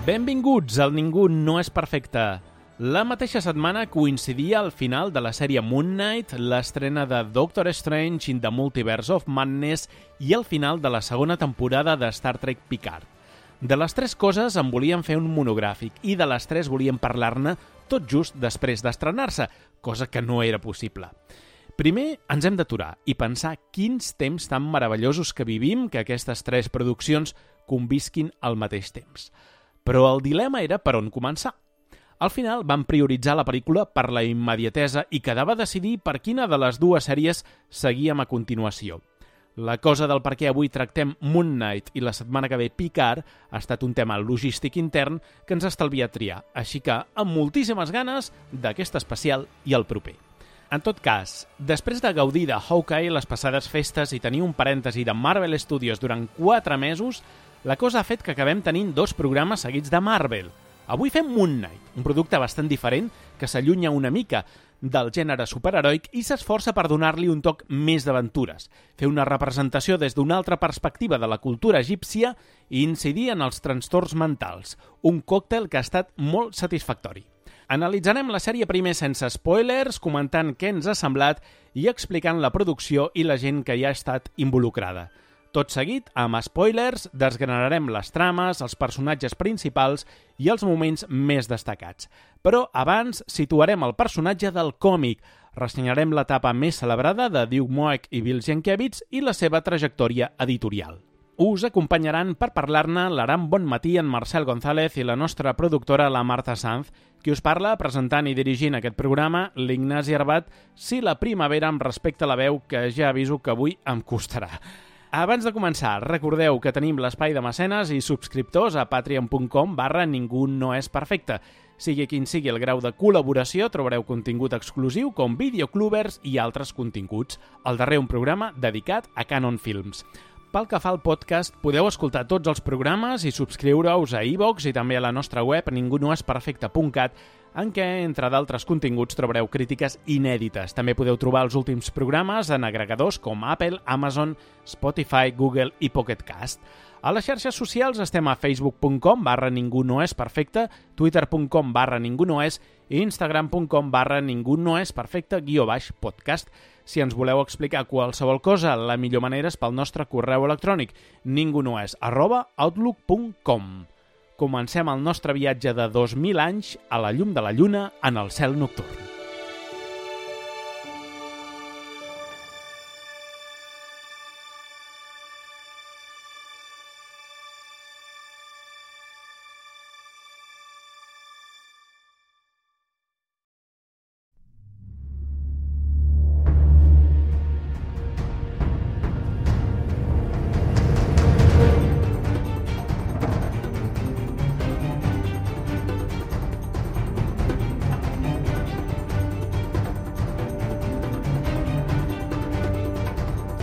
Benvinguts al Ningú no és perfecte. La mateixa setmana coincidia al final de la sèrie Moon Knight, l'estrena de Doctor Strange in the Multiverse of Madness i el final de la segona temporada de Star Trek Picard. De les tres coses en volíem fer un monogràfic i de les tres volíem parlar-ne tot just després d'estrenar-se, cosa que no era possible. Primer ens hem d'aturar i pensar quins temps tan meravellosos que vivim que aquestes tres produccions convisquin al mateix temps. Però el dilema era per on començar. Al final vam prioritzar la pel·lícula per la immediatesa i quedava decidir per quina de les dues sèries seguíem a continuació. La cosa del per què avui tractem Moon Knight i la setmana que ve Picard ha estat un tema logístic intern que ens estalvia triar, així que amb moltíssimes ganes d'aquest especial i el proper. En tot cas, després de gaudir de Hawkeye les passades festes i tenir un parèntesi de Marvel Studios durant 4 mesos, la cosa ha fet que acabem tenint 2 programes seguits de Marvel. Avui fem Moon Knight, un producte bastant diferent que s'allunya una mica del gènere superheroic i s'esforça per donar-li un toc més d'aventures, fer una representació des d'una altra perspectiva de la cultura egípcia i incidir en els trastorns mentals, un còctel que ha estat molt satisfactori. Analitzarem la sèrie primer sense spoilers, comentant què ens ha semblat i explicant la producció i la gent que hi ha estat involucrada. Tot seguit, amb spoilers, desgranarem les trames, els personatges principals i els moments més destacats. Però abans situarem el personatge del còmic, ressenyarem l'etapa més celebrada de Doug Moench i Bill Sienkiewicz i la seva trajectòria editorial. Us acompanyaran per parlar-ne l'Aram Bonmatí, en Marcel González i la nostra productora, la Marta Sanz, qui us parla presentant i dirigint aquest programa, l'Ignasi Arbat, si la primavera em respecta la veu, que ja aviso que avui em costarà. Abans de començar, recordeu que tenim l'espai de mecenes i subscriptors a patreon.com/ningú no és perfecte. Sigui quin sigui el grau de col·laboració, trobareu contingut exclusiu com videoclubers i altres continguts. Al darrer un programa dedicat a Canon Films. Pel que fa al podcast, podeu escoltar tots els programes i subscriure-us a iVoox i també a la nostra web ningunoesperfecte.cat, en què, entre d'altres continguts, trobareu crítiques inèdites. També podeu trobar els últims programes en agregadors com Apple, Amazon, Spotify, Google i Pocket Cast. A les xarxes socials estem a facebook.com/ningú no és perfecte, twitter.com/ningú no és i instagram.com/ningú no és perfecte_podcast. Si ens voleu explicar qualsevol cosa, la millor manera és pel nostre correu electrònic ningunoes@outlook.com. Comencem el nostre viatge de 2000 anys a la llum de la lluna en el cel nocturn.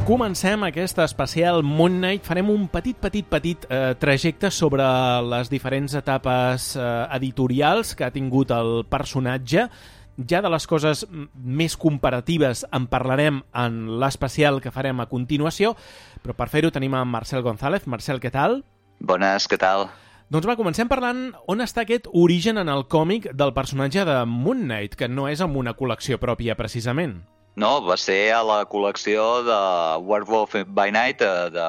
Comencem aquest especial Moon Knight. Farem un petit trajecte sobre les diferents etapes editorials que ha tingut el personatge. Ja de les coses més comparatives en parlarem en l'especial que farem a continuació, però per fer-ho tenim en Marcel González. Marcel, què tal? Bones, què tal? Doncs va, comencem parlant on està aquest origen en el còmic del personatge de Moon Knight, que no és amb una col·lecció pròpia, precisament. No, va ser a la col·lecció de Werewolf by Night, de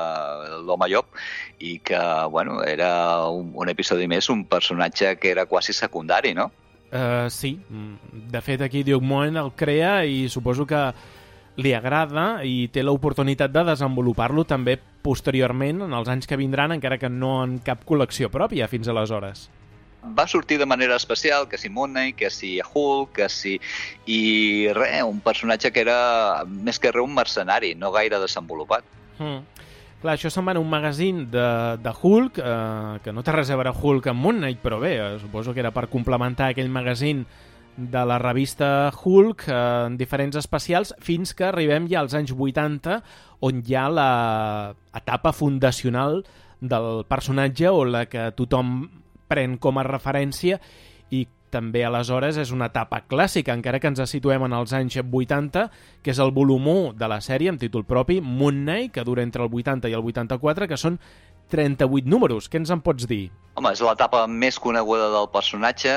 l'Home Llop, i que, bueno, era un episodi més, un personatge que era quasi secundari, no? Sí, de fet aquí Doug Moench el crea i suposo que li agrada i té l'oportunitat de desenvolupar-lo també posteriorment en els anys que vindran, encara que no en cap col·lecció pròpia fins aleshores. Va sortir de manera especial, que si Moon Knight, que si Hulk, que si... I res, un personatge que era més que res un mercenari, no gaire desenvolupat. Clar, això se'n va en un magazín de Hulk, que no té res a veure Hulk amb Moon Knight, però bé, suposo que era per complementar aquell magazín de la revista Hulk en diferents especials, fins que arribem ja als anys 80, on hi ha l'etapa fundacional del personatge o la que tothom pren com a referència i també aleshores és una etapa clàssica, encara que ens situem en els anys 80, que és el volum 1 de la sèrie amb títol propi, Moon Knight, que dura entre el 80 i el 84, que són 38 números. Què ens en pots dir? Home, és l'etapa més coneguda del personatge,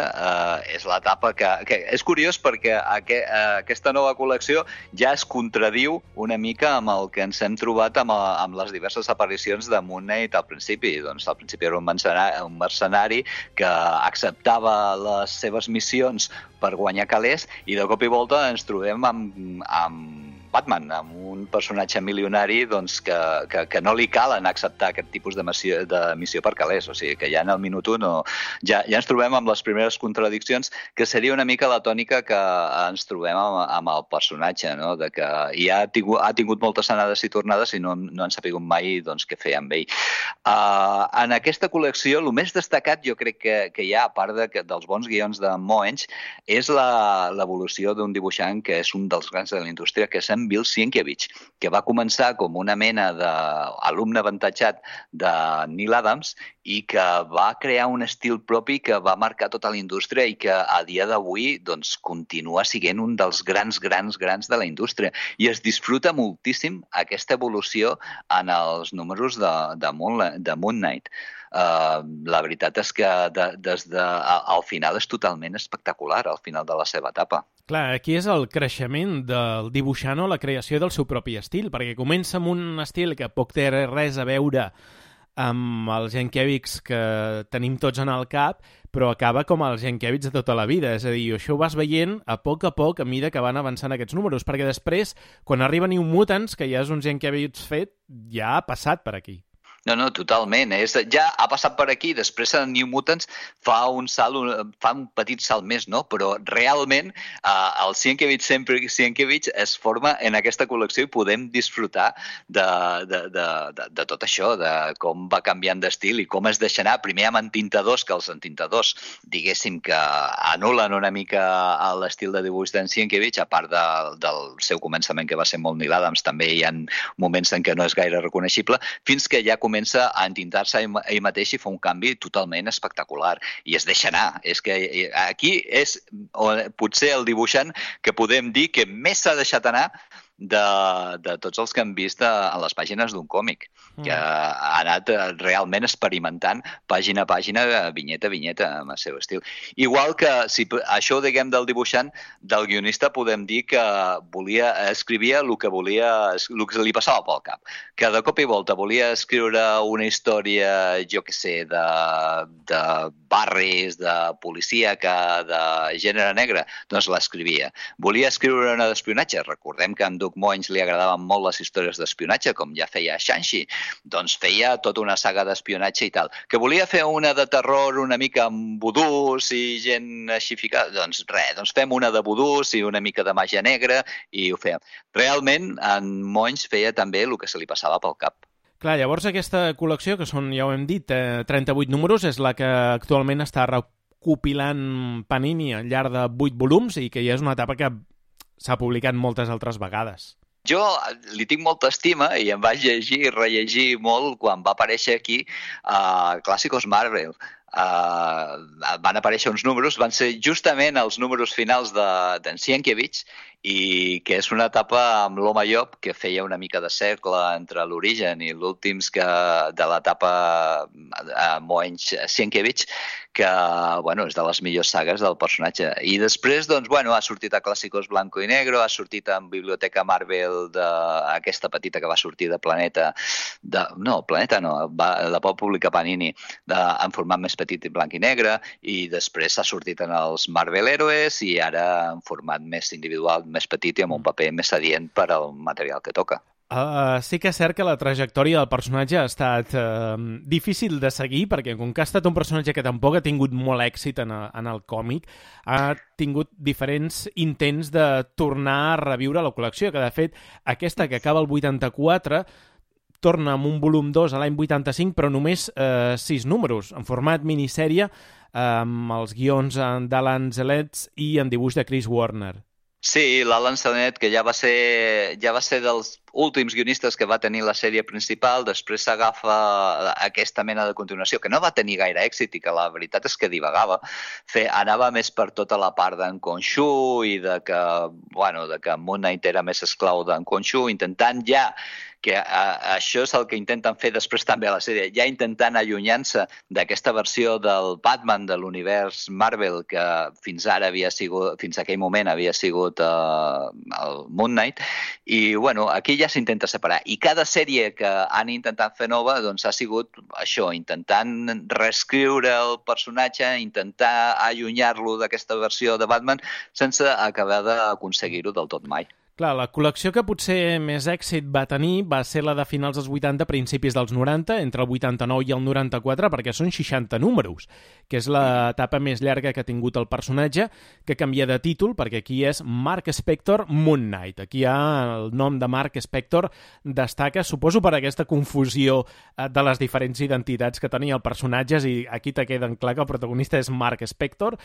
és l'etapa que... És curiós perquè aquesta nova col·lecció ja es contradiu una mica amb el que ens hem trobat amb les diverses aparicions de Moon Knight al principi. Doncs al principi era un mercenari que acceptava les seves missions per guanyar calés i de cop i volta ens trobem amb Batman, amb un personatge milionari doncs, que no li calen acceptar aquest tipus de missió per calés. O sigui que ja en el minut 1 ja ens trobem amb les primeres contradiccions, que seria una mica la tònica que ens trobem amb el personatge, no? De que ja ha tingut moltes anades i tornades i no han sabut mai doncs, què fer amb ell. En aquesta col·lecció, el més destacat jo crec que hi ha, a part dels bons guions de Moench, és l'evolució d'un dibuixant que és un dels grans de la indústria, que és Bill Sienkiewicz, que va començar com una mena d'alumne avantatjat de Neil Adams i que va crear un estil propi que va marcar tota la indústria i que a dia d'avui doncs, continua sent un dels grans de la indústria. I es disfruta moltíssim aquesta evolució en els números de Moon Knight. La veritat és que al final és totalment espectacular, al final de la seva etapa. Clar, aquí és el creixement del dibuixant o la creació del seu propi estil, perquè comença amb un estil que poc té res a veure amb els Sienkiewicz que tenim tots en el cap, però acaba com els Sienkiewicz de tota la vida. És a dir, això ho vas veient a poc, a mida que van avançant aquests números, perquè després, quan arriba New Mutants, que ja és un Sienkiewicz fet, ja ha passat per aquí. No, totalment. Ja ha passat per aquí, després en New Mutants fa un petit salt més, no? Però realment el Sienkiewicz es forma en aquesta col·lecció i podem disfrutar de tot això, de com va canviant d'estil i com es deixa anar, primer amb entintadors, que els entintadors, diguéssim que anulen una mica l'estil de dibuix d'en Sienkiewicz, a part del seu començament, que va ser molt Neil Adams, també hi ha moments en què no és gaire reconeixible, fins que ja comença a entintar-se ell mateix i fa un canvi totalment espectacular. I es deixa anar. És que aquí és potser el dibuixant que podem dir que més s'ha deixat anar de tots els que hem vist a les pàgines d'un còmic, que ha anat realment experimentant pàgina a pàgina, vinyeta a vinyeta, amb el seu estil. Igual que, si això ho diguem del dibuixant, del guionista podem dir que escrivia el que li passava pel cap. Que de cop i volta volia escriure una història, jo què sé, de barris, de policíaca, de gènere negre, doncs l'escrivia. Volia escriure una d'espionatge, recordem que en Doug Moench li agradaven molt les històries d'espionatge, com ja feia Shang-Chi, doncs feia tota una saga d'espionatge i tal. Que volia fer una de terror una mica amb vudús i gent així ficada, doncs res, doncs fem una de vudús i una mica de màgia negra i ho fèiem. Realment, en Moench feia també el que se li passava pel cap. Clar, llavors aquesta col·lecció, que són, ja ho hem dit, 38 números, és la que actualment està recopilant Panini al llarg de 8 volums i que ja és una etapa que s'ha publicat moltes altres vegades. Jo li tinc molta estima i em vaig llegir i rellegir molt quan va aparèixer aquí a Clàssicos Marvel. Van aparèixer uns números, van ser justament els números finals d'en Sienkiewicz, i que és una etapa amb l'Home Llop que feia una mica de cercle entre l'origen i l'últims de l'etapa Moench-Sienkiewicz, que bueno, és de les millors sagues del personatge. I després doncs, bueno, ha sortit a Clàssicos Blanco i Negro, ha sortit en Biblioteca Marvel aquesta petita que va sortir de Planeta, la va publicar Panini en format més petit i blanc i negre, i després s'ha sortit en els Marvel Heroes i ara en format més individual, més petit i amb un paper més adient per al material que toca. Sí que és cert que la trajectòria del personatge ha estat difícil de seguir, perquè com que ha estat un personatge que tampoc ha tingut molt èxit en el còmic, ha tingut diferents intents de tornar a reviure la col·lecció, que de fet aquesta que acaba el 84 torna amb un volum 2 a l'any 85, però només 6 números, en format minissèrie, amb els guions d'Alan Zelets i en dibuix de Chris Warner. Sí, l'Alan Zelets, que ja va ser dels últims guionistes que va tenir la sèrie principal, després s'agafa aquesta mena de continuació, que no va tenir gaire èxit i que la veritat és que divagava. Anava més per tota la part d'en Khonshu i de que Moon Knight era més esclau d'en Khonshu, intentant ja que això és el que intenten fer després també a la sèrie, ja intentant allunyar-se d'aquesta versió del Batman de l'univers Marvel que fins aquell moment havia sigut el Moon Knight, i bueno, aquí ja s'intenta separar. I cada sèrie que han intentat fer nova doncs ha sigut això, intentant reescriure el personatge, intentar allunyar-lo d'aquesta versió de Batman sense acabar d'aconseguir-ho del tot mai. Clar, la col·lecció que potser més èxit va tenir va ser la de finals dels 80, principis dels 90, entre el 89 i el 94, perquè són 60 números, que és l'etapa més llarga que ha tingut el personatge, que canvia de títol, perquè aquí és Mark Spector Moon Knight. Aquí ja el nom de Mark Spector destaca, suposo per aquesta confusió de les diferents identitats que tenia el personatge, i aquí te queden clar que el protagonista és Mark Spector.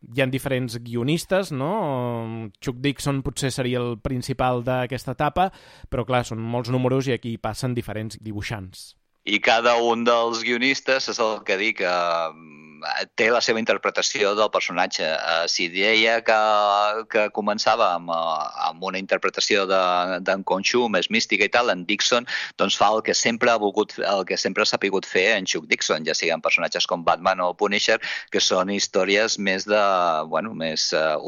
Hi ha diferents guionistes, no? Chuck Dixon potser seria el principal d'aquesta etapa, però clar, són molts números i aquí passen diferents dibuixants. I cada un dels guionistes és el que dic, té la seva interpretació del personatge. Si deia que començava amb una interpretació d'en Khonshu més mística i tal, en Dixon doncs fa el que sempre ha sapigut fer en Chuck Dixon, ja siguin personatges com Batman o Punisher, que són històries més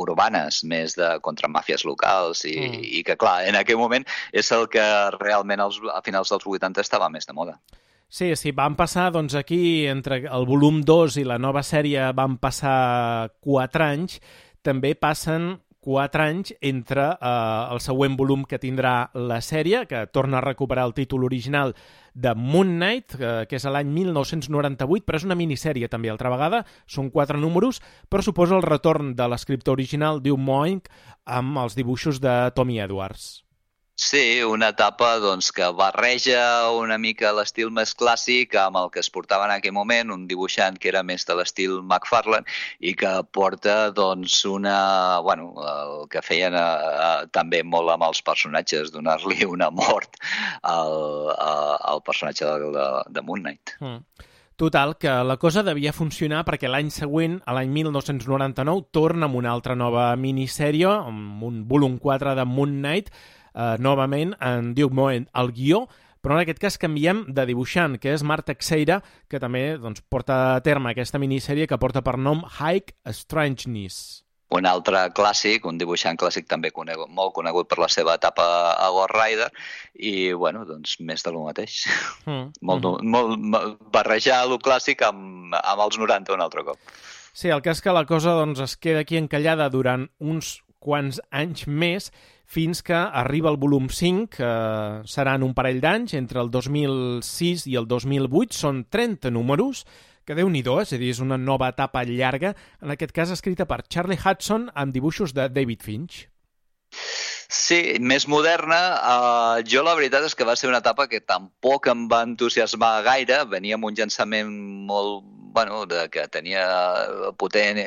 urbanes, més contra màfies locals i que, clar, en aquell moment és el que realment a finals dels 80 estava més de moda. Sí, van passar, doncs aquí, entre el volum 2 i la nova sèrie van passar 4 anys, també passen 4 anys entre el següent volum que tindrà la sèrie, que torna a recuperar el títol original de Moon Knight, que és l'any 1998, però és una minissèrie també, altra vegada, són 4 números, però suposa el retorn de l'escriptor original Doug Moench amb els dibuixos de Tommy Edwards. Sí, una etapa doncs, que barreja una mica l'estil més clàssic amb el que es portava en aquell moment, un dibuixant que era més de l'estil McFarlane i que porta doncs, el que feien també molt amb els personatges, donar-li una mort al personatge de Moon Knight. Total, que la cosa devia funcionar perquè l'any següent, a l'any 1999, torna amb una altra nova minissèrie, amb un volum 4 de Moon Knight, novament en Doug Moench al guió, però en aquest cas canviem de dibuixant, que és Mark Teixeira, que també porta a terme aquesta minissèrie que porta per nom High Strangeness. Un altre clàssic, un dibuixant clàssic també molt conegut per la seva etapa a Ghost Rider, i bueno, doncs més de lo mateix. Molt barrejar lo clàssic amb els 90 un altre cop. Sí, el cas que la cosa es queda aquí encallada durant uns quants anys més, fins que arriba el volum 5, que seran un parell d'anys, entre el 2006 i el 2008, són 30 números, que Déu-n'hi-do, és a dir, és una nova etapa llarga, en aquest cas escrita per Charlie Hudson amb dibuixos de David Finch. Sí, més moderna. Jo la veritat és que va ser una etapa que tampoc em va entusiasmar gaire. Venia amb un llançament molt que tenia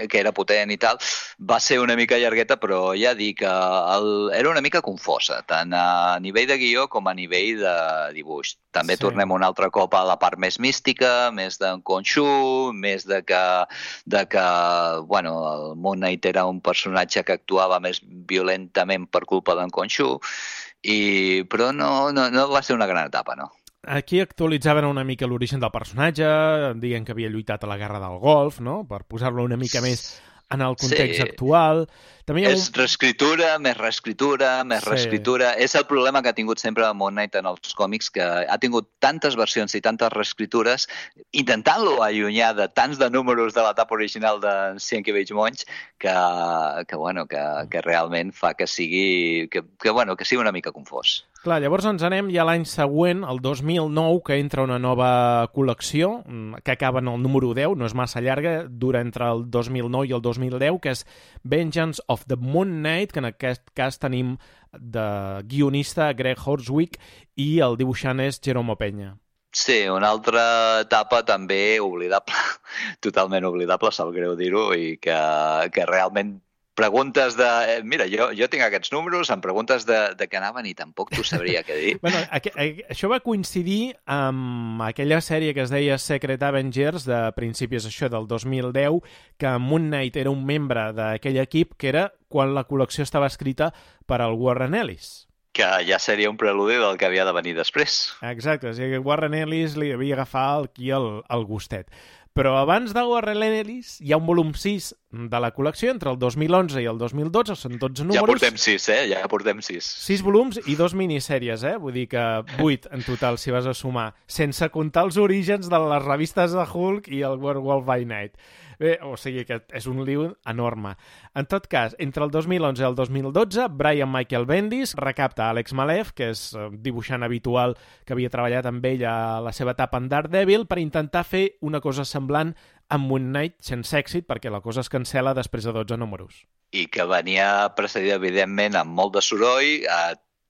que era potent i tal. Va ser una mica llargueta, però ja dic que era una mica confosa, tant a nivell de guió com a nivell de dibuix. També tornem un altre cop a la part més mística, més d'en Khonshu, més de que el Moon Knight era un personatge que actuava més violentament per culpa d'en Khonshu, però no va ser una gran etapa, no. Aquí actualitzaven una mica l'origen del personatge, dient que havia lluitat a la Guerra del Golf, no? Per posar-lo una mica més en el context actual. També és reescriptura, més reescriptura. És el problema que ha tingut sempre Moon Knight en els còmics, que ha tingut tantes versions i tantes reescritures, intentant-lo allunyar de tants de números de l'etapa original de Sienkiewicz Moench, que realment fa que sigui una mica confós. Clar, llavors ens anem ja l'any següent, el 2009, que entra una nova col·lecció, que acaba en el número 10, no és massa llarga, dura entre el 2009 i el 2010, que és Vengeance of the Moon Knight, que en aquest cas tenim de guionista Greg Horswick i el dibuixant és Jerome Peña. Sí, una altra etapa també oblidable, totalment oblidable, sap greu dir-ho, i que realment preguntes de... Mira, jo tinc aquests números, em preguntes de què anaven i tampoc t'ho sabria què dir. Bueno, això va coincidir amb aquella sèrie que es deia Secret Avengers de principis del 2010, que Moon Knight era un membre d'aquell equip, que era quan la col·lecció estava escrita per al Warren Ellis. Que ja seria un preludi del que havia de venir després. Exacte, o sigui, Warren Ellis li havia agafat aquí el gustet. Però abans de Warren Ellis hi ha un volum 6 de la col·lecció entre el 2011 i el 2012, són 12 números. Ja portem 6, Ja portem 6. 6 volums i 2 minissèries, Vull dir que 8 en total, si vas a sumar, sense comptar els orígens de les revistes de Hulk i el Werewolf by Night. Bé, o sigui que és un lío enorme. En tot cas, entre el 2011 i el 2012, Brian Michael Bendis recapta Alex Maleev, que és dibuixant habitual que havia treballat amb ell a la seva etapa en Daredevil, per intentar fer una cosa semblant amb Moon Knight sense èxit, perquè la cosa es cancela després de 12 números. I que venia precedida, evidentment, amb molt de soroll.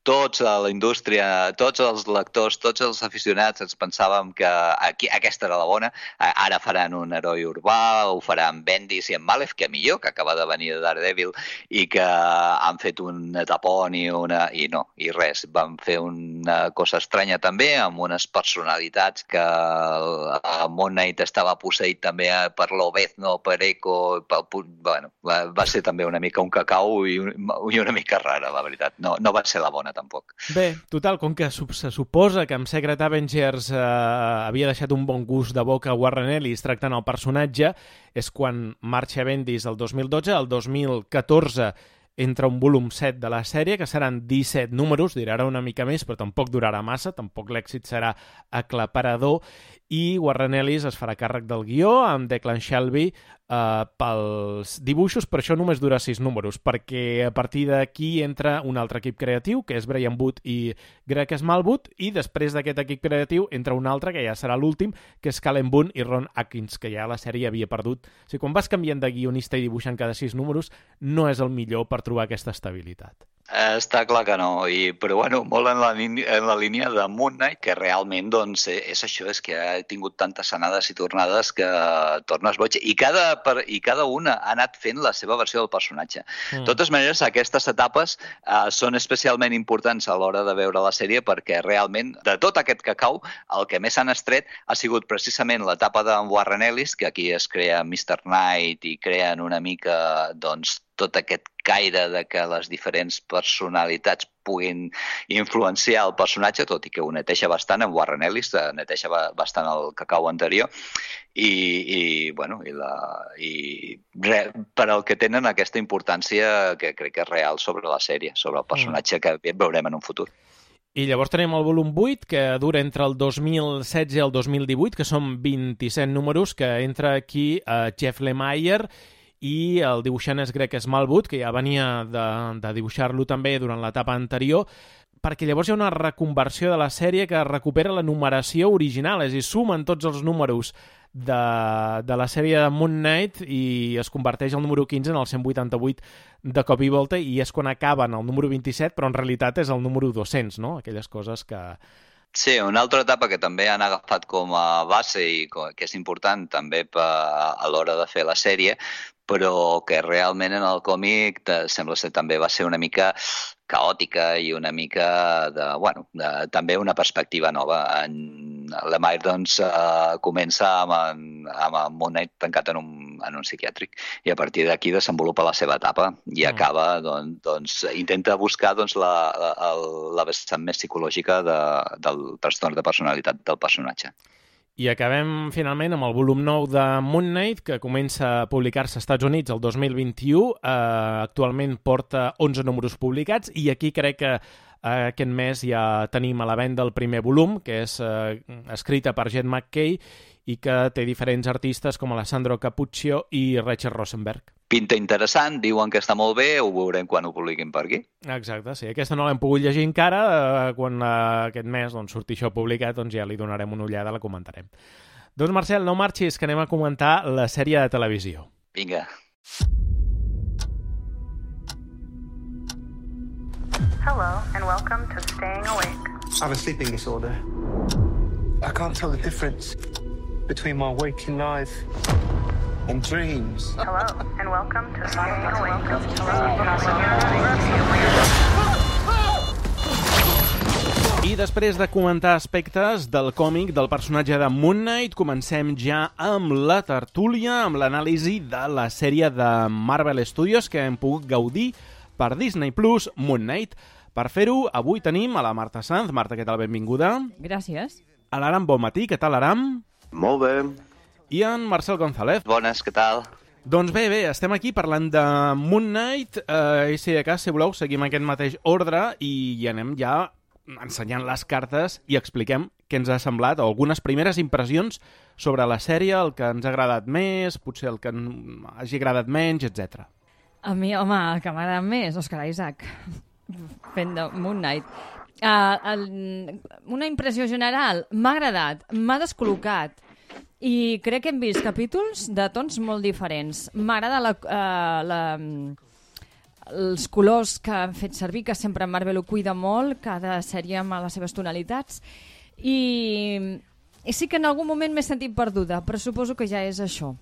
Tots a la indústria, tots els lectors, tots els aficionats ens pensàvem que aquesta era la bona. Ara faran un heroi urbà, ho faran Bendis i en Maleev, que millor, que acaba de venir de Daredevil, i que han fet un tapón i res. Van fer una cosa estranya també, amb unes personalitats que Moon Knight estava posseït també per l'Obezno, per Echo, va ser també una mica un cacau i una mica rara, la veritat. No va ser la bona, tampoc. Bé, total, com que se suposa que amb Secret Avengers havia deixat un bon gust de boca a Warren Ellis tractant el personatge, és quan marxa Bendis el 2012, el 2014 entra un volum 7 de la sèrie, que seran 17 números, durarà una mica més, però tampoc durarà massa, tampoc l'èxit serà aclaparador, i Warren Ellis es farà càrrec del guió amb Declan Shalvey pels dibuixos, però això només dura 6 números, perquè a partir d'aquí entra un altre equip creatiu, que és Brian Wood i Greg Smallwood, i després d'aquest equip creatiu entra un altre, que ja serà l'últim, que és Callum Boone i Ron Atkins, que ja la sèrie havia perdut. O sigui, quan vas canviant de guionista i dibuixant cada 6 números, no és el millor per trobar aquesta estabilitat. Està clar que no, però bueno, molt en la línia de Moon Knight, que realment doncs, és això, és que ha tingut tantes anades i tornades que tornes boig, i cada una ha anat fent la seva versió del personatge. De totes maneres, aquestes etapes són especialment importants a l'hora de veure la sèrie, perquè realment, de tot aquest cacau, el que més han estret ha sigut precisament l'etapa d'en Warren Ellis, que aquí es crea Mr. Knight i creen una mica, doncs, tot aquest caire de que les diferents personalitats puguin influenciar el personatge, tot i que ho neteja bastant en Warren Ellis, neteja bastant el cacau anterior, i per al que tenen aquesta importància que crec que és real sobre la sèrie, sobre el personatge que veurem en un futur. I llavors tenim el volum 8, que dura entre el 2016 i el 2018, que són 27 números, que entra aquí Jeff Lemire, i el dibuixant és Greg Smallwood, que ja venia de dibuixar-lo també durant l'etapa anterior, perquè llavors hi ha una reconversió de la sèrie que recupera la numeració original, és a dir, sumen tots els números de la sèrie de Moon Knight i es converteix el número 15 en el 188 de cop i volta, i és quan acaben el número 27, però en realitat és el número 200, no? Aquelles coses que... Sí, una altra etapa que també han agafat com a base i que és important també a l'hora de fer la sèrie, però que realment en el còmic sembla ser també va ser una mica caòtica i una mica també una perspectiva nova. Lemire doncs comença amb Moon Knight tancat en un psiquiàtric i a partir d'aquí desenvolupa la seva etapa i acaba, doncs intenta buscar la vessant més psicològica del trastorn de personalitat del personatge. I acabem finalment amb el volum 9 de Moon Knight, que comença a publicar-se als Estats Units el 2021. Actualment porta 11 números publicats i aquí crec que aquest mes ja tenim a la venda el primer volum, que és escrita per Jed McKay i que té diferents artistes com Alessandro Cappuccio i Rachel Rosenberg. Pinta interessant, diuen que està molt bé, ho veurem quan ho publiquin per aquí. Exacte, sí. Aquesta no l'hem pogut llegir encara, quan aquest mes surti això publicat, doncs ja li donarem una ullada, la comentarem. Doncs Marcel, no marxis, que anem a comentar la sèrie de televisió. Vinga. Hello, and welcome to Staying Awake. I have a sleeping disorder. I can't tell the difference between my waking life and dreams. Hello, and welcome to Staying Awake. I després de comentar aspectes del còmic del personatge de Moon Knight, comencem ja amb la tertúlia, amb l'anàlisi de la sèrie de Marvel Studios que hem pogut gaudir per Disney+, Moon Knight. Per fer-ho, avui tenim a la Marta Sanz. Marta, què tal? Benvinguda. Gràcies. A l'Aram Bonmatí, què tal, Aram? Molt bé. I en Marcel González. Bones, què tal? Doncs bé, estem aquí parlant de Moon Knight, i si de cas, si voleu, seguim aquest mateix ordre i anem ja ensenyant les cartes i expliquem què ens ha semblat, o algunes primeres impressions sobre la sèrie, el que ens ha agradat més, potser el que hagi agradat menys, etc. A mi, home, el que m'agrada més, Oscar Isaac, fent de Moon Knight. Una impressió general, m'ha agradat, m'ha descol·locat, i crec que hem vist capítols de tons molt diferents. M'agrada els colors que han fet servir, que sempre Marvel ho cuida molt, cada sèrie amb les seves tonalitats. I sí que en algun moment m'he sentit perduda, però suposo que ja és això.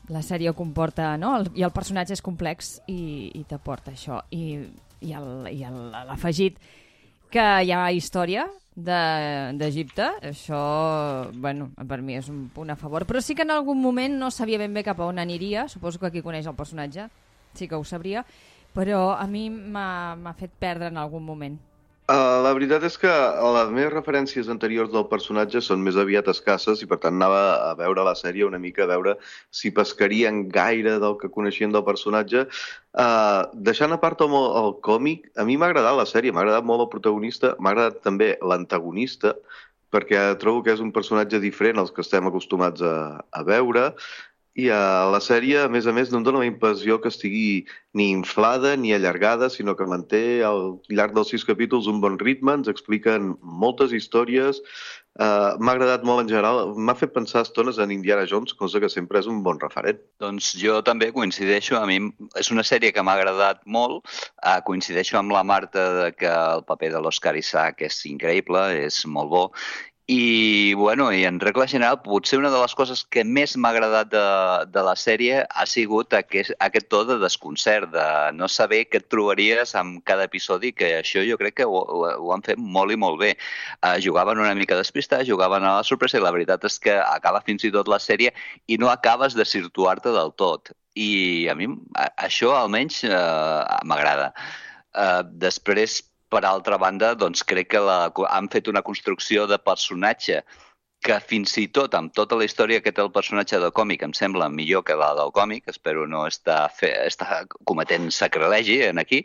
La sèrie ho comporta, no? I el personatge és complex i t'aporta això. I l'afegit que hi ha història d'Egipte, això, bueno, per mi és un punt a favor, però sí que en algun moment no sabia ben bé cap a on aniria, suposo que qui coneix el personatge sí que ho sabria, però a mi m'ha fet perdre en algun moment. La veritat és que les meves referències anteriors del personatge són més aviat escasses i per tant anava a veure la sèrie una mica, a veure si pescarien gaire del que coneixien del personatge. Deixant a part el còmic, a mi m'ha agradat la sèrie, m'ha agradat molt el protagonista, m'ha agradat també l'antagonista, perquè trobo que és un personatge diferent als que estem acostumats a veure. I a la sèrie, a més, no em dóna la impressió que estigui ni inflada ni allargada, sinó que manté al llarg dels 6 capítols un bon ritme, ens expliquen moltes històries. M'ha agradat molt en general, m'ha fet pensar estones en Indiana Jones, cosa que sempre és un bon referent. Doncs jo també coincideixo, a mi és una sèrie que m'ha agradat molt, coincideixo amb la Marta de que el paper de l'Oscar Isaac és increïble, és molt bo. I, bueno, i en regla general, potser una de les coses que més m'ha agradat de la sèrie ha sigut aquest to de desconcert, de no saber què et trobaries amb cada episodi, que això jo crec que ho han fet molt i molt bé. Jugaven una mica despistats, jugaven a la sorpresa, i la veritat és que acaba fins i tot la sèrie i no acabes de situar-te del tot. I a mi això almenys m'agrada. Després, per altra banda, doncs crec que han fet una construcció de personatge que fins i tot amb tota la història que té el personatge del còmic em sembla millor que la del còmic, espero no estar cometent sacrilegi aquí,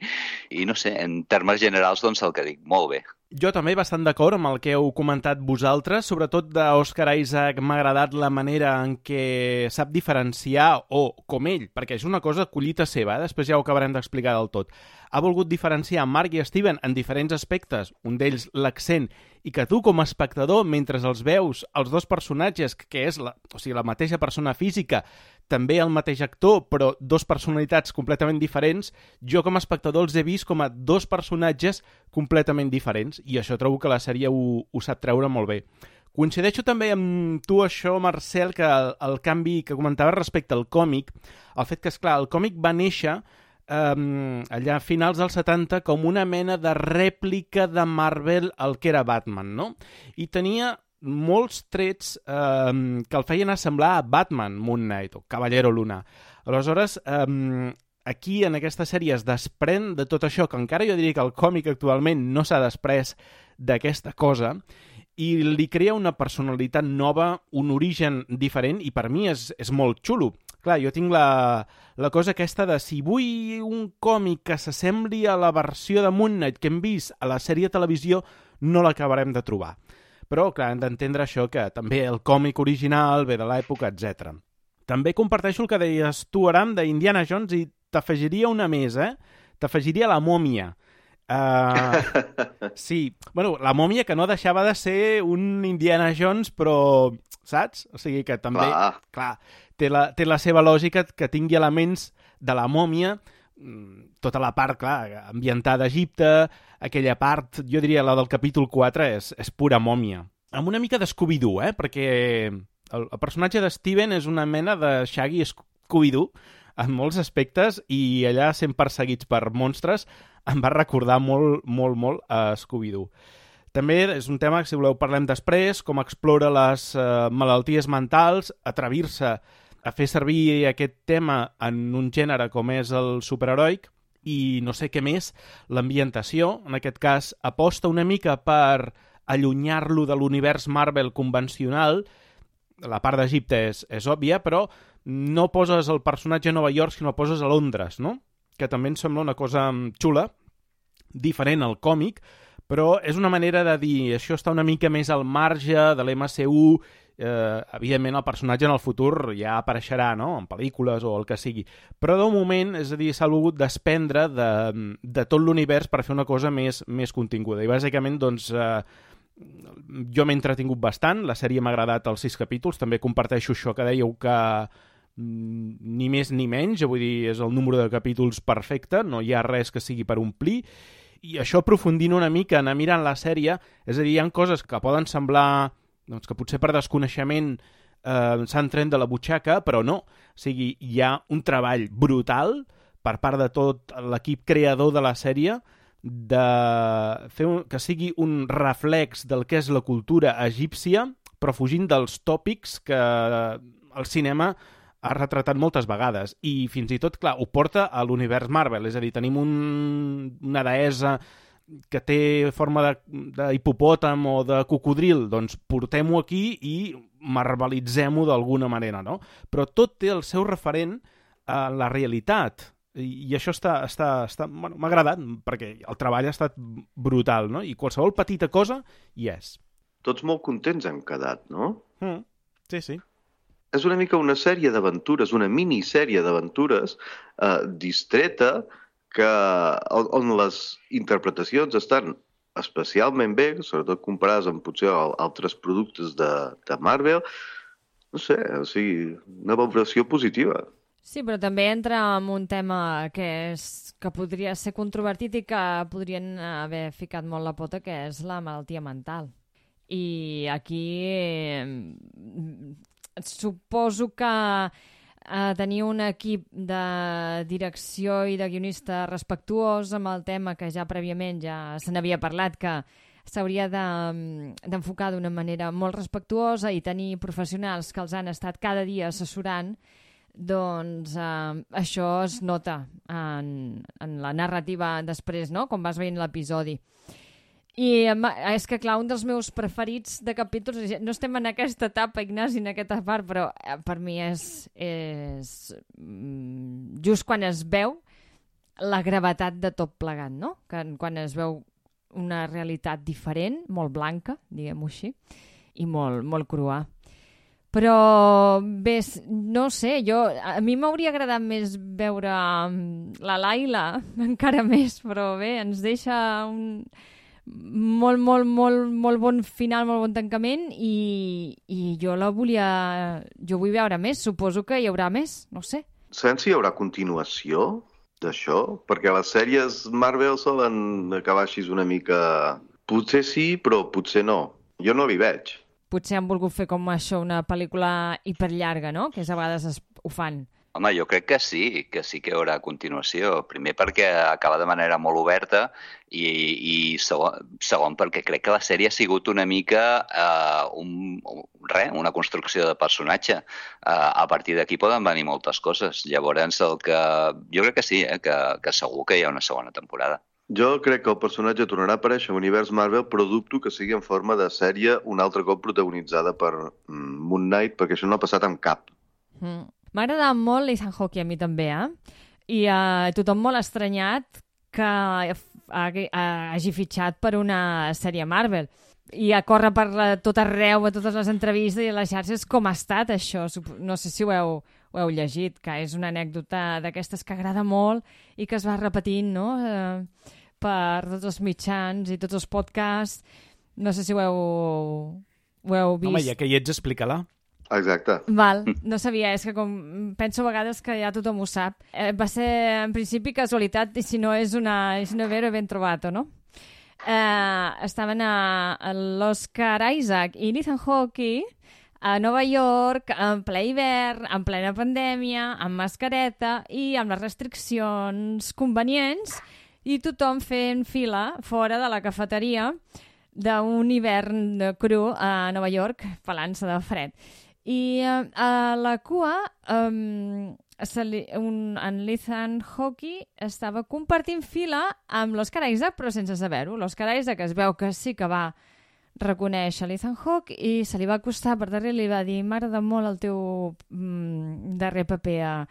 i no sé, en termes generals, doncs el que dic, molt bé. Jo també bastant d'acord amb el que heu comentat vosaltres, sobretot d'Oscar Isaac m'ha agradat la manera en què sap diferenciar, o com ell, perquè és una cosa collita seva, després ja ho acabarem d'explicar del tot. Ha volgut diferenciar Mark i Steven en diferents aspectes, un d'ells l'accent, i que tu com a espectador, mentre els veus els dos personatges, que és la mateixa persona física, també el mateix actor, però dos personalitats completament diferents, jo com a espectador els he vist com a dos personatges completament diferents, i això trobo que la sèrie ho sap treure molt bé. Coincideixo també amb tu això, Marcel, que el canvi que comentaves respecte al còmic, el fet que, esclar, el còmic va néixer allà a finals dels 70 com una mena de rèplica de Marvel al que era Batman, no? I tenia molts trets que el feien assemblar a Batman, Moon Knight, o Caballero Luna. Aleshores, aquí en aquesta sèrie es desprèn de tot això, que encara jo diria que el còmic actualment no s'ha desprès d'aquesta cosa, i li crea una personalitat nova, un origen diferent, i per mi és molt xulo. Clar, jo tinc la cosa aquesta de si vull un còmic que s'assembli a la versió de Moon Knight que hem vist a la sèrie de televisió, no l'acabarem de trobar. Però, clar, hem d'entendre això, que també el còmic original ve de l'època, etc. També comparteixo el que deies tu, Aram, d'Indiana Jones, i t'afegiria una més, T'afegiria la mòmia. Sí, bueno, la mòmia que no deixava de ser un Indiana Jones, però, saps? O sigui que també, clar, té la seva lògica que tingui elements de la mòmia, tota la part, clar, ambientada a Egipte, aquella part, jo diria la del capítol 4, és pura mòmia. Amb una mica de Scooby-Doo, perquè el personatge de Steven és una mena de Shaggy Scooby-Doo en molts aspectes, i allà sent perseguits per monstres em va recordar molt a Scooby-Doo. També és un tema que, si voleu, parlem després, com explora les malalties mentals, atrevir-se a fer servir aquest tema en un gènere com és el superheroic, i no sé què més, l'ambientació, en aquest cas, aposta una mica per allunyar-lo de l'univers Marvel convencional. La part d'Egipte és òbvia, però no poses el personatge a Nova York, sinó el poses a Londres, no? Que també em sembla una cosa xula, diferent al còmic, però és una manera de dir això està una mica més al marge de l'MCU. Evidentment el personatge en el futur ja apareixerà, no?, en pel·lícules o el que sigui, però de moment, és a dir, s'ha volgut desprendre de tot l'univers per fer una cosa més continguda, i bàsicament doncs jo m'he entretingut bastant, la sèrie m'ha agradat els 6 capítols, també comparteixo això que dèieu que ni més ni menys, vull dir, és el número de capítols perfecte, no hi ha res que sigui per omplir, i això aprofundint una mica, anar mirant la sèrie, és a dir, hi ha coses que poden semblar doncs, que potser per desconeixement s'han tret de la butxaca, però no, o sigui, hi ha un treball brutal per part de tot l'equip creador de la sèrie de fer que sigui un reflex del que és la cultura egípcia, però fugint dels tòpics que el cinema ha retratat moltes vegades, i fins i tot, clar, ho porta a l'univers Marvel, és a dir, tenim una deessa que té forma d'hipopòtam o de cocodril, doncs portem-ho aquí i marvelitzem-ho d'alguna manera, no? Però tot té el seu referent a la realitat, i això bueno, m'ha agradat, perquè el treball ha estat brutal, no? I qualsevol petita cosa hi és. Tots molt contents hem quedat, no? Sí, sí. És una mica una sèrie d'aventures, una minissèrie d'aventures distreta on les interpretacions estan especialment bé, sobretot comparades amb potser altres productes de Marvel. No sé, o sigui, una valoració positiva. Sí, però també entra en un tema que podria ser controvertit i que podrien haver ficat molt la pota, que és la malaltia mental. I aquí suposo que tenir un equip de direcció i de guionista respectuós amb el tema, que ja prèviament ja se n'havia parlat, que s'hauria d'enfocar d'una manera molt respectuosa i tenir professionals que els han estat cada dia assessorant, doncs això es nota en la narrativa després, no?, quan vas veient l'episodi. I és que, clar, un dels meus preferits de capítols, no estem en aquesta etapa, Ignasi, en aquesta part, però per mi és just quan es veu la gravetat de tot plegat, no? Quan es veu una realitat diferent, molt blanca, diguem-ho així, i molt crua. Però bé, no sé, a mi m'hauria agradat més veure la Laila, encara més, però bé, ens deixa un molt bon final, molt bon tancament, i jo vull veure més, suposo que hi haurà més, no sé. Sabem si hi haurà continuació d'això? Perquè les sèries Marvel solen acabar així una mica... Potser sí, però potser no. Jo no l'hi veig. Potser han volgut fer com això, una pel·lícula hiperllarga, no?, que a vegades ho fan. Home, jo crec que sí que hi haurà continuació. Primer perquè acaba de manera molt oberta i segon perquè crec que la sèrie ha sigut una mica una construcció de personatge. A partir d'aquí poden venir moltes coses. Llavors, jo crec que sí, que segur que hi ha una segona temporada. Jo crec que el personatge tornarà a aparèixer a l'univers Marvel, però dubto que sigui en forma de sèrie un altre cop protagonitzada per Moon Knight, perquè això no ha passat amb cap. M'ha agradat molt Ethan Hawke, a mi també, I tothom molt estranyat que hagi fitxat per una sèrie Marvel. I a córrer per tot arreu, a totes les entrevistes i a les xarxes, com ha estat això. No sé si ho heu llegit, que és una anècdota d'aquestes que agrada molt i que es va repetint, no?, per tots els mitjans i tots els podcasts. No sé si ho heu vist. Home, ja que hi ets, explica-la. Exacte. Val, no sabia, és que com penso a vegades que ja tothom ho sap. Va ser, en principi, casualitat, i si no és una vera ben trobat, no? Estaven a l'Oscar Isaac i Ethan Hawke a Nova York, en ple hivern, en plena pandèmia, amb mascareta i amb les restriccions convenients, i tothom fent fila fora de la cafeteria d'un hivern cru a Nova York, pelant-se de fred. I a la cua en Ethan Hawke estava compartint fila amb l'Oscar Isaac, però sense saber-ho. L'Oscar Isaac es veu que sí que va reconèixer l'Ethan Hawke i se li va acostar per darrere i li va dir: m'agrada molt el teu darrer paper a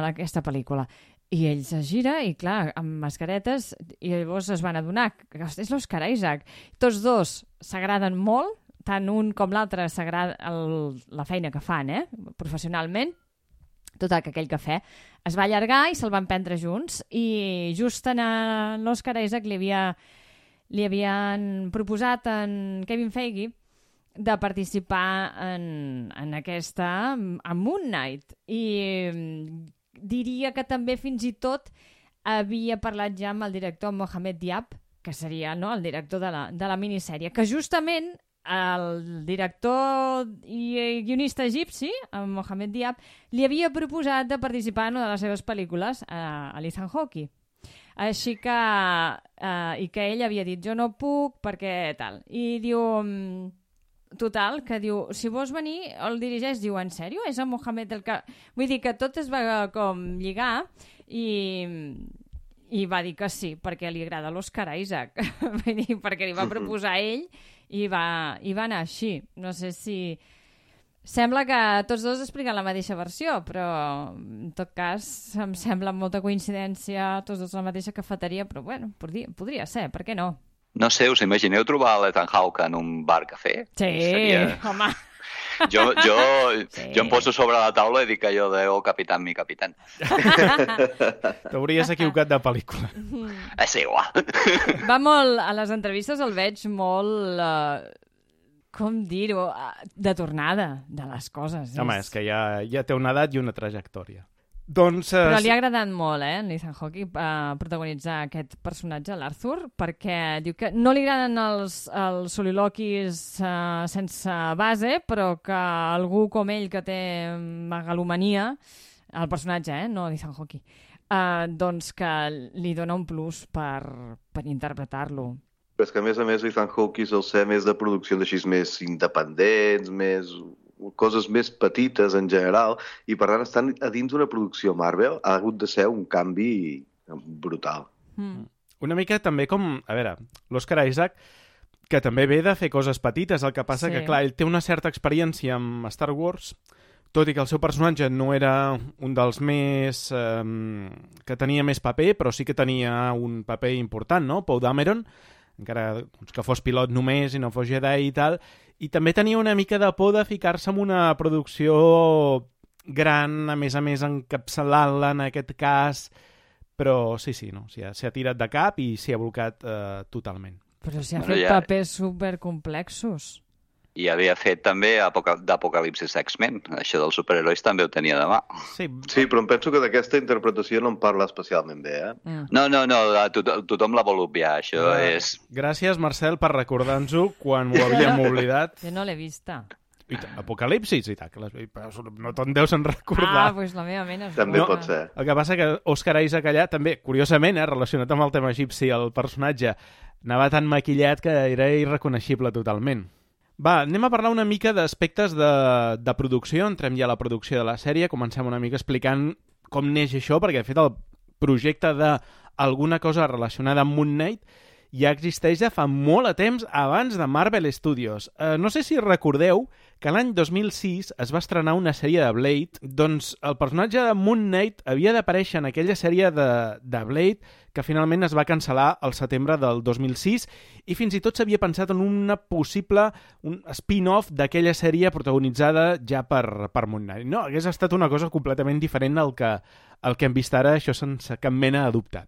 aquesta pel·lícula. I ell se gira i, clar, amb mascaretes, i llavors es van adonar que és l'Oscar Isaac. Tots dos s'agraden molt, tant un com l'altre s'agrada la feina que fan, professionalment. Total, que aquell cafè es va allargar i se'l van prendre junts, i just en l'Oscar Isaac li havien proposat en Kevin Feige de participar en aquesta, en Moon Knight, i diria que també fins i tot havia parlat ja amb el director Mohamed Diab, que seria, no, el director de la minissèrie, que justament el director i guionista egipci, Mohamed Diab, li havia proposat de participar en una de les seves pel·lícules, a l'Ethan Hawke. Així que... I que ell havia dit, jo no puc, perquè tal. I diu... Total, que diu, si vols venir, el dirigeix, diu, en sèrio? És el Mohamed el que... Vull dir que tot es va com lligar i va dir que sí, perquè li agrada l'Oscar Isaac. Vull dir, perquè li va proposar a ell i va anar així. No sé si... Sembla que tots dos expliquen la mateixa versió, però en tot cas em sembla molta coincidència, tots dos la mateixa cafeteria, però bueno, podria ser, per què no? No sé, us imagineu trobar l'Ethan Hawke en un bar-cafè? Sí, home. Jo em poso sobre la taula i dic allò de "oh, capitán, mi capitán". T'hauries equivocat de pel·lícula. És igual. Va molt, a les entrevistes el veig molt... com dir-ho, de tornada de les coses. Home, és que ja té una edat i una trajectòria. Doncs, però li ha agradat molt, en Ethan Hawke, protagonitzar aquest personatge, l'Arthur, perquè diu que no li agraden els soliloquis sense base, però que algú com ell, que té megalomania, el personatge, no Ethan Hawke, doncs que li dona un plus per interpretar-lo. Però és que, a més, Ethan Hawke sol ser més de produccions així més independents, coses més petites en general, i per tant estan a dins d'una producció Marvel ha hagut de ser un canvi brutal. Una mica també com, a veure, l'Oscar Isaac, que també ve de fer coses petites, el que passa que, clar, ell té una certa experiència amb Star Wars, tot i que el seu personatge no era un dels més... que tenia més paper, però sí que tenia un paper important, no? Poe Dameron, encara que fos pilot només i no fos Jedi i tal, i també tenia una mica de por de ficar-se en una producció gran, a més encapçalant-la en aquest cas, però sí, no, s'ha tirat de cap i s'hi ha blocat totalment. Però s'hi ha fet papers supercomplexos. I havia fet també d'Apocalipsis X-Men. Això dels superherois també ho tenia de mà. Sí, però em penso que d'aquesta interpretació no en parla especialment bé, No, tothom la vol obviar, això és... Gràcies, Marcel, per recordar-nos-ho quan ho havíem oblidat. Jo no l'he vista. Apocalipsis i tal, no te'n deus en recordar. Doncs la meva ment és... També pot ser. El que passa que Oscar Isaac allà també, curiosament, relacionat amb el tema egipci, el personatge anava tan maquillat que era irreconeixible totalment. Va, anem a parlar una mica d'aspectes de producció. Entrem ja a la producció de la sèrie. Comencem una mica explicant com neix això, perquè de fet el projecte d'alguna cosa relacionada amb Moon Knight ja existeix de fa molt de temps abans de Marvel Studios. No sé si recordeu que l'any 2006 es va estrenar una sèrie de Blade, doncs el personatge de Moon Knight havia d'aparèixer en aquella sèrie de Blade que finalment es va cancel·lar al setembre del 2006 i fins i tot s'havia pensat en un spin-off d'aquella sèrie protagonitzada ja per Moon Knight. No, hagués estat una cosa completament diferent al que hem vist ara, això sense cap mena de dubte.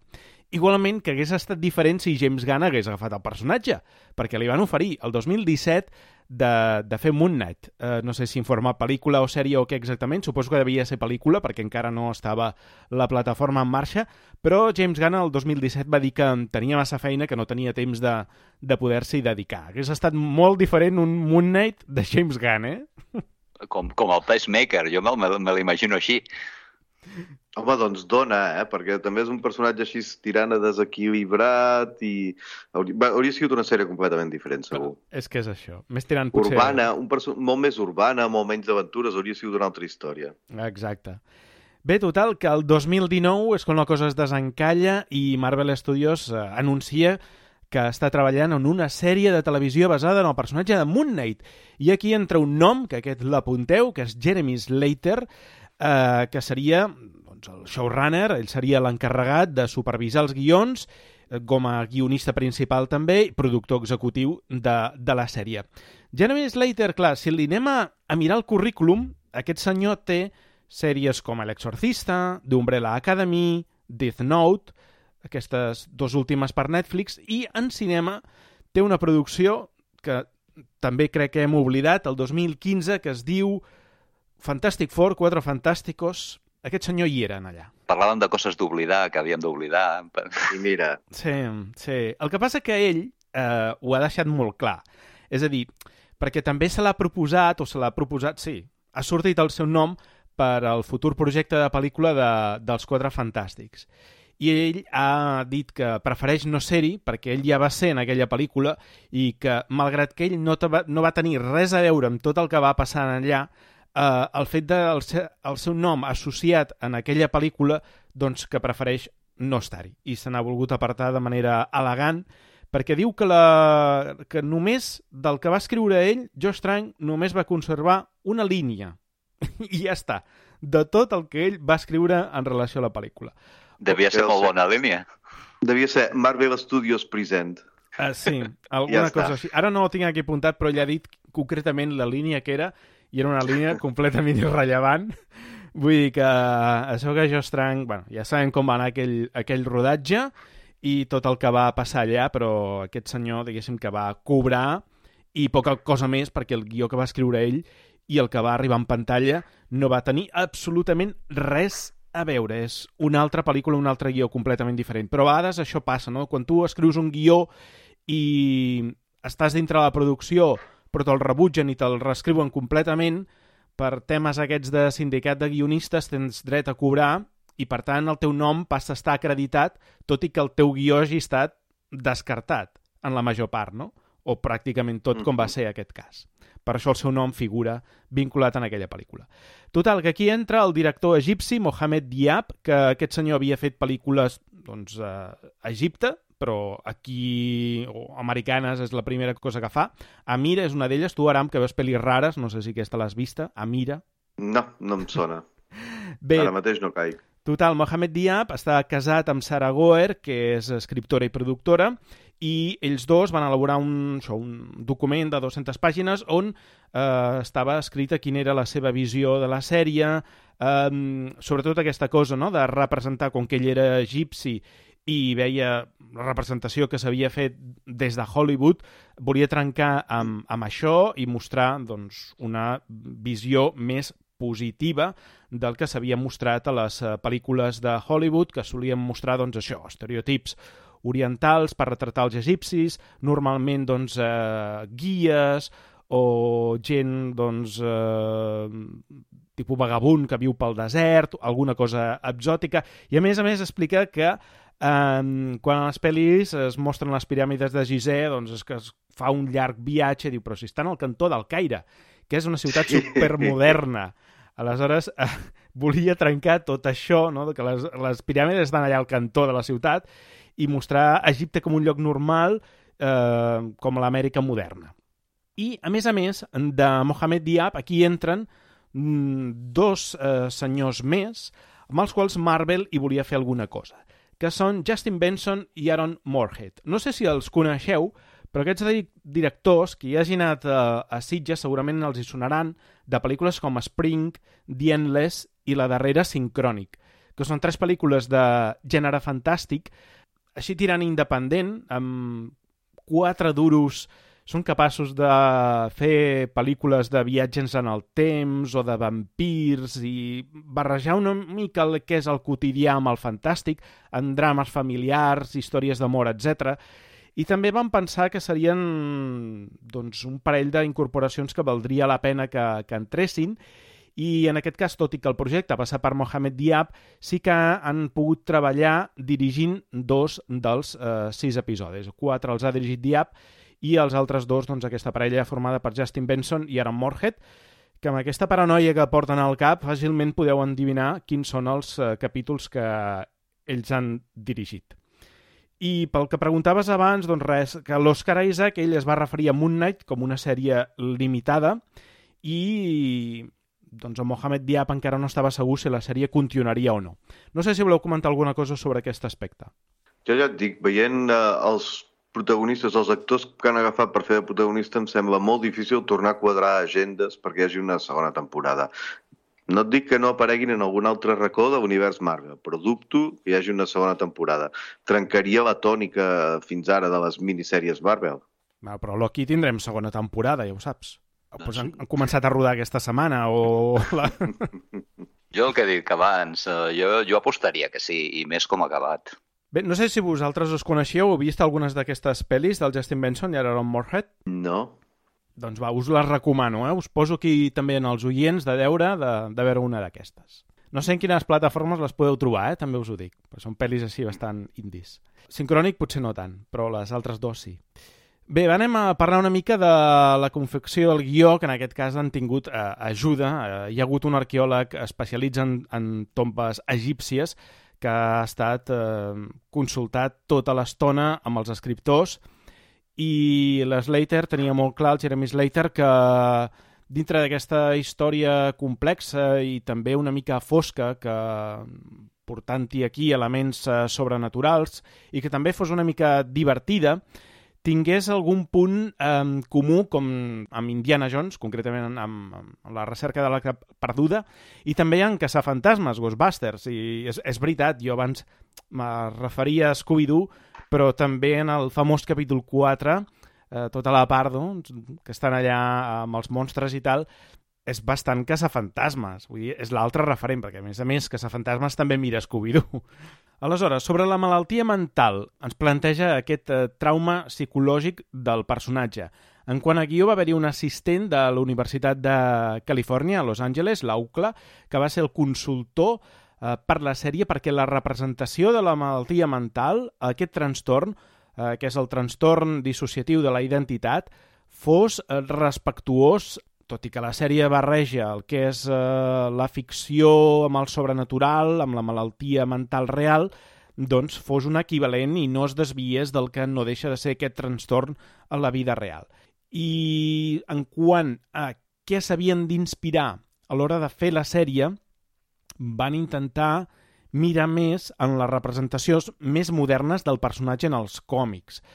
Igualment que hagués estat diferent si James Gunn hagués agafat el personatge, perquè li van oferir el 2017 de fer Moon Knight. No sé si en forma pel·lícula o sèrie o què exactament, suposo que devia ser pel·lícula perquè encara no estava la plataforma en marxa, però James Gunn el 2017 va dir que tenia massa feina, que no tenia temps de poder-s'hi dedicar. Hagués estat molt diferent un Moon Knight de James Gunn, Com el Pacemaker, jo me l'imagino així. Home, doncs dona, perquè també és un personatge així tirant a desequilibrat i hauria sigut una sèrie completament diferent, segur. Però és que és això. Més tirant potser... Urbana, molt més urbana, molt menys d'aventures, hauria sigut una altra història. Exacte. Bé, total, que el 2019 és quan la cosa es desencalla i Marvel Studios anuncia que està treballant en una sèrie de televisió basada en el personatge de Moon Knight. I aquí entra un nom, que aquest l'apunteu, que és Jeremy Slater, que seria doncs, el showrunner, ell seria l'encarregat de supervisar els guions, com a guionista principal també, i productor executiu de la sèrie. Jeremy Slater, clar, si li anem a mirar el currículum, aquest senyor té sèries com El Exorcista, The Umbrella Academy, Death Note, aquestes dues últimes per Netflix, i en cinema té una producció que també crec que hem oblidat, el 2015, que es diu Fantastic Four, Cuatro Fantásticos. Aquest senyor hi eren allà. Parlàvem de coses d'oblidar, que havíem d'oblidar. I mira... Sí. El que passa que ell ho ha deixat molt clar. És a dir, perquè també se l'ha proposat, sí, ha sortit el seu nom per al futur projecte de pel·lícula dels Quatre Fantàstics. I ell ha dit que prefereix no ser-hi perquè ell ja va ser en aquella pel·lícula i que, malgrat que ell no va tenir res a veure amb tot el que va passar allà, el fet del seu nom associat en aquella pel·lícula, doncs que prefereix no estar-hi. I se n'ha volgut apartar de manera elegant perquè diu que només del que va escriure ell, Josh Trank només va conservar una línia. I ja està. De tot el que ell va escriure en relació a la pel·lícula. Devia ser molt bona línia. Devia ser Marvel Studios Present. Sí, alguna cosa així. Ara no ho tinc aquí apuntat, però ell ha dit concretament la línia que era, i era una línia completament irrellevant. Vull dir que això que Josh Trank, bueno, ja sabem com va anar aquell rodatge i tot el que va passar allà, però aquest senyor, diguéssim, que va cobrar i poca cosa més perquè el guió que va escriure ell i el que va arribar en pantalla no va tenir absolutament res a veure. És una altra pel·lícula, un altre guió completament diferent. Però a vegades això passa, no? Quan tu escrius un guió i estàs dintre de la producció però te'l rebutgen i te'l reescriuen completament, per temes aquests de sindicat de guionistes tens dret a cobrar i per tant el teu nom passa a estar acreditat tot i que el teu guió hagi estat descartat en la major part, no? O pràcticament tot, com va ser aquest cas. Per això el seu nom figura vinculat en aquella pel·lícula. Total, que aquí entra el director egipci Mohamed Diab, que aquest senyor havia fet pel·lícules doncs, a Egipte, però aquí, o americanes, és la primera cosa que fa. Amira és una d'elles. Tu, Aram, que veus pel·lis rares, no sé si aquesta l'has vista. Amira. No em sona. Bé, ara mateix no caic. Total, Mohamed Diab està casat amb Sarah Goer, que és escriptora i productora, i ells dos van elaborar un document de 200 pàgines on estava escrita quina era la seva visió de la sèrie, sobretot aquesta cosa, no?, de representar, com que ell era egipci i veia la representació que s'havia fet des de Hollywood, volia trencar amb això i mostrar doncs, una visió més positiva del que s'havia mostrat a les pel·lícules de Hollywood, que solien mostrar doncs, això, estereotips orientals per retratar els egipcis, normalment doncs, guies o gent doncs, tipus vagabund que viu pel desert, alguna cosa exòtica, i a més explica que quan a les pel·lis es mostren les piràmides de Gizeh, doncs és que es fa un llarg viatge, diu, però si estan al cantó d'Al-Caire, que és una ciutat supermoderna. Aleshores, volia trencar tot això, no?, que les piràmides estan allà al cantó de la ciutat, i mostrar Egipte com un lloc normal, com l'Amèrica moderna. I, a més, de Mohamed Diab, aquí entren dos senyors més, amb els quals Marvel hi volia fer alguna cosa, que són Justin Benson i Aaron Moorhead. No sé si els coneixeu, però aquests directors, que hi hagin anat a Sitges, segurament els hi sonaran de pel·lícules com Spring, The Endless i la darrera Synchronic, que són 3 pel·lícules de gènere fantàstic, així tirant independent, amb 4 duros, són capaços de fer pel·lícules de viatges en el temps o de vampirs i barrejar una mica el que és el quotidià amb el fantàstic, en drames familiars, històries d'amor, etc. I també vam pensar que serien doncs, un parell d'incorporacions que valdria la pena que entressin, i en aquest cas, tot i que el projecte passa per Mohamed Diab, sí que han pogut treballar dirigint 2 dels 6 episodis. 4 els ha dirigit Diab i els altres 2, doncs, aquesta parella formada per Justin Benson i Aaron Moorhead, que amb aquesta paranoia que porten al cap fàcilment podeu endevinar quins són els capítols que ells han dirigit. I pel que preguntaves abans, doncs res, que l'Oscar Isaac ell es va referir a Moon Knight com una sèrie limitada i doncs el Mohamed Diab encara no estava segur si la sèrie continuaria o no. No sé si voleu comentar alguna cosa sobre aquest aspecte. Jo ja et dic, veient els protagonistes, els actors que han agafat per fer de protagonista, em sembla molt difícil tornar a quadrar agendes perquè hi hagi una segona temporada. No et dic que no apareguin en algun altre racó de l'univers Marvel, però dubto que hi hagi una segona temporada. Trencaria la tònica fins ara de les minissèries Marvel. Però Loki tindrem segona temporada, ja ho saps. Pues han començat a rodar aquesta setmana o... Jo el que he dit abans, jo apostaria que sí, i més com ha acabat. Bé, no sé si vosaltres us coneixeu o heu vist algunes d'aquestes pel·lis del Justin Benson i Aaron Moorhead. No. Doncs va, us les recomano, Us poso aquí també en els oients de deure de veure una d'aquestes. No sé en quines plataformes les podeu trobar, també us ho dic. Però són pel·lis així bastant indies. Sincrònic potser no tant, però les altres dues sí. Bé, anem a parlar una mica de la confecció del guió, que en aquest cas han tingut ajuda. Hi ha hagut un arqueòleg especialitzat en tombes egípcies que ha estat consultat tota l'estona amb els escriptors i l'Slater tenia molt clar, el Jeremy Slater, que dintre d'aquesta història complexa i també una mica fosca, que portant-hi aquí elements sobrenaturals i que també fos una mica divertida, tingués algun punt comú com amb Indiana Jones, concretament amb la recerca de la perduda, i també en caçafantasmes, Ghostbusters. I és veritat, jo abans me referia a Scooby-Doo, però també en el famós capítol 4, tota la part que estan allà amb els monstres i tal, és bastant caçafantasmes. Vull dir, és l'altre referent, perquè a més caçafantasmes també mira Scooby-Doo. Aleshores, sobre la malaltia mental, ens planteja aquest trauma psicològic del personatge. En quant a guió, va haver-hi un assistent de la Universitat de Califòrnia, a Los Angeles, l'AUCLA, que va ser el consultor per la sèrie perquè la representació de la malaltia mental, aquest trastorn, que és el trastorn dissociatiu de la identitat, fos respectuós, tot i que la sèrie barreja el que és la ficció amb el sobrenatural, amb la malaltia mental real, doncs fos un equivalent i no es desviés del que no deixa de ser aquest trastorn a la vida real. I en quant a què s'havien d'inspirar a l'hora de fer la sèrie, van intentar mirar més en les representacions més modernes del personatge en els còmics.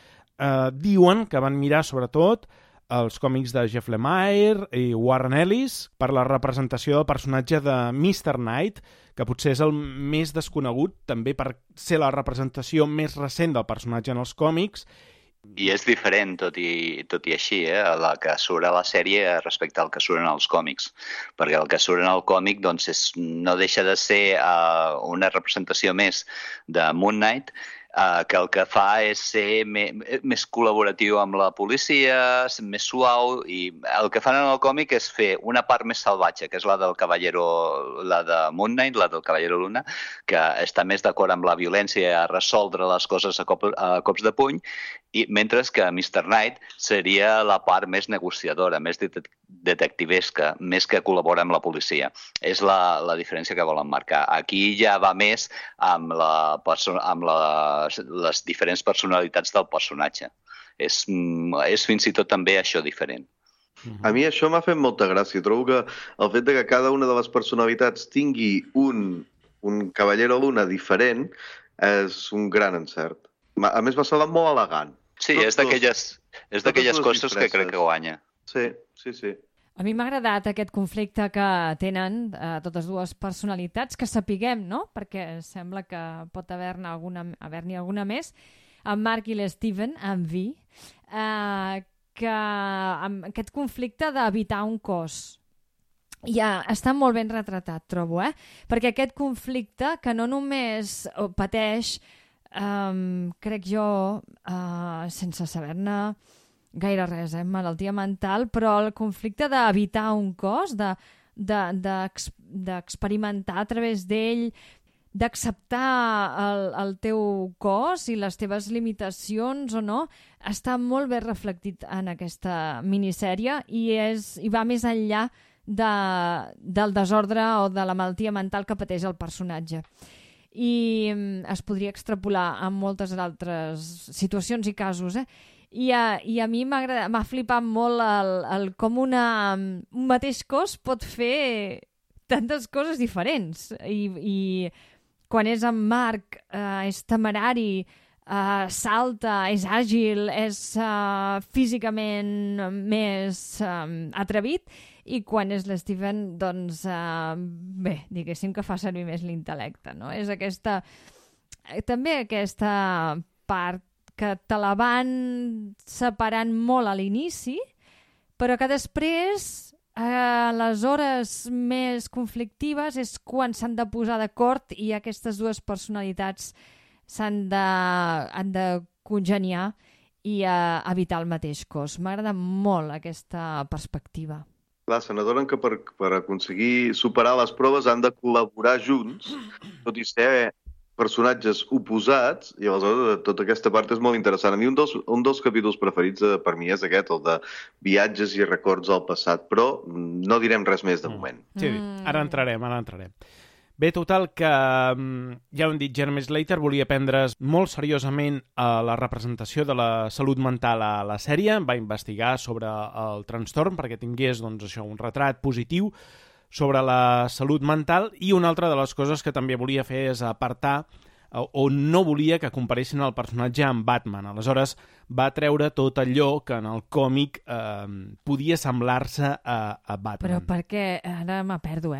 Diuen que van mirar sobretot els còmics de Jeff Lemire i Warren Ellis per la representació del personatge de Mr. Knight, que potser és el més desconegut, també per ser la representació més recent del personatge en els còmics. I és diferent, tot i així, la que surt a la sèrie respecte al que surt en els còmics. Perquè el que surt en el còmic doncs, no deixa de ser una representació més de Moon Knight, que el que fa és ser més col·laboratiu amb la policia, més suau, i el que fan en el còmic és fer una part més salvatge, que és la del Caballero, la de Moon Knight, la del Caballero Luna, que està més d'acord amb la violència, a resoldre les coses a cops de puny, i mentre que Mr. Knight seria la part més negociadora, més detectivesca, més que col·labora amb la policia. És la diferència que volen marcar. Aquí ja va més amb les diferents personalitats del personatge. És fins i tot també això diferent. A mi això m'ha fet molta gràcia. Trobo que el fet de que cada una de les personalitats tingui un Caballero Luna diferent és un gran encert. A més, m'ha semblat molt elegant. Sí, és d'aquelles coses que crec que guanya. Sí. A mi m'ha agradat aquest conflicte que tenen totes dues personalitats, que sapiguem, no? Perquè sembla que pot haver-n'hi alguna més, en Mark i l'Steven, en Vi, que amb aquest conflicte d'evitar un cos. Ja està molt ben retratat, trobo, perquè aquest conflicte que no només pateix, crec jo, sense saber-ne gaire res, malaltia mental, però el conflicte d'evitar un cos, d'experimentar a través d'ell, d'acceptar el teu cos i les teves limitacions o no, està molt ben reflectit en aquesta minissèrie i va més enllà del desordre o de la malaltia mental que pateix el personatge. I es podria extrapolar a moltes altres situacions i casos, I a mi m'ha flipat molt com un mateix cos pot fer tantes coses diferents. I quan és en Mark és temerari, salta, és àgil, és físicament més atrevit, i quan és l'Steven, doncs, bé, diguéssim que fa servir més l'intel·lecte, no? És també aquesta part que te la van separant molt a l'inici, però que després, a les hores més conflictives, és quan s'han de posar d'acord i aquestes dues personalitats han de congeniar i evitar el mateix cos. M'agrada molt aquesta perspectiva. Clar, se n'adonen que per aconseguir superar les proves han de col·laborar junts, tot i ser personatges oposats, i aleshores tota aquesta part és molt interessant. A mi un dels capítols preferits per mi és aquest, el de viatges i records al passat, però no direm res més de moment. Sí, ara entrarem. Bé, total, que ja ho hem dit, Jeremy Slater volia prendre's molt seriosament la representació de la salut mental a la sèrie, va investigar sobre el trastorn perquè tingués un retrat positiu sobre la salut mental, i una altra de les coses que també volia fer és apartar o no volia que comparessin el personatge amb Batman. Aleshores va treure tot allò que en el còmic podia semblar-se a Batman. Però per què? Ara me perdo,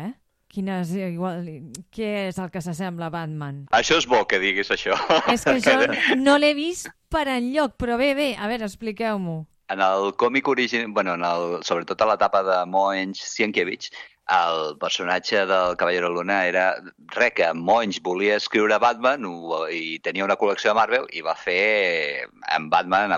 Què és el que s'assembla a Batman? Això és bo que diguis això. És que jo no l'he vist per enlloc, però bé, a veure, expliqueu-m'ho. En el còmic original, sobretot a l'etapa de Moench Sienkiewicz, el personatge del Caballero Luna era que Moench volia escriure Batman i tenia una col·lecció de Marvel i va fer en Batman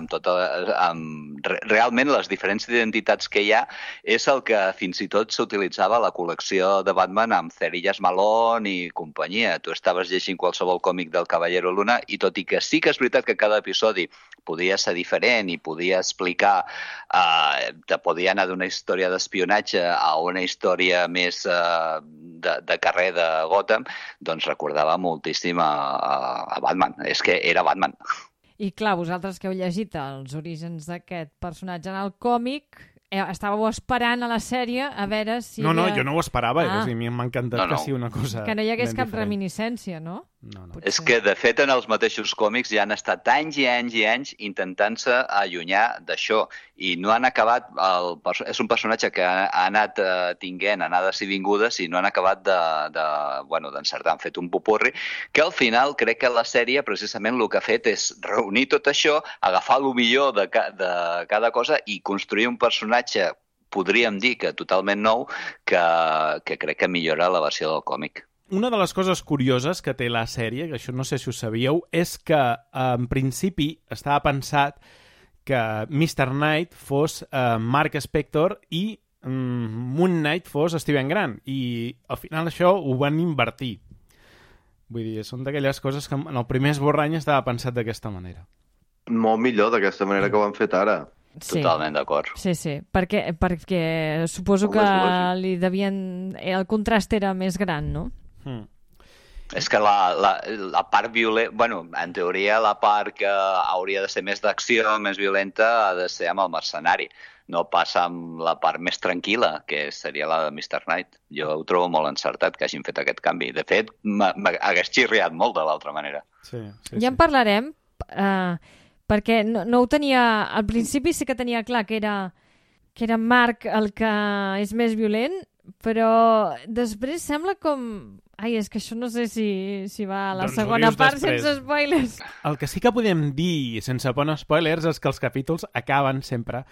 realment les diferents identitats que hi ha és el que fins i tot s'utilitzava a la col·lecció de Batman amb Cerillas Malone i companyia. Tu estaves llegint qualsevol còmic del Caballero Luna i tot i que sí que és veritat que cada episodi podia ser diferent i podia explicar, te podia anar d'una història d'espionatge a una història més de carrer de Gotham, doncs recordava moltíssim a Batman. És que era Batman. I clar, vosaltres que heu llegit els orígens d'aquest personatge en el còmic, estàveu esperant a la sèrie a veure si... No, jo no ho esperava, a mi m'ha encantat que sigui una cosa que no hi hagués cap diferent. Reminiscència, no? No. És que, de fet, en els mateixos còmics ja han estat anys i anys i anys intentant-se allunyar d'això i no han acabat... És un personatge que ha anat tinguent anades i vingudes i no han acabat d'encertar. Han fet un popurri que al final crec que la sèrie precisament el que ha fet és reunir tot això, agafar el millor de cada cosa i construir un personatge, podríem dir que totalment nou, que crec que millora la versió del còmic. Una de les coses curioses que té la sèrie, que això no sé si ho sabíeu, és que en principi estava pensat que Mr. Knight fos Mark Spector i Moon Knight fos Steven Grant. I al final això ho van invertir. Vull dir, són d'aquelles coses que en el primer esborrany estava pensat d'aquesta manera. Molt millor d'aquesta manera que ho han fet ara. Sí. Totalment d'acord. Sí, perquè suposo que li devien... El contrast era més gran, no? És que la part violenta... Bueno, en teoria la part que hauria de ser més d'acció, més violenta, ha de ser amb el mercenari. No passa amb la part més tranquil·la, que seria la de Mr. Knight. Jo ho trobo molt encertat que hagin fet aquest canvi. De fet, m'hagués xirriat molt de l'altra manera. Sí. Ja en parlarem, perquè no ho tenia... Al principi sí que tenia clar que era Mark el que és més violent, però després sembla com... Ai, és que això no sé si va a la segona part sense spoilers. El que sí que podem dir, sense poner spoilers, és que els capítols acaben sempre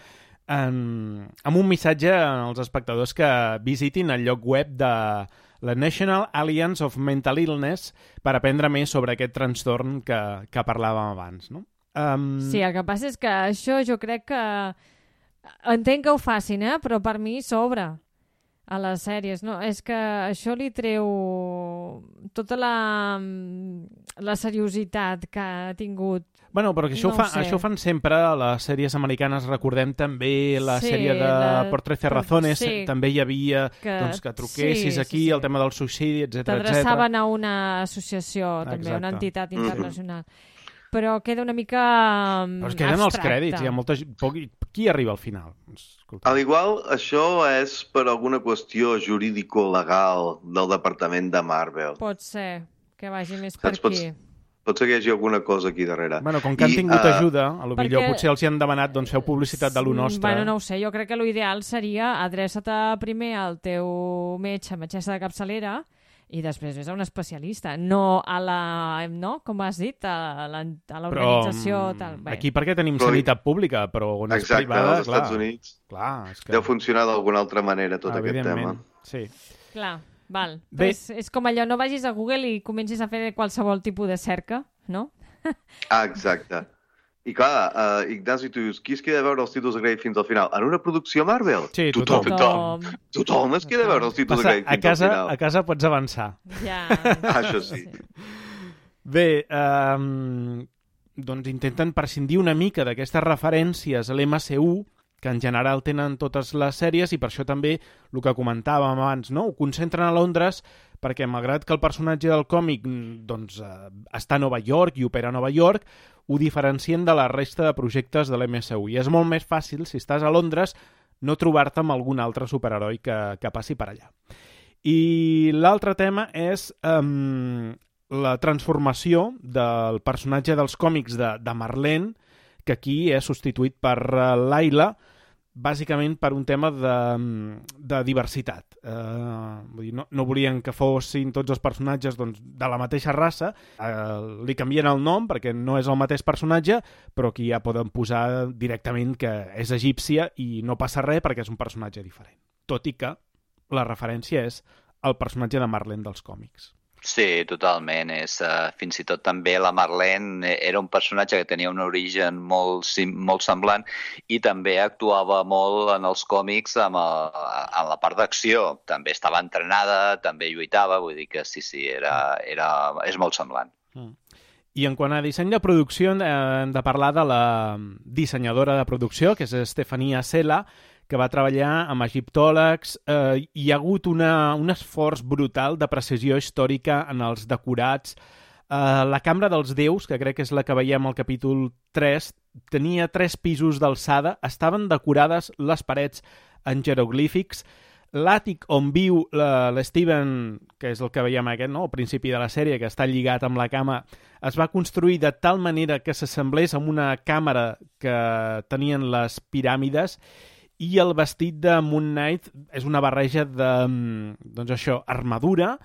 amb un missatge als espectadors que visitin el lloc web de la National Alliance of Mental Illness per aprendre més sobre aquest trastorn que parlàvem abans, no? Sí, el que passa és que això jo crec que... Entenc que ho facin, però per mi sobra a les sèries, no? És que això li treu tota la seriositat que ha tingut. Bueno, però que això, això ho fan sempre a les sèries americanes. Recordem també la sèrie de Por 13 razones. També hi havia que truquessis aquí, el tema del suïcidi, etc. T'adreçaven a una associació, també, una entitat internacional. Però queda una mica però es queden els crèdits. Hi ha molta... Qui arriba al final? A l'igual, això és per alguna qüestió jurídico-legal del departament de Marvel. Pot ser que vagi més per aquí. Pot ser que hi hagi alguna cosa aquí darrere. Bueno, com que han tingut ajuda, a lo millor potser els hi han demanat feu publicitat de lo nostre. Bueno, no ho sé, jo crec que l'ideal seria adreça't primer al teu metgessa de capçalera i després ves a un especialista, no a la... no? Com has dit? A l'organització... Però aquí perquè tenim sanitat pública, però on és privada... Exacte, als Estats Units deu funcionar d'alguna altra manera tot aquest tema. Sí. Clar. Val. És com allò, no vagis a Google i comencis a fer qualsevol tipus de cerca, no? Exacte. I clar, Ignasi, tu dius, qui es queda a veure els títols de crèdit fins al final? En una producció Marvel? Sí, tothom. Tothom es queda a veure els títols de crèdit fins al final. A casa pots avançar. Ja. Això sí. Bé, doncs intenten prescindir una mica d'aquestes referències a l'MCU, que en general tenen totes les sèries, i per això també el que comentàvem abans, no? Ho concentren a Londres perquè, malgrat que el personatge del còmic doncs, està a Nova York i opera a Nova York, ho diferencien de la resta de projectes de l'MCU. I és molt més fàcil, si estàs a Londres, no trobar-te amb algun altre superheroi que passi per allà. I l'altre tema és la transformació del personatge dels còmics de Marlene, que aquí és substituït per Layla, bàsicament per un tema de diversitat. Vull dir, no volien que fossin tots els personatges doncs, de la mateixa raça. Li canvien el nom perquè no és el mateix personatge, però aquí ja poden posar directament que és egípcia i no passa res perquè és un personatge diferent. Tot i que la referència és el personatge de Marlene dels còmics. Sí, totalment. Fins i tot també la Marlene era un personatge que tenia un origen molt semblant i també actuava molt en els còmics en la part d'acció. També estava entrenada, també lluitava, vull dir que sí, és molt semblant. I en quant a disseny de producció, hem de parlar de la dissenyadora de producció, que és Stefania Sela, que va treballar amb egiptòlegs. Hi ha hagut un esforç brutal de precisió històrica en els decorats. La Cambra dels Déus, que crec que és la que veiem al capítol 3, tenia 3 pisos d'alçada, estaven decorades les parets en jeroglífics. L'àtic on viu l'Steven, que és el que veiem aquest, no? Al principi de la sèrie, que està lligat amb la cama, es va construir de tal manera que s'assemblés amb una càmera que tenien les piràmides. I el vestit de Moon Knight és una barreja de, doncs això, armadura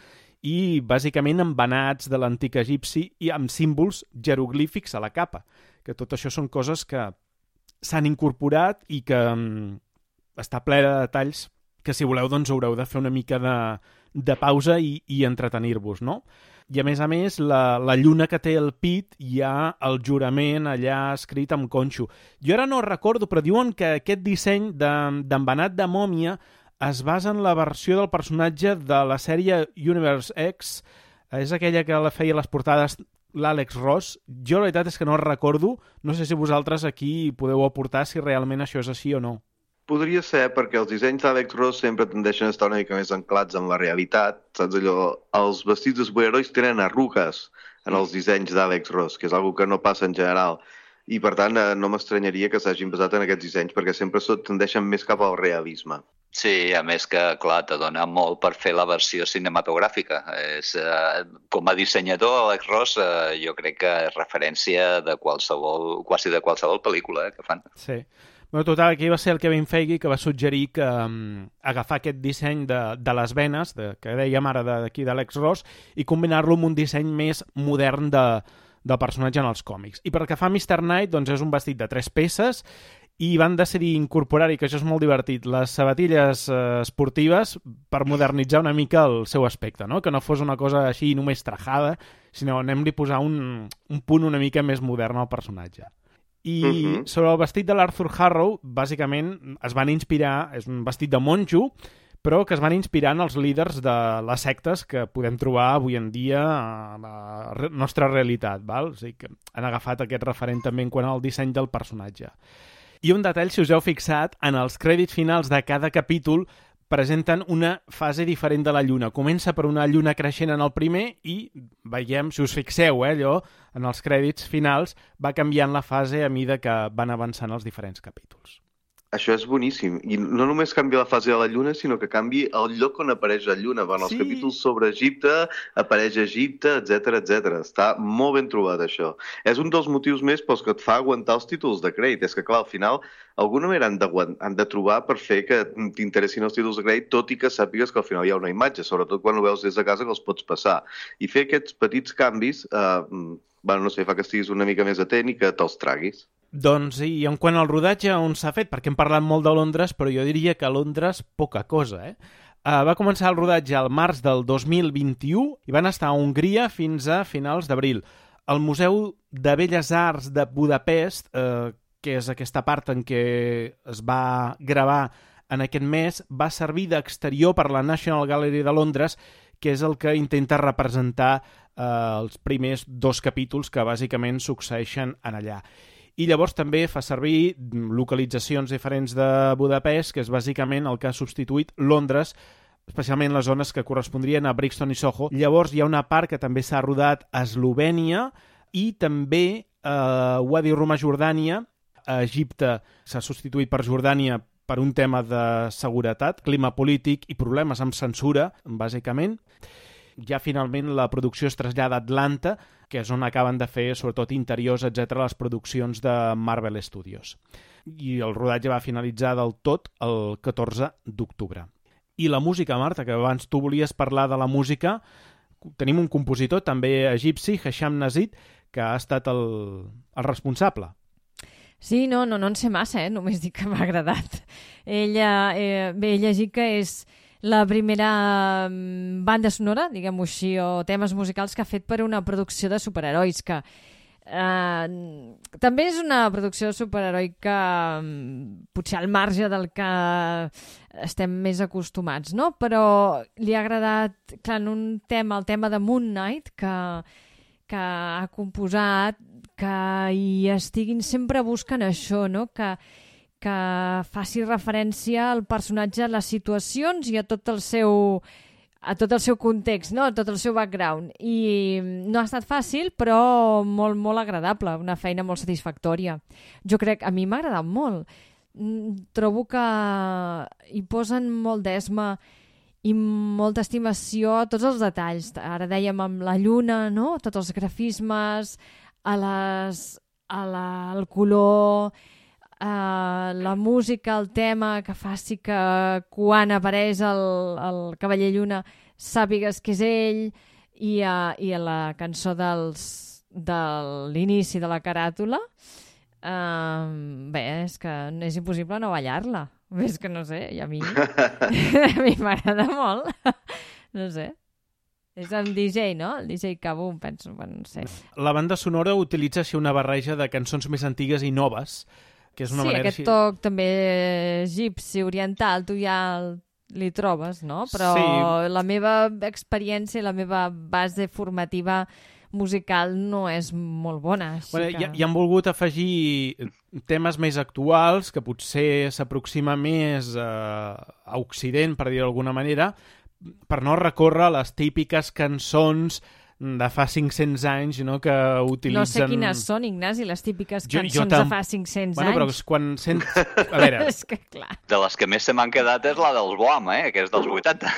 i bàsicament embenats de l'antic egipci i amb símbols jeroglífics a la capa. Que tot això són coses que s'han incorporat i que està ple de detalls que, si voleu, doncs haureu de fer una mica de pausa i entretenir-vos, no? I, a més, la lluna que té el pit, hi ha el jurament allà escrit amb conxo. Jo ara no recordo, però diuen que aquest disseny d'embenat de mòmia es basa en la versió del personatge de la sèrie Universe X. És aquella que la feia les portades l'Àlex Ross. Jo la veritat és que no recordo. No sé si vosaltres aquí podeu aportar si realment això és així o no. Podria ser, perquè els dissenys d'Àlex Ross sempre tendeixen a estar una mica més anclats en la realitat. Saps allò? Els vestits de superherois tenen arrugues en els dissenys d'Àlex Ross, que és una que no passa en general. I, per tant, no m'estranyaria que s'hagin basat en aquests dissenys, perquè sempre tendeixen més cap al realisme. Sí, a més que, clar, te dona molt per fer la versió cinematogràfica. Com a dissenyador, Alex Ross, jo crec que és referència de quasi de qualsevol pel·lícula que fan. Sí. Bueno, total, aquí va ser el Kevin Feige que va suggerir que agafar aquest disseny de les venes, que dèiem ara d'aquí d'Àlex Ross, i combinar-lo amb un disseny més modern del personatge en els còmics. I pel que fa a Mr. Knight, doncs és un vestit de 3 peces i van decidir incorporar-hi, que això és molt divertit, les sabatilles esportives per modernitzar una mica el seu aspecte, no? Que no fos una cosa així només trajada, sinó anem-li a posar un punt una mica més modern al personatge. I sobre el vestit de l'Arthur Harrow, bàsicament es van inspirar, és un vestit de monjo, però que es van inspirar en els líders de les sectes que podem trobar avui en dia a la nostra realitat, val? O sigui que han agafat aquest referent també en quant al disseny del personatge. I un detall, si us heu fixat, en els crèdits finals de cada capítol presenten una fase diferent de la lluna. Comença per una lluna creixent en el primer i veiem, si us fixeu, allò, en els crèdits finals, va canviant la fase a mida que van avançant els diferents capítols. Això és boníssim. I no només canvia la fase de la Lluna, sinó que canvia el lloc on apareix la Lluna. En els capítols sobre Egipte, apareix Egipte, etc. Està molt ben trobat, això. És un dels motius més pels que et fa aguantar els títols de crèdit. És que, clar, al final, d'alguna manera han de trobar per fer que t'interessin els títols de crèdit, tot i que sàpigues que al final hi ha una imatge, sobretot quan ho veus des de casa que els pots passar. I fer aquests petits canvis, no sé, fa que estiguis una mica més atent i que te'ls traguis. Doncs, i en quant al rodatge, on s'ha fet? Perquè hem parlat molt de Londres, però jo diria que a Londres poca cosa, va començar el rodatge al març del 2021 i van estar a Hongria fins a finals d'abril. El Museu de Belles Arts de Budapest, que és aquesta part en què es va gravar en aquest mes, va servir d'exterior per la National Gallery de Londres, que és el que intenta representar els primers 2 capítols que bàsicament succeeixen en allà. I llavors també fa servir localitzacions diferents de Budapest, que és bàsicament el que ha substituït Londres, especialment les zones que correspondrien a Brixton i Soho. Llavors hi ha una part que també s'ha rodat a Eslovènia i també a Wadi Rum a Jordània. A Egipte s'ha substituït per Jordània per un tema de seguretat, clima polític i problemes amb censura, bàsicament. Ja finalment la producció es trasllada a Atlanta, que és on acaben de fer, sobretot interiors, etc., les produccions de Marvel Studios. I el rodatge va finalitzar del tot el 14 d'octubre. I la música, Marta, que abans tu volies parlar de la música, tenim un compositor també egipci, Hesham Nazid, que ha estat el responsable. Sí, no en sé massa, només dic que m'ha agradat. Ella, he llegit que és la primera banda sonora, diguem-ho així, o temes musicals que ha fet per una producció de superherois, que també és una producció de superheroi que potser al marge del que estem més acostumats, no? Però li ha agradat, clar, en un tema, el tema de Moon Knight, que ha composat, que hi estiguin sempre buscant això, no? Que faci referència al personatge, a les situacions i a tot el seu context, no? A tot el seu background. I no ha estat fàcil, però molt, molt agradable, una feina molt satisfactòria. Jo crec, a mi m'ha agradat molt. Trobo que hi posen molt d'esma i molta estimació a tots els detalls. Ara dèiem amb la lluna, no? Tots els grafismes, el color, la música, el tema que faci que quan apareix el Cavaller Lluna sàpigues que és ell i a la cançó de l'inici de la caràtula bé, és que és impossible no ballar-la. És que no sé, i a mi m'agrada molt. No sé. És el DJ, no? El DJ Kaboom, penso, no sé. La banda sonora utilitza així una barreja de cançons més antigues i noves, que és una manera... Aquest toc també egipci, oriental, tu ja li trobes, no? Però la meva experiència, la meva base formativa musical no és molt bona. Hi han volgut afegir temes més actuals, que potser s'aproxima més a Occident, per dir-ho d'alguna manera, per no recórrer les típiques cançons de fa 500 anys, no?, que utilitzen... No sé quines són, Ignasi, les típiques cançons de fa 500 anys. Bueno, però quan sent... A veure... És que, clar... De les que més se m'han quedat és la dels Boam, que és dels 80.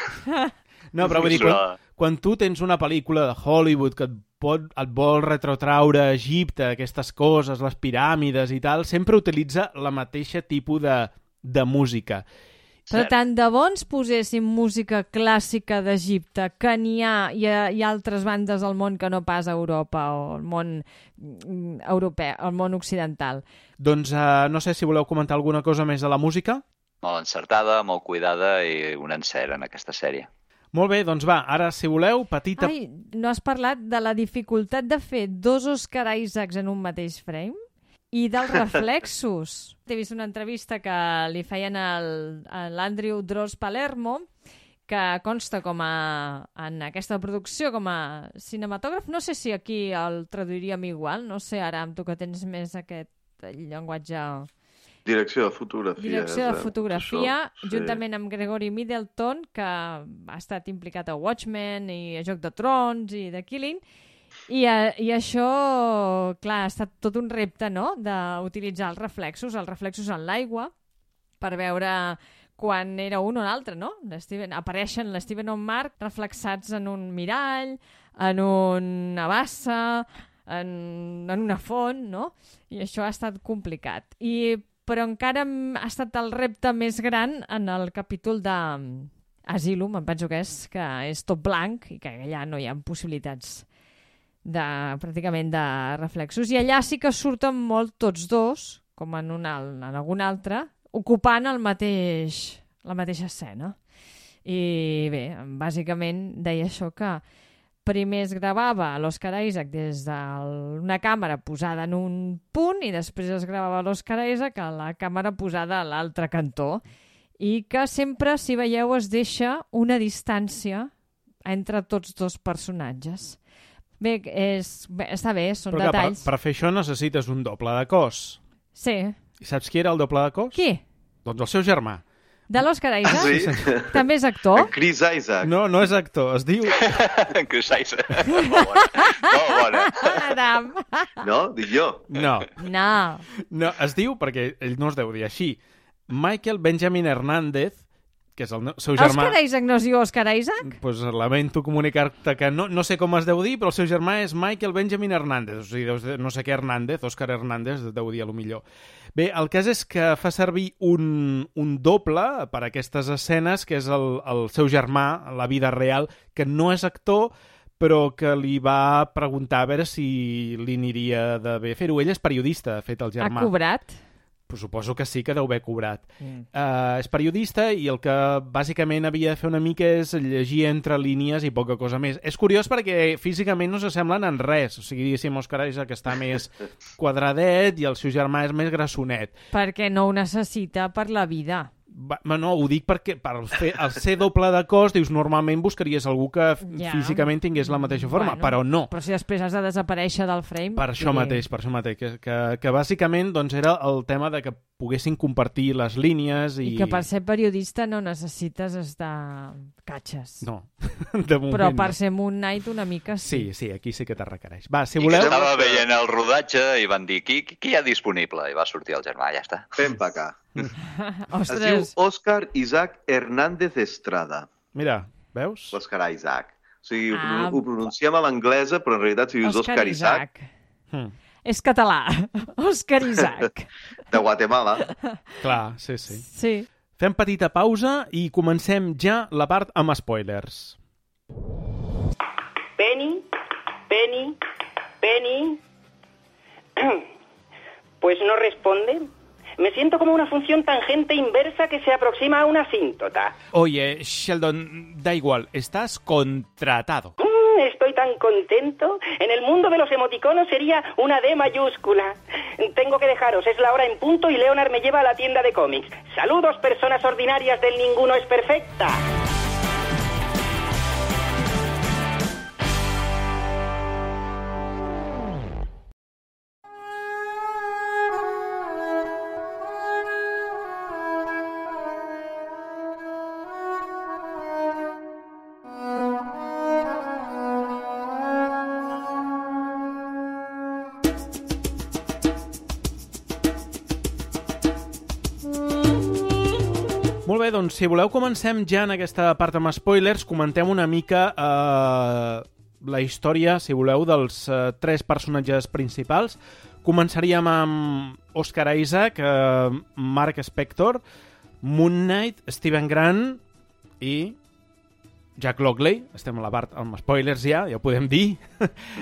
No, però vull dir, quan tu tens una pel·lícula de Hollywood que et vol retrotraure a Egipte, aquestes coses, les piràmides i tal, sempre utilitza la mateixa tipus de música. Però tant de bo ens poséssim música clàssica d'Egipte, que n'hi ha, hi ha altres bandes al món que no pas a Europa o al món europeu, al món occidental. Doncs no sé si voleu comentar alguna cosa més de la música. Molt encertada, molt cuidada i un encert en aquesta sèrie. Molt bé, doncs va, ara, si voleu, petita... Ai, no has parlat de la dificultat de fer 2 Oscar Isaacs en un mateix frame? I dels reflexos. He vist una entrevista que li feien a l'Andrew Dross Palermo que consta en aquesta producció com a cinematògraf. No sé si aquí el traduiríem igual, no sé, ara amb tu que tens més aquest llenguatge... Direcció de fotografia. Direcció de fotografia, això, sí. Juntament amb Gregory Middleton, que ha estat implicat a Watchmen i a Joc de Trons i The Killing, i això, clar, ha estat tot un repte, no?, d'utilitzar els reflexos en l'aigua, per veure quan era un o l'altre, no? Apareixen l'Steven o en Mark reflexats en un mirall, en una bassa, en una font, no? I això ha estat complicat. Però encara ha estat el repte més gran en el capítol d'Asylum, em penso que és tot blanc i que allà no hi ha possibilitats pràcticament de reflexos. I allà sí que surten molt tots dos, com en algun altre, ocupant la mateixa escena. I bé, bàsicament deia això, que primer es gravava l'Oscar Isaac des d'una càmera posada en un punt i després es gravava l'Oscar Isaac a la càmera posada a l'altre cantó, i que sempre, si veieu, es deixa una distància entre tots dos personatges. Bé, està bé, són però detalls. Per fer això necessites un doble de cos. Sí. I saps qui era el doble de cos? Qui? Doncs el seu germà. De l'Oscar Isaac? Sí. També és actor? Chris Isaac. No és actor, es diu... Chris Isaac. Molt bona. Adam. No? Dic jo. No, es diu, perquè ell no es deu dir així, Michael Benjamin Hernández, que és el seu germà... Oscar Isaac no es diu Oscar Isaac? Pues lamento comunicar-te que no sé com es deu dir, però el seu germà és Michael Benjamin Hernández. O sigui, no sé què Hernández, Oscar Hernández, deu dir a lo millor. Bé, el cas és que fa servir un doble per a aquestes escenes, que és el seu germà, a la vida real, que no és actor, però que li va preguntar a veure si li aniria de bé fer-ho. Ell és periodista, de fet, el germà. Ha cobrat? Pues suposo que sí que deu haver cobrat. És periodista i el que bàsicament havia de fer una mica és llegir entre línies i poca cosa més. És curiós perquè físicament no s'assemblen en res. O sigui, diguéssim, Oscar Isaac està més quadradet i el seu germà és més grassonet. Perquè no ho necessita per la vida. No, ho dic perquè al ser doble de cos, dius, normalment buscaries algú que físicament tingués la mateixa forma, però no. Però si després has de desaparèixer del frame... Per això mateix, que bàsicament doncs, era el tema de que poguessin compartir les línies i... I que per ser periodista no necessites estar catxes. No, de moment però per no. ser Moon Knight una mica sí. Sí, aquí sí que te requereix. Va, si voleu... I estava veient el rodatge i van dir, qui hi ha disponible? I va sortir el germà, ja està. Fem pa acá. Ostres. Es diu Oscar Isaac Hernández Estrada. Mira, veus? Oscar Isaac. O sigui, ho pronunciem a l'anglesa, però en realitat si dius Oscar Isaac... És català. Oscar Isaac. De Guatemala. Clar, sí. Sí. Fem petita pausa i comencem ja la part amb spoilers. Penny. Pues no responde. Me siento como una función tangente inversa que se aproxima a una asíntota. Oye, Sheldon, da igual, estás contratado. Estoy tan contento. En el mundo de los emoticonos sería una D mayúscula. Tengo que dejaros, es la hora en punto y Leonard me lleva a la tienda de cómics. Saludos, personas ordinarias del Ninguno es Perfecta. Molt bé, doncs si voleu comencem ja en aquesta part amb spoilers, comentem una mica la història, si voleu, dels tres personatges principals. Començaríem amb Oscar Isaac, Mark Spector, Moon Knight, Steven Grant i Jack Lockley. Estem a la part amb spoilers ja ho podem dir.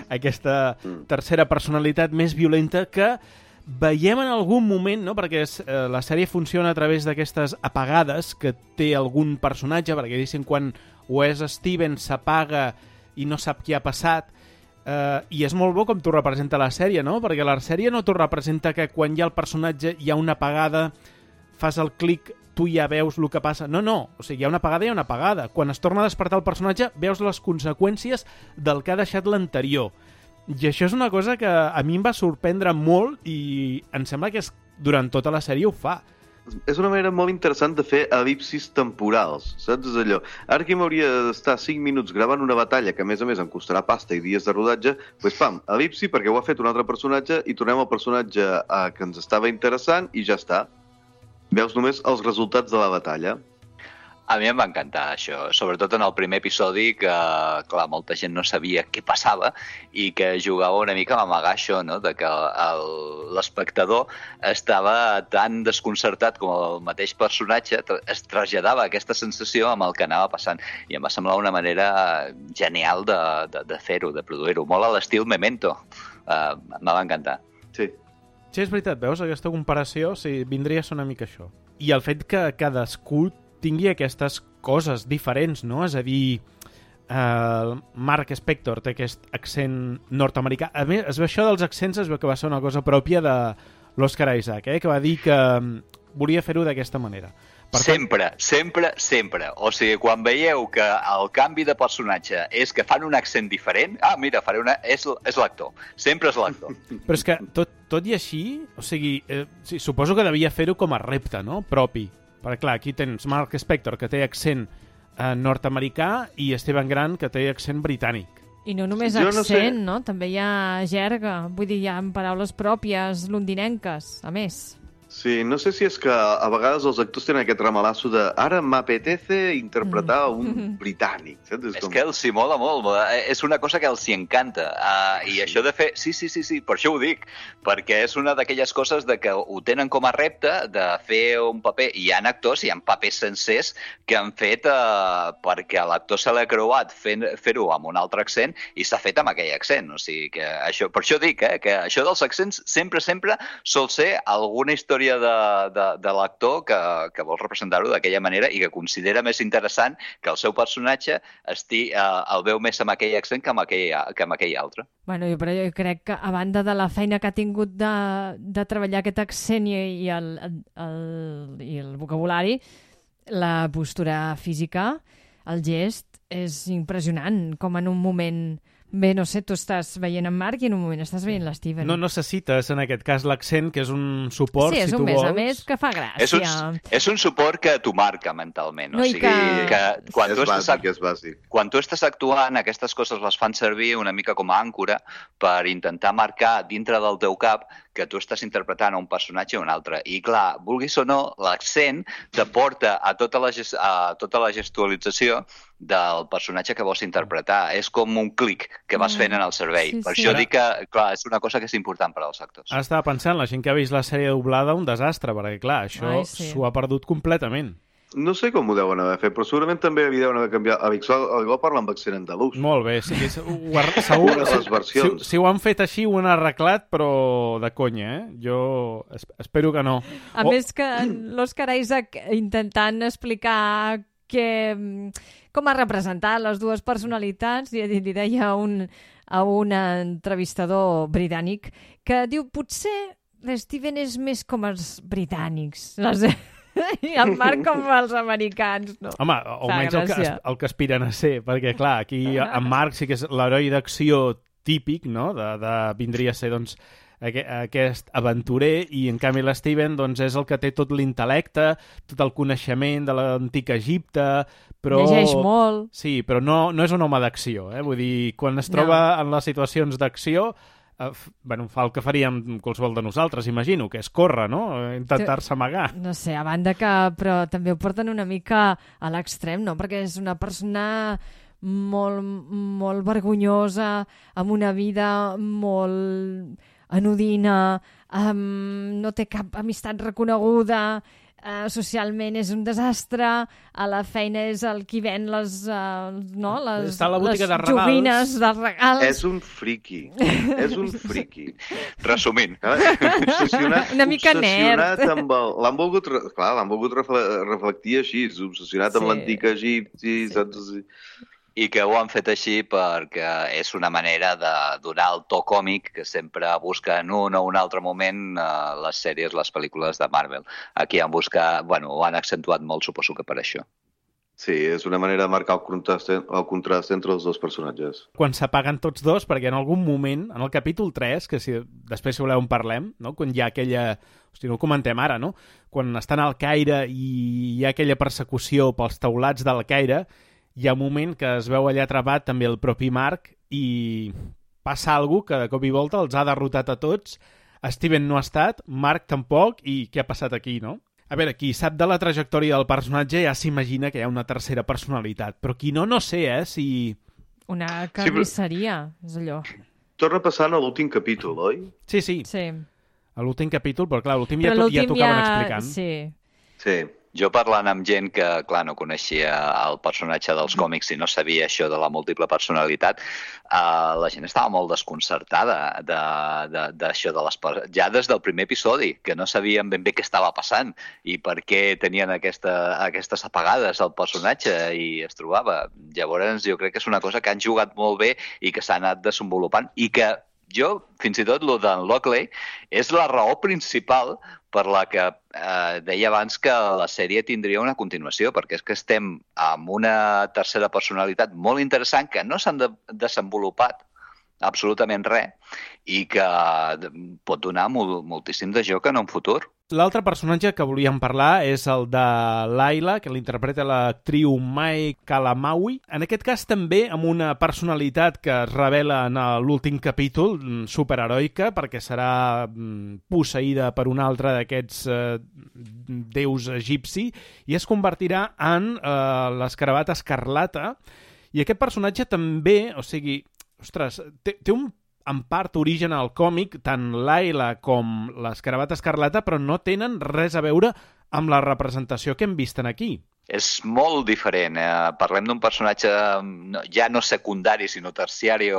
Aquesta tercera personalitat més violenta que veiem en algun moment, no? Perquè la sèrie funciona a través d'aquestes apagades que té algun personatge, perquè diguéssim quan o és Steven s'apaga i no sap què ha passat, i és molt bo com t'ho representa la sèrie, no? Perquè la sèrie no t'ho representa que quan hi ha el personatge hi ha una apagada, fas el clic tu ja veus el que passa. No, o sigui, hi ha una apagada i una apagada. Quan es torna a despertar el personatge, veus les conseqüències del que ha deixat l'anterior. I això és una cosa que a mi em va sorprendre molt i em sembla que durant tota la sèrie ho fa. És una manera molt interessant de fer elipsis temporals, saps? És allò, ara que m'hauria d'estar 5 minuts gravant una batalla que a més em costarà pasta i dies de rodatge, doncs pam, elipsi perquè ho ha fet un altre personatge i tornem al personatge que ens estava interessant i ja està. Veus només els resultats de la batalla. A mi em va encantar això, sobretot en el primer episodi que, clar, molta gent no sabia què passava i que jugava una mica a amagar això, no?, de que l'espectador estava tan desconcertat com el mateix personatge, es traslladava aquesta sensació amb el que anava passant. I em va semblar una manera genial de fer-ho, de produir-ho, molt a l'estil Memento. Em va encantar. Sí. Sí, és veritat, veus, aquesta comparació vindria a ser una mica això. I el fet que cadascú tingui aquestes coses diferents, no? És a dir, Mark Spector té aquest accent nord-americà. A més, això dels accents es veu que va ser una cosa pròpia de l'Oscar Isaac, que va dir que volia fer-ho d'aquesta manera. Sempre. O sigui, quan veieu que el canvi de personatge és que fan un accent diferent, mira, és l'actor. Sempre és l'actor. Però és que, tot i així, o sigui, suposo que devia fer-ho com a repte, no?, propi. Perquè, clar, aquí tens Mark Spector, que té accent nord-americà, i Steven Grant, que té accent britànic. I no només accent, no? També hi ha jerga. Vull dir, hi ha paraules pròpies londinenques, a més. Sí, no sé si és que a vegades els actors tenen aquest ramalasso de ara m'apetece interpretar un britànic. Saps? És que els hi mola molt, és una cosa que els hi encanta. I això de fer... Sí, per això ho dic, perquè és una d'aquelles coses de que ho tenen com a repte de fer un paper. Hi ha actors, hi ha papers sencers que han fet perquè l'actor se l'ha creuat fer-ho amb un altre accent i s'ha fet amb aquell accent. O sigui, que això, per això dic, que això dels accents sempre sol ser alguna història de l'actor que vol representar-ho d'aquella manera i que considera més interessant que el seu personatge el veu més amb aquell accent que amb aquell altre. Bueno, però jo crec que a banda de la feina que ha tingut de treballar aquest accent i el vocabulari, la postura física, el gest, és impressionant, com en un moment... Bé, no sé, tu estàs veient en Marc i en un moment estàs veient l'Steven. No necessites, en aquest cas, l'accent, que és un suport, si tu vols. Sí, és un més a més que fa gràcia. És un suport que t'ho marca mentalment. O sigui, que quan és bàsic. Quan tu estàs actuant, aquestes coses les fan servir una mica com a àncora per intentar marcar dintre del teu cap que tu estàs interpretant un personatge o un altre. I clar, vulguis o no, l'accent te porta a tota la gestualització del personatge que vols interpretar. És com un clic que vas fent en el cervell. Per això dic que, clar, és una cosa que és important per als actors. Estava pensant, la gent que ha vist la sèrie doblada, un desastre, perquè, clar, això s'ho ha perdut completament. No sé com ho deuen haver fet, però segurament també deuen haver canviat. A Algú parla amb accent andalús. Molt bé, sí, segur. Les versions. Si ho han fet així, ho han arreglat, però de conya, Jo espero que no. A més que l'Oscar Isaac intentant explicar com ha representat les dues personalitats, li deia a un entrevistador britànic que diu, potser l'Steven és més com els britànics, i el Marc com els americans, no? Home, almenys el que aspiren a ser, perquè, clar, aquí en Marc sí que és l'heroi d'acció típic, no?, vindria a ser, doncs, aquest aventurer, i en canvi l'Steven doncs, és el que té tot l'intel·lecte, tot el coneixement de l'antic Egipte, però... Llegeix molt. Sí, però no és un home d'acció, Vull dir, quan es troba en les situacions d'acció, fa el que faríem qualsevol de nosaltres, imagino, que és córrer, no? Intentar-se amagar. No sé, a banda que... Però també ho porten una mica a l'extrem, no? Perquè és una persona molt vergonyosa, amb una vida molt anodina, no té cap amistat reconeguda, socialment és un desastre, a la feina és el qui ven les joguines dels regals. És un friki. Resumint. Una mica nerd. L'han volgut reflectir així, obsessionat amb l'antic egipci, saps? I que ho han fet així perquè és una manera de donar el to còmic que sempre busca en un o un altre moment les sèries, les pel·lícules de Marvel. Aquí han buscat, ho han accentuat molt, suposo que per això. Sí, és una manera de marcar el contrast entre els dos personatges. Quan s'apaguen tots dos, perquè en algun moment, en el capítol 3, que després si voleu en parlem, no? Quan hi ha aquella... Hosti, no ho comentem ara, no? Quan estan al Caire i hi ha aquella persecució pels teulats del Caire, hi ha un moment que es veu allà atrapat també el propi Marc i passa alguna que de cop i volta els ha derrotat a tots. Steven no ha estat, Marc tampoc, i què ha passat aquí, no? A veure, qui sap de la trajectòria del personatge ja s'imagina que hi ha una tercera personalitat, però qui no sé, si... Una carnisseria, és allò. Torna passant a l'últim capítol, oi? Sí. Sí. A l'últim capítol, però clar, l'últim ja tocaven explicant. Sí. Jo parlant amb gent que, clar, no coneixia el personatge dels còmics i no sabia això de la múltiple personalitat, la gent estava molt desconcertada d'això de les... Ja des del primer episodi, que no sabien ben bé què estava passant i per què tenien aquestes apagades al personatge i es trobava. Llavors, jo crec que és una cosa que han jugat molt bé i que s'ha anat desenvolupant i que jo, fins i tot, el d'en Lockley és la raó principal per la que deia abans que la sèrie tindria una continuació, perquè és que estem amb una tercera personalitat molt interessant que no s'han desenvolupat absolutament res i que pot donar moltíssim de joc en un futur. L'altre personatge que volíem parlar és el de Layla, que l'interpreta l'actriu Mai Kalamaui. En aquest cas també amb una personalitat que es revela en l'últim capítol, superheroica, perquè serà posseïda per un altre d'aquests déus egipci i es convertirà en l'escarabat escarlata. I aquest personatge també, o sigui, ostres, té en part origen al còmic, tant Layla com l'escarabat escarlata, però no tenen res a veure amb la representació que hem vist aquí. És molt diferent. Parlem d'un personatge ja no secundari, sinó terciari.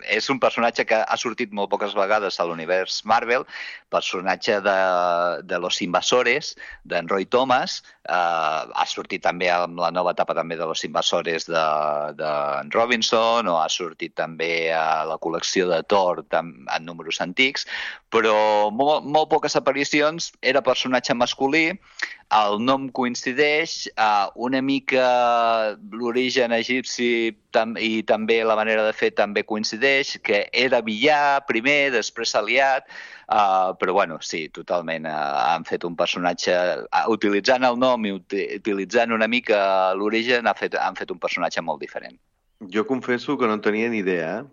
És un personatge que ha sortit molt poques vegades a l'univers Marvel, personatge de Los Invasores, d'en Roy Thomas, ha sortit també amb la nova etapa també de Los Invasores d'en Robinson, o ha sortit també a la col·lecció de Thor en números antics, però molt poques aparicions, era personatge masculí, el nom coincideix, una mica l'origen egipci i també la manera de fer també coincideix, que era villà primer, després aliat, però sí, totalment han fet un personatge, utilitzant el nom i utilitzant una mica l'origen, han fet un personatge molt diferent. Jo confesso que no en tenia ni idea,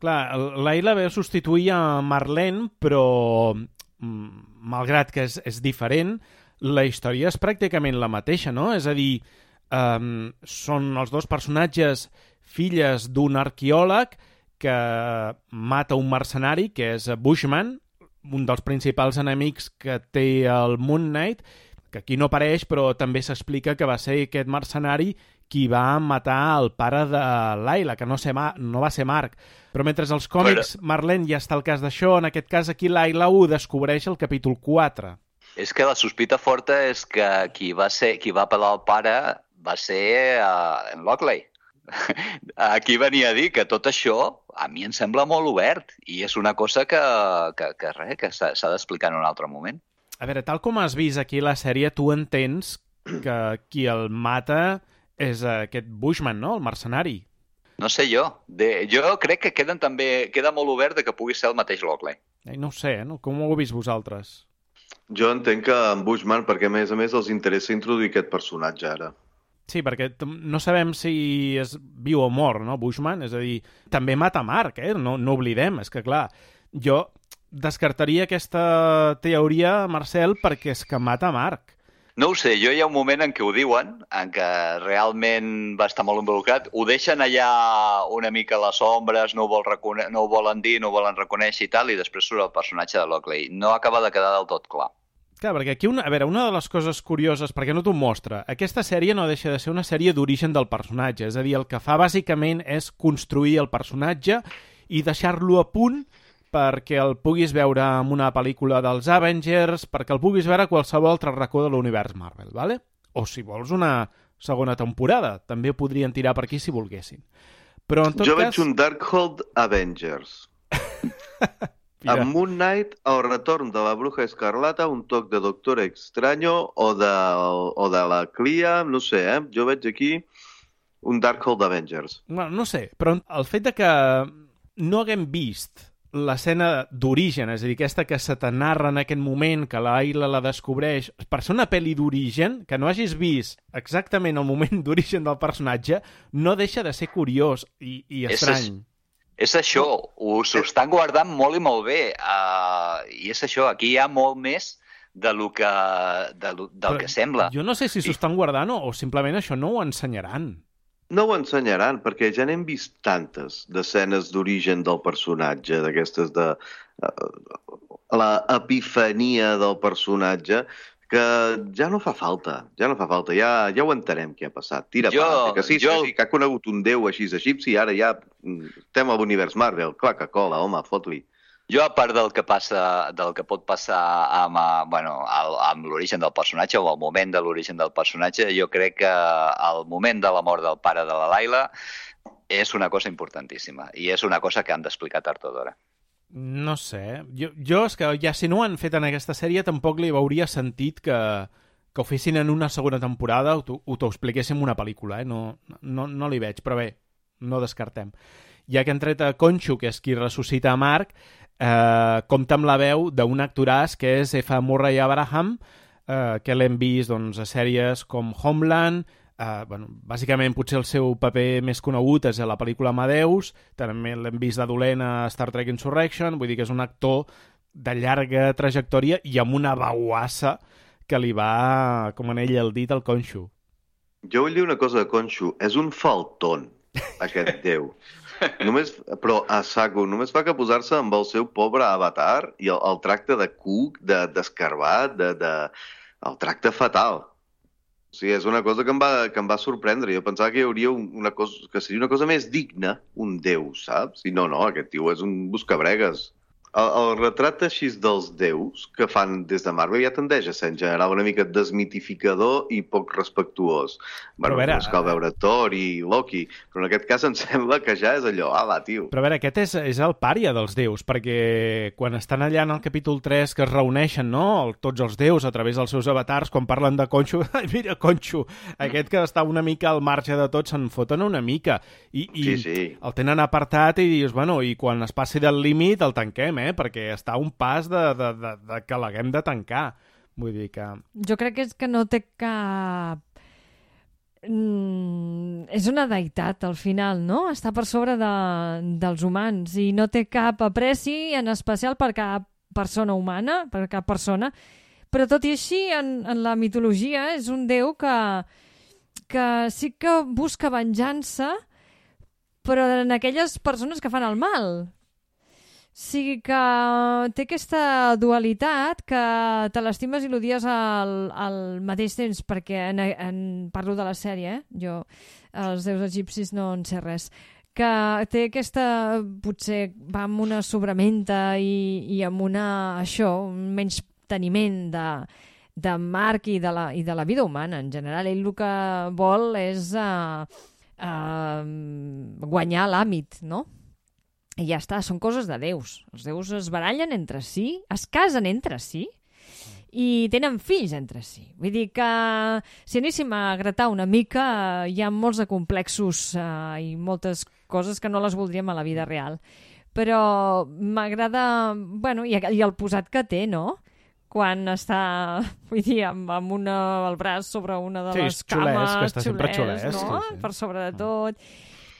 Clar, Layla ve a substituir a Marlene, però malgrat que és diferent, la història és pràcticament la mateixa, no? És a dir, són els dos personatges filles d'un arqueòleg que mata un mercenari, que és Bushman, un dels principals enemics que té el Moon Knight, que aquí no apareix, però també s'explica que va ser aquest mercenari qui va matar el pare de Layla, que no va ser Marc. Però mentre als còmics Marlene ja està al cas d'això, en aquest cas aquí Layla ho descobreix al capítol 4. És que la sospita forta és que qui va pelar el pare va ser en Lockley. Aquí venia a dir que tot això a mi em sembla molt obert i és una cosa que s'ha d'explicar en un altre moment. A veure, tal com has vist aquí la sèrie, tu entens que qui el mata és aquest Bushman, no? El mercenari. No sé jo. Jo crec que queda molt obert de que pugui ser el mateix Lockley. No ho sé, no? Com ho heu vist vosaltres? Jo entenc que en Bushman, perquè a més els interessa introduir aquest personatge ara. Sí, perquè no sabem si és viu o mort, no, Bushman? És a dir, també mata Marc, no oblidem. És que, clar, jo descartaria aquesta teoria, Marcel, perquè és que mata Marc. No ho sé, hi ha un moment en què ho diuen, en què realment va estar molt involucrat, ho deixen allà una mica a les ombres, no ho volen dir, no ho volen reconèixer i tal, i després surt el personatge de Lockley. No acaba de quedar del tot clar. Clar, perquè aquí, una de les coses curioses, perquè no t'ho mostra, aquesta sèrie no deixa de ser una sèrie d'origen del personatge, és a dir, el que fa bàsicament és construir el personatge i deixar-lo a punt perquè el puguis veure en una pel·lícula dels Avengers, perquè el puguis veure a qualsevol altre racó de l'univers Marvel, ¿vale? O si vols una segona temporada. També podrien tirar per aquí si volguessin. Però en tot jo cas... veig un Darkhold Avengers. Amb Moon Knight, el retorn de la Bruja Escarlata, un toc de Doctor Extraño o de la Clia, no sé, Jo veig aquí un Darkhold Avengers. Bueno, no sé, però el fet de que no haguem vist l'escena d'origen, és a dir, aquesta que se te narra en aquest moment, que l'Ayla la descobreix, per ser una pel·li d'origen, que no hagis vist exactament el moment d'origen del personatge, no deixa de ser curiós i estrany. És això, s'ho estan guardant molt i molt bé. I és això, aquí hi ha molt més del que sembla. Jo no sé si s'ho estan guardant o simplement això no ho ensenyaran. No ho ensenyaran, perquè ja n'hem vist tantes d'escenes d'origen del personatge, d'aquestes de l'epifania del personatge, que ja no fa falta, ja ho entenem què ha passat. Tira per que sí, que ha conegut un déu així egipci i ara ja estem a l'univers Marvel. Clar que cola, home, fot-li. Jo, a part del que pot passar amb l'origen del personatge o el moment de l'origen del personatge, jo crec que el moment de la mort del pare de la Layla és una cosa importantíssima i és una cosa que han d'explicar tard o d'hora. No sé. Jo és que ja si no ho han fet en aquesta sèrie tampoc li hauria sentit que ho fessin en una segona temporada o t'ho expliquéssim una pel·lícula. No li veig, però bé, no descartem. Ja que han tret a Conchu, que és qui ressuscita a Mark, compta amb la veu d'un actoràs que és F. Murray Abraham, que l'hem vist a sèries com Homeland. Bàsicament potser el seu paper més conegut és a la pel·lícula Amadeus, també l'hem vist de dolent a Star Trek Insurrection, vull dir que és un actor de llarga trajectòria i amb una veuassa que li va, com en ell el dit, al Conchu. Jo vull dir una cosa de Conchu, és un faltón, aquest déu. Però a saco, només fa que posar-se amb el seu pobre avatar i el tracte de cuc, d'escarbat, el tracte fatal. O sigui, és una cosa que em va sorprendre. Jo pensava que hi hauria que seria una cosa més digna, un déu, saps? I no, aquest tio és un buscabregues. El retrat així dels déus que fan des de Marvel ja tendeix a ser en general una mica desmitificador i poc respectuós. És cal veure Thor i Loki, però en aquest cas em sembla que ja és allò, va, tio. Però a veure, aquest és el pària dels déus, perquè quan estan allà en el capítol 3 que es reuneixen, no?, tots els déus a través dels seus avatars, quan parlen de Conchu, mira, Conchu, aquest que està una mica al marge de tot, se'n foten una mica. I sí. El tenen apartat i dius, i quan es passi del límit el tanquem, perquè està a un pas de que l'haguem de tancar. Vull dir que... Jo crec que és que no té cap... És una deïtat, al final, no? Està per sobre dels humans i no té cap apreci, en especial per cap persona humana, per cap persona. Però tot i així, en la mitologia, és un déu que sí que busca venjança, però en aquelles persones que fan el mal. O sigui que té aquesta dualitat que te l'estimes i l'odies al mateix temps, perquè parlo de la sèrie, jo els déus egipcis no en sé res, que té aquesta, potser va amb una sobramenta i amb una, un menysteniment de Marc i de la vida humana en general. Ell el que vol és guanyar l'àmbit, no? I ja està, són coses de déus. Els déus es barallen entre si, es casen entre si i tenen fills entre si. Vull dir que si anéssim a gratar una mica hi ha molts de complexos i moltes coses que no les voldríem a la vida real. Però m'agrada... i el posat que té, no? Quan està, vull dir, amb el braç sobre una de les cames, que està sempre xulès, no? Sí. Per sobre de tot...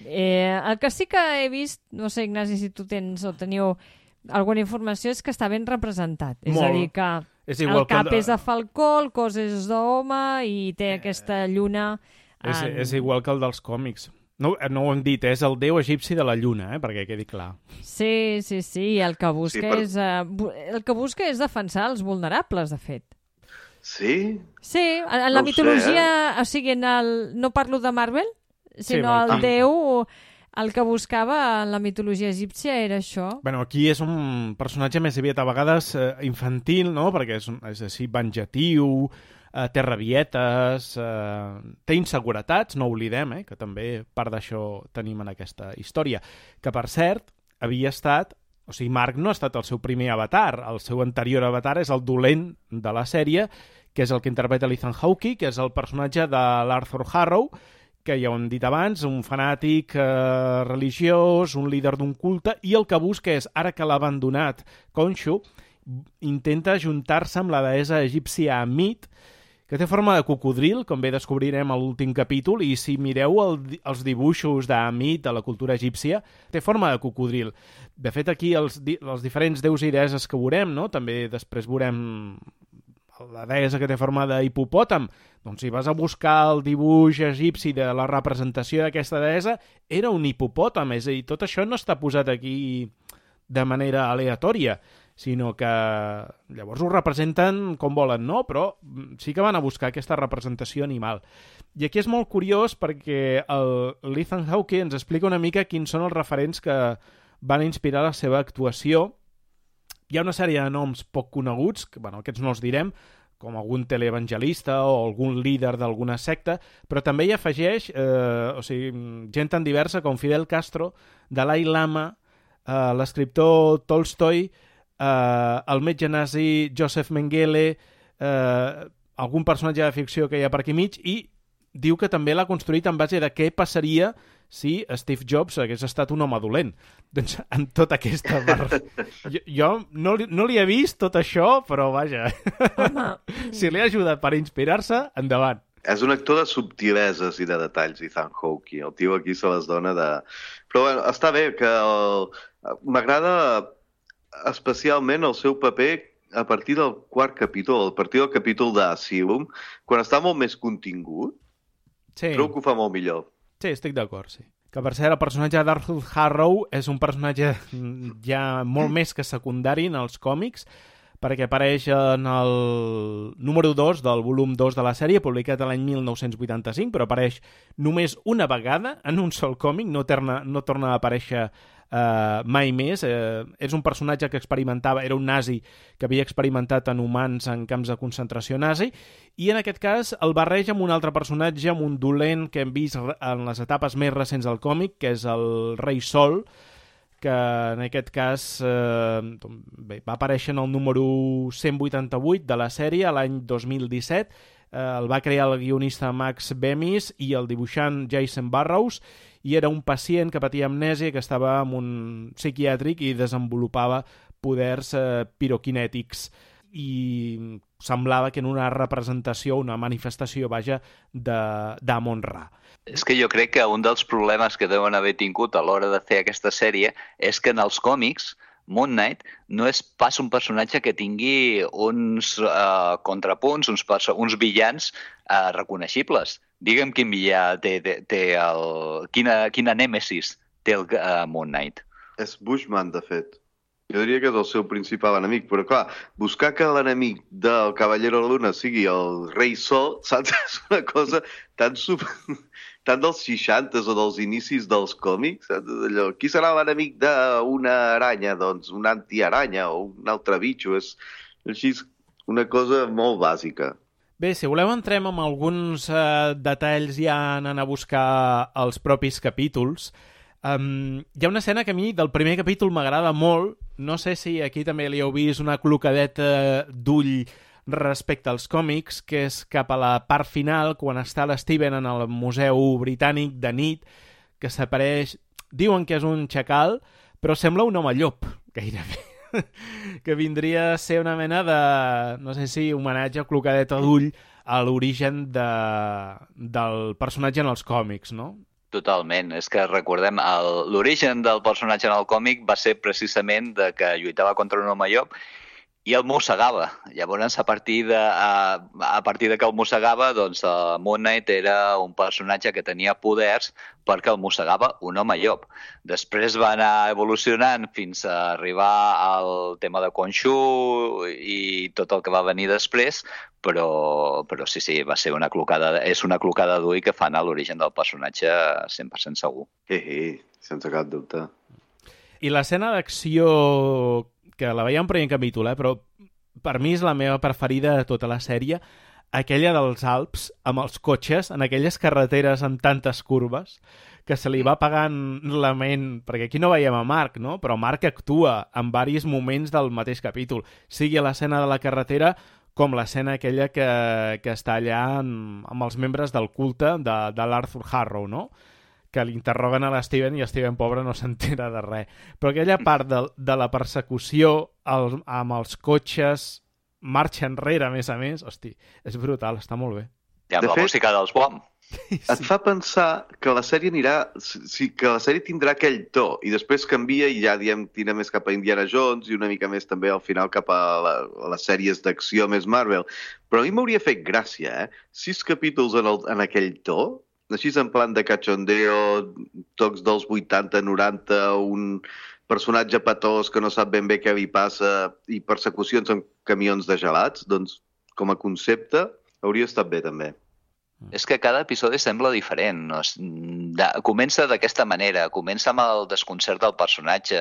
el que sí que he vist, no sé, Ignasi, si tu tens o teniu alguna informació, és que està ben representat. És a dir, que el cap és de falcó, el cos és d'home i té aquesta lluna... És igual que el dels còmics. No ho hem dit, és el déu egipci de la lluna, perquè quedi clar. Sí, el que busca és defensar els vulnerables, de fet. Sí? Sí, en la mitologia, o sigui, no parlo de Marvel, sinó el déu, el que buscava en la mitologia egípcia era això. Aquí és un personatge més aviat a vegades infantil, no? Perquè és així venjatiu, té rabietes, té inseguretats, no oblidem, que també part d'això tenim en aquesta història. Que, per cert, havia estat... O sigui, Mark no ha estat el seu primer avatar. El seu anterior avatar és el dolent de la sèrie, que és el que interpreta l'Ethan Hawke, que és el personatge de l'Arthur Harrow, que ja ho hem dit abans, un fanàtic religiós, un líder d'un culte, i el que busca és, ara que l'ha abandonat Khonshu, intenta ajuntar-se amb la deessa egípcia Amit, que té forma de cocodril, com bé descobrirem a l'últim capítol, i si mireu els dibuixos d'Amit a la cultura egípcia, té forma de cocodril. De fet, aquí els diferents déus i deesses que veurem, no? També després veurem la deessa que té forma d'hipopòtam. Doncs si vas a buscar el dibuix egipci de la representació d'aquesta deessa, era un hipopòtam, és a dir, tot això no està posat aquí de manera aleatòria, sinó que llavors ho representen com volen, no? Però sí que van a buscar aquesta representació animal. I aquí és molt curiós perquè l'Ethan Hawke ens explica una mica quins són els referents que van inspirar la seva actuació. Hi ha una sèrie de noms poc coneguts, que bueno, aquests no els direm, com algun teleevangelista o algun líder d'alguna secta, però també hi afegeix gent tan diversa com Fidel Castro, Dalai Lama, l'escriptor Tolstoi, el metge nazi Joseph Mengele, algun personatge de ficció que hi ha per aquí mig, i diu que també l'ha construït en base de què passaria si Steve Jobs hagués estat un home dolent. Doncs amb tota aquesta jo no li he vist tot això, però vaja, si li ha ajudat per inspirar-se, endavant. És un actor de subtileses i de detalls, Ethan Hawke. El tio aquí se les dona de... Però bueno, està bé, que m'agrada especialment el seu paper a partir del quart capítol, a partir del capítol d'Asylum, quan està molt més contingut, trobo que ho fa molt millor. Sí, estic d'acord, sí. Que per cert, el personatge d'Arthur Harrow és un personatge ja molt més que secundari en els còmics, perquè apareix en el número 2 del volum 2 de la sèrie, publicat l'any 1985, però apareix només una vegada en un sol còmic, no torna a aparèixer mai més. És un personatge que experimentava, era un nazi que havia experimentat en humans en camps de concentració nazi, i en aquest cas el barreja amb un altre personatge, amb un dolent que hem vist en les etapes més recents del còmic, que és el Rei Sol, que en aquest cas va aparèixer en el número 188 de la sèrie l'any 2017. El va crear el guionista Max Bemis i el dibuixant Jason Burrows, i era un pacient que patia amnèsia, que estava en un psiquiàtric i desenvolupava poders piroquinètics. I semblava que en una representació, una manifestació, vaja, d'Amon-Ra. És que jo crec que un dels problemes que deuen haver tingut a l'hora de fer aquesta sèrie és que en els còmics Moon Knight no és pas un personatge que tingui uns contrapunts, uns villans reconeixibles. Digue'm quin villà quina nèmesis té el Moon Knight. És Bushman, de fet. Jo diria que és el seu principal enemic, però clar, buscar que l'enemic del Cavallero de la Luna sigui el Rei Sol, saps? És una cosa tan dels 60s o dels inicis dels còmics, saps? Allò, qui serà l'enemic d'una aranya? Doncs una antiaranya o un altre bitxo. És així una cosa molt bàsica. Bé, si voleu entrem amb alguns detalls ja anant a buscar els propis capítols. Hi ha una escena que a mi del primer capítol m'agrada molt. No sé si aquí també li heu vist una clocadeta d'ull respecte als còmics, que és cap a la part final, quan està l'Steven en el Museu Britànic de nit, que s'apareix... Diuen que és un xacal, però sembla un home llop, gairebé. Que vindria a ser una mena de, no sé si homenatge o clocadeta d'ull a l'origen del personatge en els còmics, no? Totalment. És que recordem, l'origen del personatge en el còmic va ser precisament de que lluitava contra un home llop i el mossegava. Llavors, a partir de que el mossegava, doncs Moon Knight era un personatge que tenia poders perquè el mossegava un home llop. Després va anar evolucionant fins a arribar al tema de Khonshu i tot el que va venir després, però sí, va ser és una clocada d'ull que fan a l'origen del personatge 100% segur. Sense cap dubte. I l'escena d'acció, que la veiem en primer capítol, però per mi és la meva preferida de tota la sèrie, aquella dels Alps, amb els cotxes, en aquelles carreteres amb tantes curves, que se li va pagant la ment, perquè aquí no veiem a Mark, no? Però Mark actua en diversos moments del mateix capítol, sigui a l'escena de la carretera com l'escena aquella que està allà amb els membres del culte de l'Arthur Harrow, no? Que l'interroguen a l'Steven i Steven, pobre, no s'entera de res. Però aquella part de la persecució amb els cotxes, marxa enrere, a més, hosti, és brutal, està molt bé. I amb la música dels BOM. Et fa pensar que la sèrie que la sèrie tindrà aquell to i després canvia i ja, diem, tira més cap a Indiana Jones i una mica més també al final cap a les sèries d'acció més Marvel. Però a mi m'hauria fet gràcia, 6 capítols en aquell to, així en plan de cachondeo, tocs dels 80, 90, un personatge patós que no sap ben bé què li passa i persecucions amb camions de gelats, doncs com a concepte hauria estat bé també. És que cada episodi sembla diferent. Comença d'aquesta manera, comença amb el desconcert del personatge,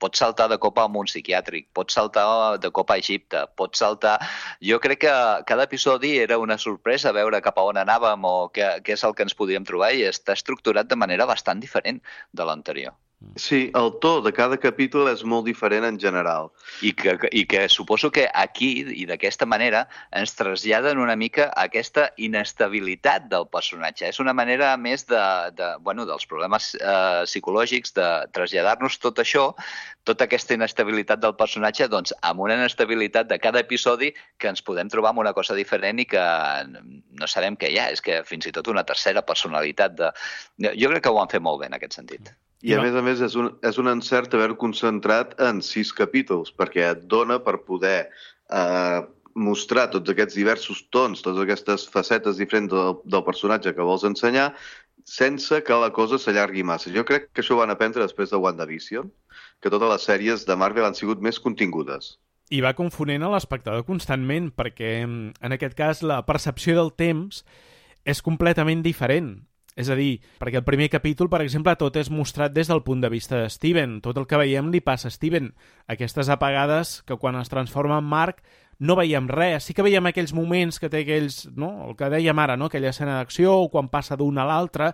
pot saltar de cop a un psiquiàtric, pot saltar de cop a Egipte, pot saltar... Jo crec que cada episodi era una sorpresa veure cap a on anàvem o què és el que ens podíem trobar i està estructurat de manera bastant diferent de l'anterior. Sí, el to de cada capítol és molt diferent en general. I que suposo que aquí, i d'aquesta manera, ens traslladen una mica aquesta inestabilitat del personatge. És una manera més dels problemes psicològics de traslladar-nos tot això, tota aquesta inestabilitat del personatge, doncs amb una inestabilitat de cada episodi que ens podem trobar amb una cosa diferent i que no sabem què hi ha. És que fins i tot una tercera personalitat. Jo crec que ho han fet molt bé en aquest sentit. I a més és un encert haver concentrat en 6 capítols, perquè et dona per poder mostrar tots aquests diversos tons, totes aquestes facetes diferents del personatge que vols ensenyar, sense que la cosa s'allargui massa. Jo crec que això ho van aprendre després de WandaVision, que totes les sèries de Marvel han sigut més contingudes. I va confonent a l'espectador constantment, perquè en aquest cas la percepció del temps és completament diferent. És a dir, perquè el primer capítol, per exemple, tot és mostrat des del punt de vista de Steven. Tot el que veiem li passa a Steven. Aquestes apagades que quan es transforma en Mark no veiem res. Sí que veiem aquells moments que té aquells, no? El que dèiem ara, no? Aquella escena d'acció, o quan passa d'un a l'altre,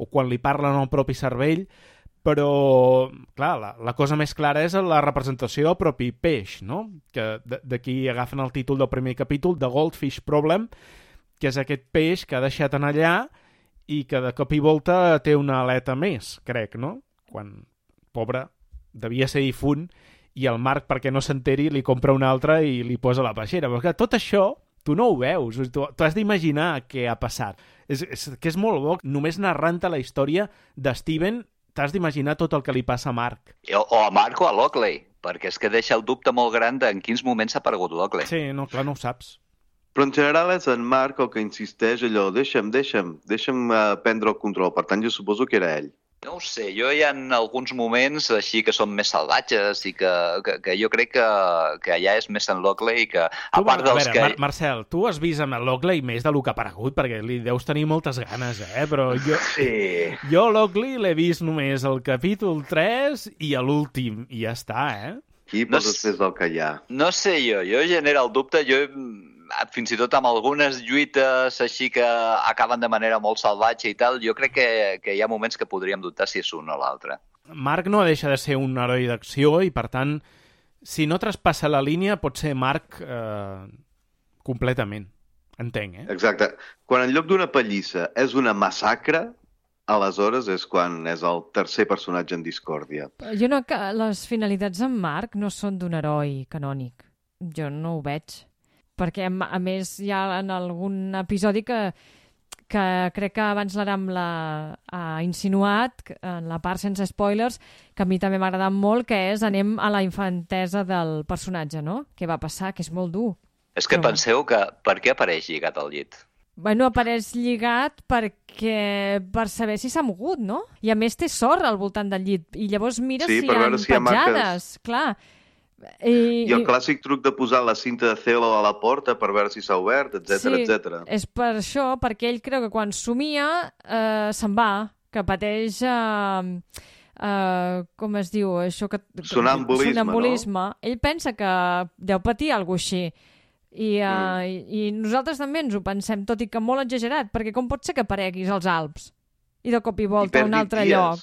o quan li parlen al propi cervell, però, clar, la cosa més clara és la representació del propi peix, no? Que d'aquí agafen el títol del primer capítol, The Goldfish Problem, que és aquest peix que ha deixat en allà i que de cop i volta té una aleta més, crec, no? Quan, pobre, devia ser difunt i el Marc, perquè no s'enteri, li compra una altra i li posa la peixera. Però que tot això tu no ho veus, tu has d'imaginar què ha passat. És que és molt bo, només narrant-te la història de Steven t'has d'imaginar tot el que li passa a Marc. O a Marc o a Lockley, perquè és que deixa el dubte molt gran de en quins moments ha aparegut Lockley. Sí, no, clar, no ho saps. Però en general és en Marc el que insisteix allò, deixa'm prendre el control. Per tant, jo suposo que era ell. No ho sé, jo hi ha alguns moments així que són més salvatges i que jo crec que ja és més en Lockley que... A part dels que... Marcel, tu has vist amb el Lockley més del que ha aparegut, perquè li deus tenir moltes ganes, però jo... Sí. Jo Lockley l'he vist només al capítol 3 i a l'últim, i ja està, Qui poses més del que hi ha? No sé jo genera el dubte, fins i tot amb algunes lluites així que acaben de manera molt salvatge i tal, jo crec que hi ha moments que podríem dubtar si és un o l'altre. Marc no deixa de ser un heroi d'acció i, per tant, si no traspassa la línia, pot ser Marc completament. Entenc, Exacte. Quan en lloc d'una pallissa és una massacre, aleshores és quan és el tercer personatge en discòrdia. Jo no, que les finalitats en Marc no són d'un heroi canònic. Jo no ho veig. Perquè, a més, hi ha en algun episodi que crec que abans l'Aram ha insinuat, en la part sense spoilers, que a mi també m'ha agradat molt, que és anem a la infantesa del personatge, no? Què va passar, que és molt dur. És que penseu que per què apareix lligat al llit? Bueno, apareix lligat per saber si s'ha mogut, no? I a més té sorra al voltant del llit. I llavors mira si hi ha petjades. Clar. I el clàssic truc de posar la cinta de celo a la porta per veure si s'ha obert, etc. etc. És per això, perquè ell creu que quan somia se'n va, que pateix com es diu això? Sonambulisme, no? Ell pensa que deu patir alguna cosa així. I nosaltres també ens ho pensem, tot i que molt exagerat, perquè com pot ser que apareguis als Alps i de cop i volta a un altre lloc?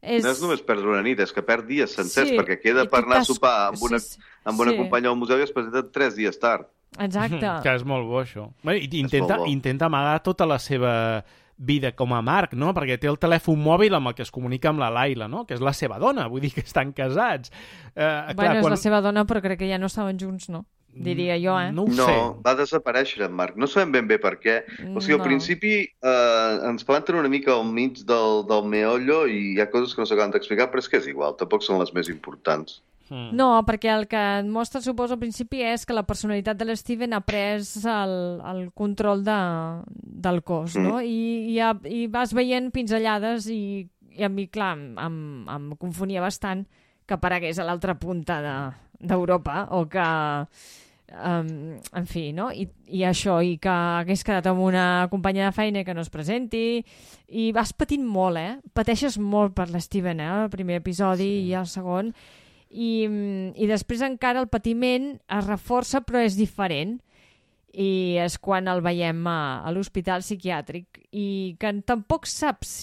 No és només perdre una nit, és que perd dies sencers, perquè queda per anar a sopar amb una companya al museu i es presenta 3 dies tard. Exacte. Que és molt bo, això. Intenta amagar tota la seva vida com a Marc, no? Perquè té el telèfon mòbil amb el que es comunica amb la Laila, no? Que és la seva dona, vull dir que estan casats. És la seva dona, però crec que ja no estaven junts, no? Diria jo, No ho sé. No, va desaparèixer en Marc. No sabem ben bé per què. O sigui, al principi ens planten una mica al mig del meollo i hi ha coses que no s'acaben d'explicar, però és que és igual, tampoc són les més importants. No, perquè el que et mostra, suposo, al principi és que la personalitat de l'Steven ha pres el control del cos, no? I vas veient pinzellades i a mi, clar, em confonia bastant que aparegués a l'altra punta d'Europa o que... en fi, no? I això, i que hagués quedat amb una companya de feina que no es presenti, i vas patint molt, pateixes molt per l'Steven, el primer episodi i el segon, i després encara el patiment es reforça però és diferent, i és quan el veiem a l'hospital psiquiàtric i que tampoc saps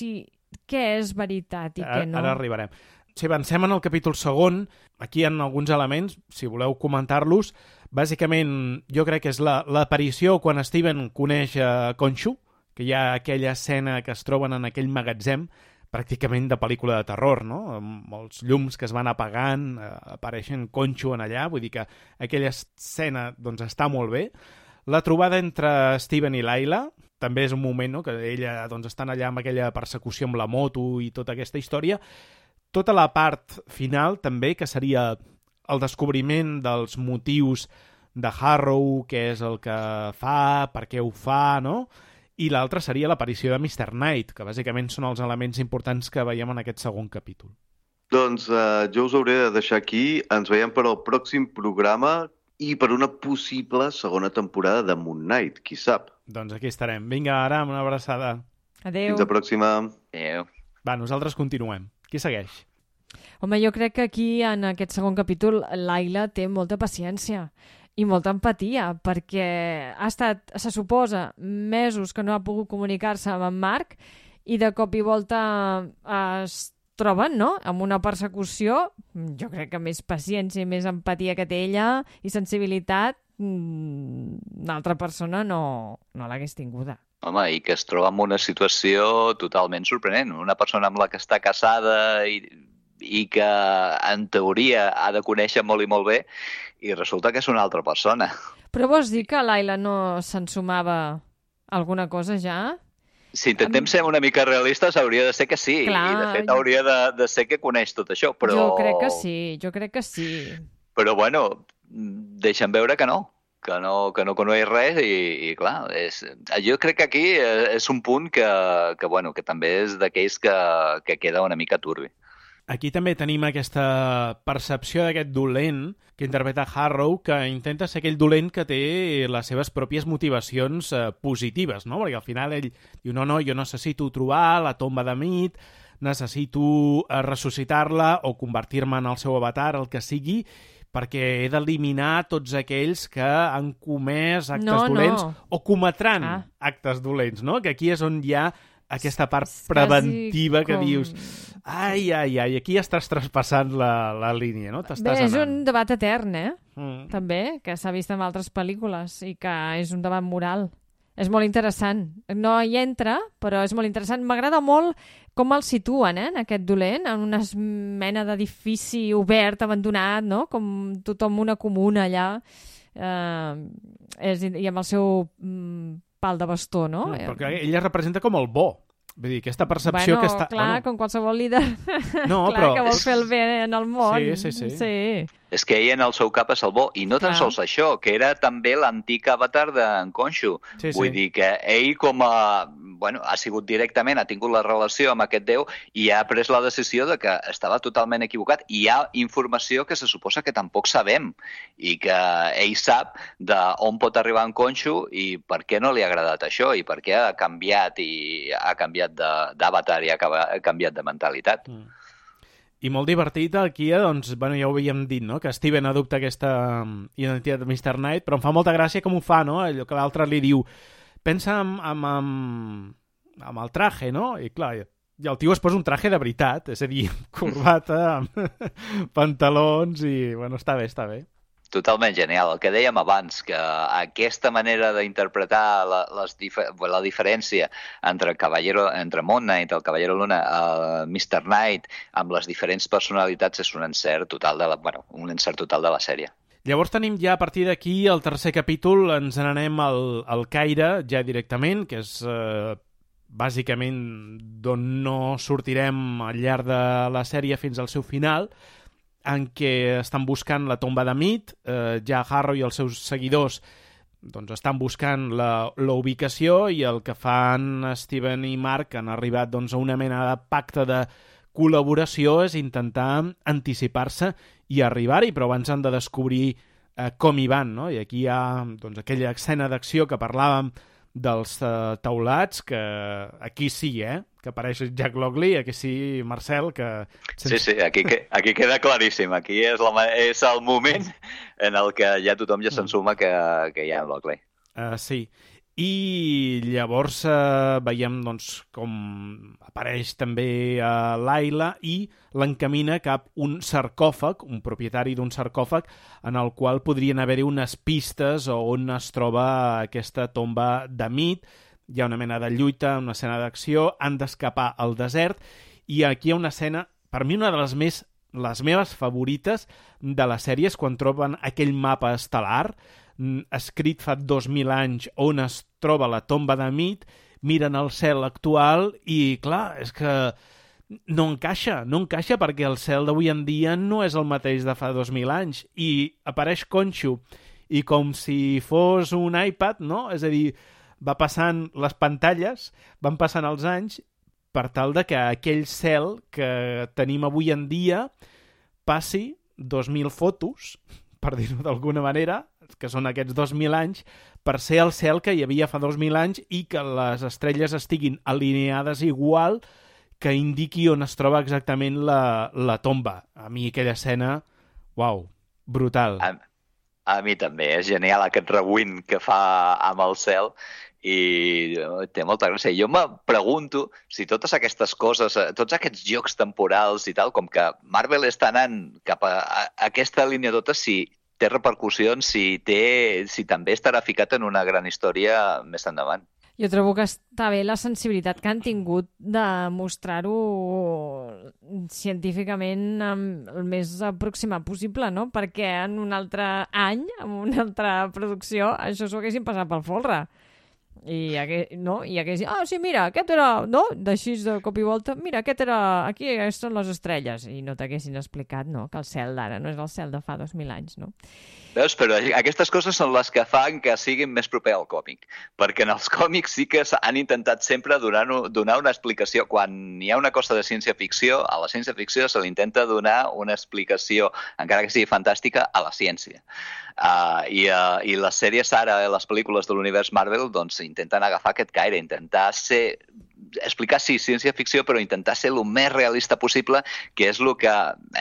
què és veritat i què no. Ara arribarem. Si avancem en el capítol segon, aquí hi ha alguns elements, si voleu comentar-los. Bàsicament, jo crec que és l'aparició quan Steven coneix Khonshu, que hi ha aquella escena que es troben en aquell magatzem, pràcticament de pel·lícula de terror, no? Amb els llums que es van apagant, apareixen Khonshu en allà, vull dir que aquella escena doncs, està molt bé. La trobada entre Steven i Laila també és un moment, no?, que ella doncs, estan allà amb aquella persecució amb la moto i tota aquesta història. Tota la part final també, que seria el descobriment dels motius de Harrow, què és el que fa, per què ho fa, no? I l'altre seria l'aparició de Mr. Knight, que bàsicament són els elements importants que veiem en aquest segon capítol. Doncs jo us hauré de deixar aquí. Ens veiem per al pròxim programa i per una possible segona temporada de Moon Knight, qui sap. Doncs aquí estarem. Vinga, Aram, una abraçada. Adéu. Fins la pròxima. Adéu. Va, nosaltres continuem. Qui segueix? Home, jo crec que aquí, en aquest segon capítol, Laila té molta paciència i molta empatia, perquè ha estat, se suposa, mesos que no ha pogut comunicar-se amb en Marc i de cop i volta es troben, no?, amb una persecució. Jo crec que més paciència i més empatia que té ella i sensibilitat una altra persona no l'hagués tinguda. Home, i que es troba en una situació totalment sorprenent. Una persona amb la que està casada i que, en teoria, ha de conèixer molt i molt bé, i resulta que és una altra persona. Però vols dir que Laila no s'ensumava alguna cosa ja? Si intentem ser una mica realistes, hauria de ser que sí. Clar, i, de fet, hauria de ser que coneix tot això, però... Jo crec que sí. Però, bueno, deixen veure que no coneix res i clar, jo crec que aquí és un punt que també és d'aquells que queda una mica turbi. Aquí també tenim aquesta percepció d'aquest dolent que interpreta Harrow, que intenta ser aquell dolent que té les seves pròpies motivacions positives, no? Perquè al final ell diu, no, jo necessito trobar la tomba de Mead, necessito ressuscitar-la o convertir-me en el seu avatar, el que sigui, perquè he d'eliminar tots aquells que han comès actes dolents o cometran actes dolents, no? Que aquí és on hi ha aquesta part preventiva que dius ai, aquí estàs traspassant la línia, no? T'estàs és un debat etern, també, que s'ha vist en altres pel·lícules i que és un debat moral. És molt interessant. No hi entra, però és molt interessant. M'agrada molt com el situen, en aquest dolent, en una mena d'edifici obert, abandonat, no? Com tothom una comuna allà, i amb el seu pal de bastó, no? Perquè ella representa com el bo. Vull dir, aquesta percepció que està... Clar, com qualsevol líder que vol fer el bé en el món. Sí. És que ell en el seu cap és el bo, i no tan sols això, que era també l'antic avatar d'en Khonshu. Vull dir que ell ha sigut directament, ha tingut la relació amb aquest déu i ha pres la decisió de que estava totalment equivocat. I hi ha informació que se suposa que tampoc sabem i que ell sap d'on pot arribar en Khonshu i per què no li ha agradat això i per què ha canviat d'avatar i ha canviat de mentalitat. I molt divertit aquí, doncs, bueno, ja ho havíem dit, no? Que Steven adopta aquesta identitat de Mr. Knight, però em fa molta gràcia com ho fa, no? Allò que l'altre li diu, pensa amb el traje, no? I clar, i el tio es posa un traje de veritat, és a dir, corbata, amb pantalons i, bueno, està bé, està bé. Totalment genial. El que dèiem abans, que aquesta manera d'interpretar la diferència entre Moon Knight, el Caballero Luna, el Mr. Knight, amb les diferents personalitats és un encert total de la sèrie. Llavors tenim ja a partir d'aquí el tercer capítol, ens n'anem al Caire ja directament, que és bàsicament d'on no sortirem al llarg de la sèrie fins al seu final, en què estan buscant la tomba de Mead, ja Harrow i els seus seguidors doncs, estan buscant la ubicació i el que fan Steven i Mark han arribat doncs, a una mena de pacte de col·laboració és intentar anticipar-se i arribar-hi, però abans han de descobrir com hi van, no? I aquí hi ha doncs, aquella escena d'acció que parlàvem dels taulats, que aquí sí, que apareix Jack Lockley, aquí sí, Marcel, que... Sí, aquí queda claríssim. Aquí és el moment en el que ja tothom ja s'ensuma que hi ha Lockley. Sí. I llavors veiem doncs, com apareix també Layla i l'encamina cap un sarcòfag, un propietari d'un sarcòfag, en el qual podrien haver-hi unes pistes on es troba aquesta tomba de Mead. Hi ha una mena de lluita, una escena d'acció, han d'escapar al desert i aquí hi ha una escena, per mi una de les meves favorites de la sèrie és quan troben aquell mapa estel·lar escrit fa 2.000 anys on es troba la tomba de Mead, miren el cel actual i, clar, és que no encaixa perquè el cel d'avui en dia no és el mateix de fa 2.000 anys i apareix Khonshu i com si fos un iPad, no? És a dir, va passant les pantalles, van passant els anys per tal de que aquell cel que tenim avui en dia passi 2.000 fotos, per dir-ho d'alguna manera, que són aquests 2.000 anys, per ser el cel que hi havia fa 2.000 anys i que les estrelles estiguin alineades igual que indiqui on es troba exactament la tomba. A mi aquella escena, uau, brutal. A mi també, és genial aquest rewind que fa amb el cel i té molta gràcia. Jo me pregunto si totes aquestes coses, tots aquests jocs temporals i tal, com que Marvel està anant cap a aquesta línia tota, si té repercussions, si també estarà ficat en una gran història més endavant. Jo trobo que està bé la sensibilitat que han tingut de mostrar-ho científicament el més aproximat possible, no? Perquè en un altre any, en una altra producció, això s'ho haguessin passat pel folre. I haguessin, sí, mira, aquest era, no? D'així de cop i volta, mira, aquí són les estrelles. I no t'haguessin explicat, no? Que el cel d'ara no és el cel de fa 2.000 anys, no? Veus? Però aquestes coses són les que fan que siguin més proper al còmic. Perquè en els còmics sí que han intentat sempre donar una explicació. Quan hi ha una cosa de ciència-ficció, a la ciència-ficció se li intenta donar una explicació, encara que sigui fantàstica, a la ciència. I les sèries ara, les pel·lícules de l'univers Marvel, doncs intenten agafar aquest caire, intentar explicar, sí, ciència-ficció, però intentar ser el més realista possible, que és el que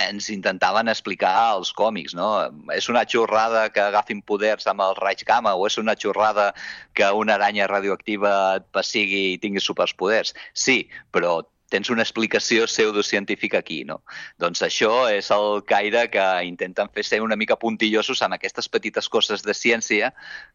ens intentaven explicar als còmics, no? És una xorrada que agafin poders amb el raig gamma o és una xorrada que una aranya radioactiva et pessigui i tingui superpoders? Sí, però tens una explicació pseudocientífica aquí, no? Doncs això és el caire que intenten fer ser una mica puntillosos amb aquestes petites coses de ciència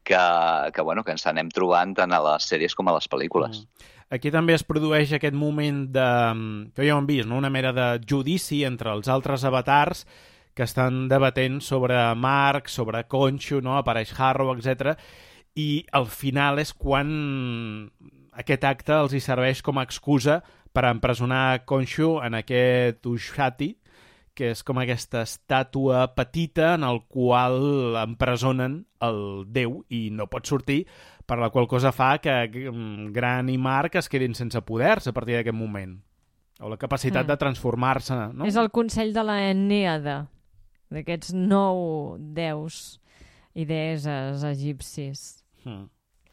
que ens anem trobant tant a les sèries com a les pel·lícules. Aquí també es produeix aquest moment que ja ho hem vist, no? Una mena de judici entre els altres avatars que estan debatent sobre Mark, sobre Khonshu, no? Apareix Harrow, etc. I al final és quan aquest acte els hi serveix com a excusa per empresonar Khonshu en aquest Ushati, que és com aquesta estàtua petita en el qual empresonen el déu i no pot sortir, per la qual cosa fa que Gran i Mark es quedin sense poders a partir d'aquest moment. O la capacitat de transformar-se, no? És el consell de la Enèada, d'aquests 9 déus i deesses egipcis.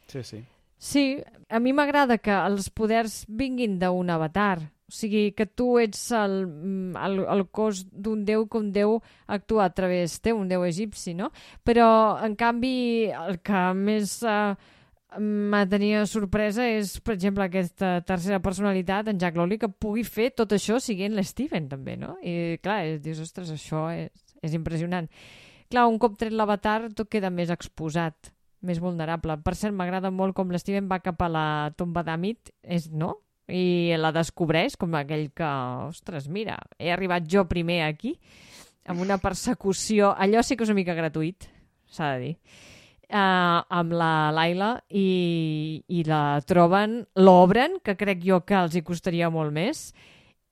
Sí, sí. Sí, a mi m'agrada que els poders vinguin d'un avatar, O sigui, que tu ets el cos d'un déu, que un déu actua a través teu, un déu egipci, no? Però, en canvi, el que més m'ha tenia sorpresa és, per exemple, aquesta tercera personalitat, en Jack Lowry, que pugui fer tot això siguent l'Steven, també, no? I, clar, dius, ostres, això és impressionant. Clar, un cop tret l'avatar, tot queda més exposat, més vulnerable. Per cert, m'agrada molt com l'Steven va cap a la tomba d'Amit, no? I la descobreix com aquell que, ostres, mira, he arribat jo primer aquí, amb una persecució, allò sí que és una mica gratuït, s'ha de dir, amb la Layla, i la troben, l'obren, que crec jo que els hi costaria molt més,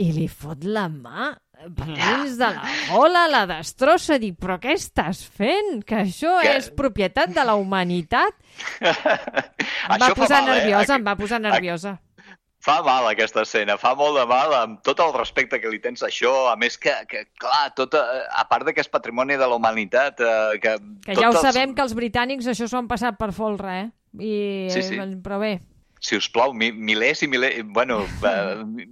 i li fot la mà dins de la gola, la destrossa, dic, però què estàs fent? Que això és propietat de la humanitat. Em va posar nerviosa. Fa mal aquesta escena, fa molt de mal, amb tot el respecte que li tens a això, a més que clar, a part que és patrimoni de la humanitat... Que ja ho sabem, que els britànics això s'ho han passat per folre, Sí. Però bé... Si us plau, milers i milers... Bueno,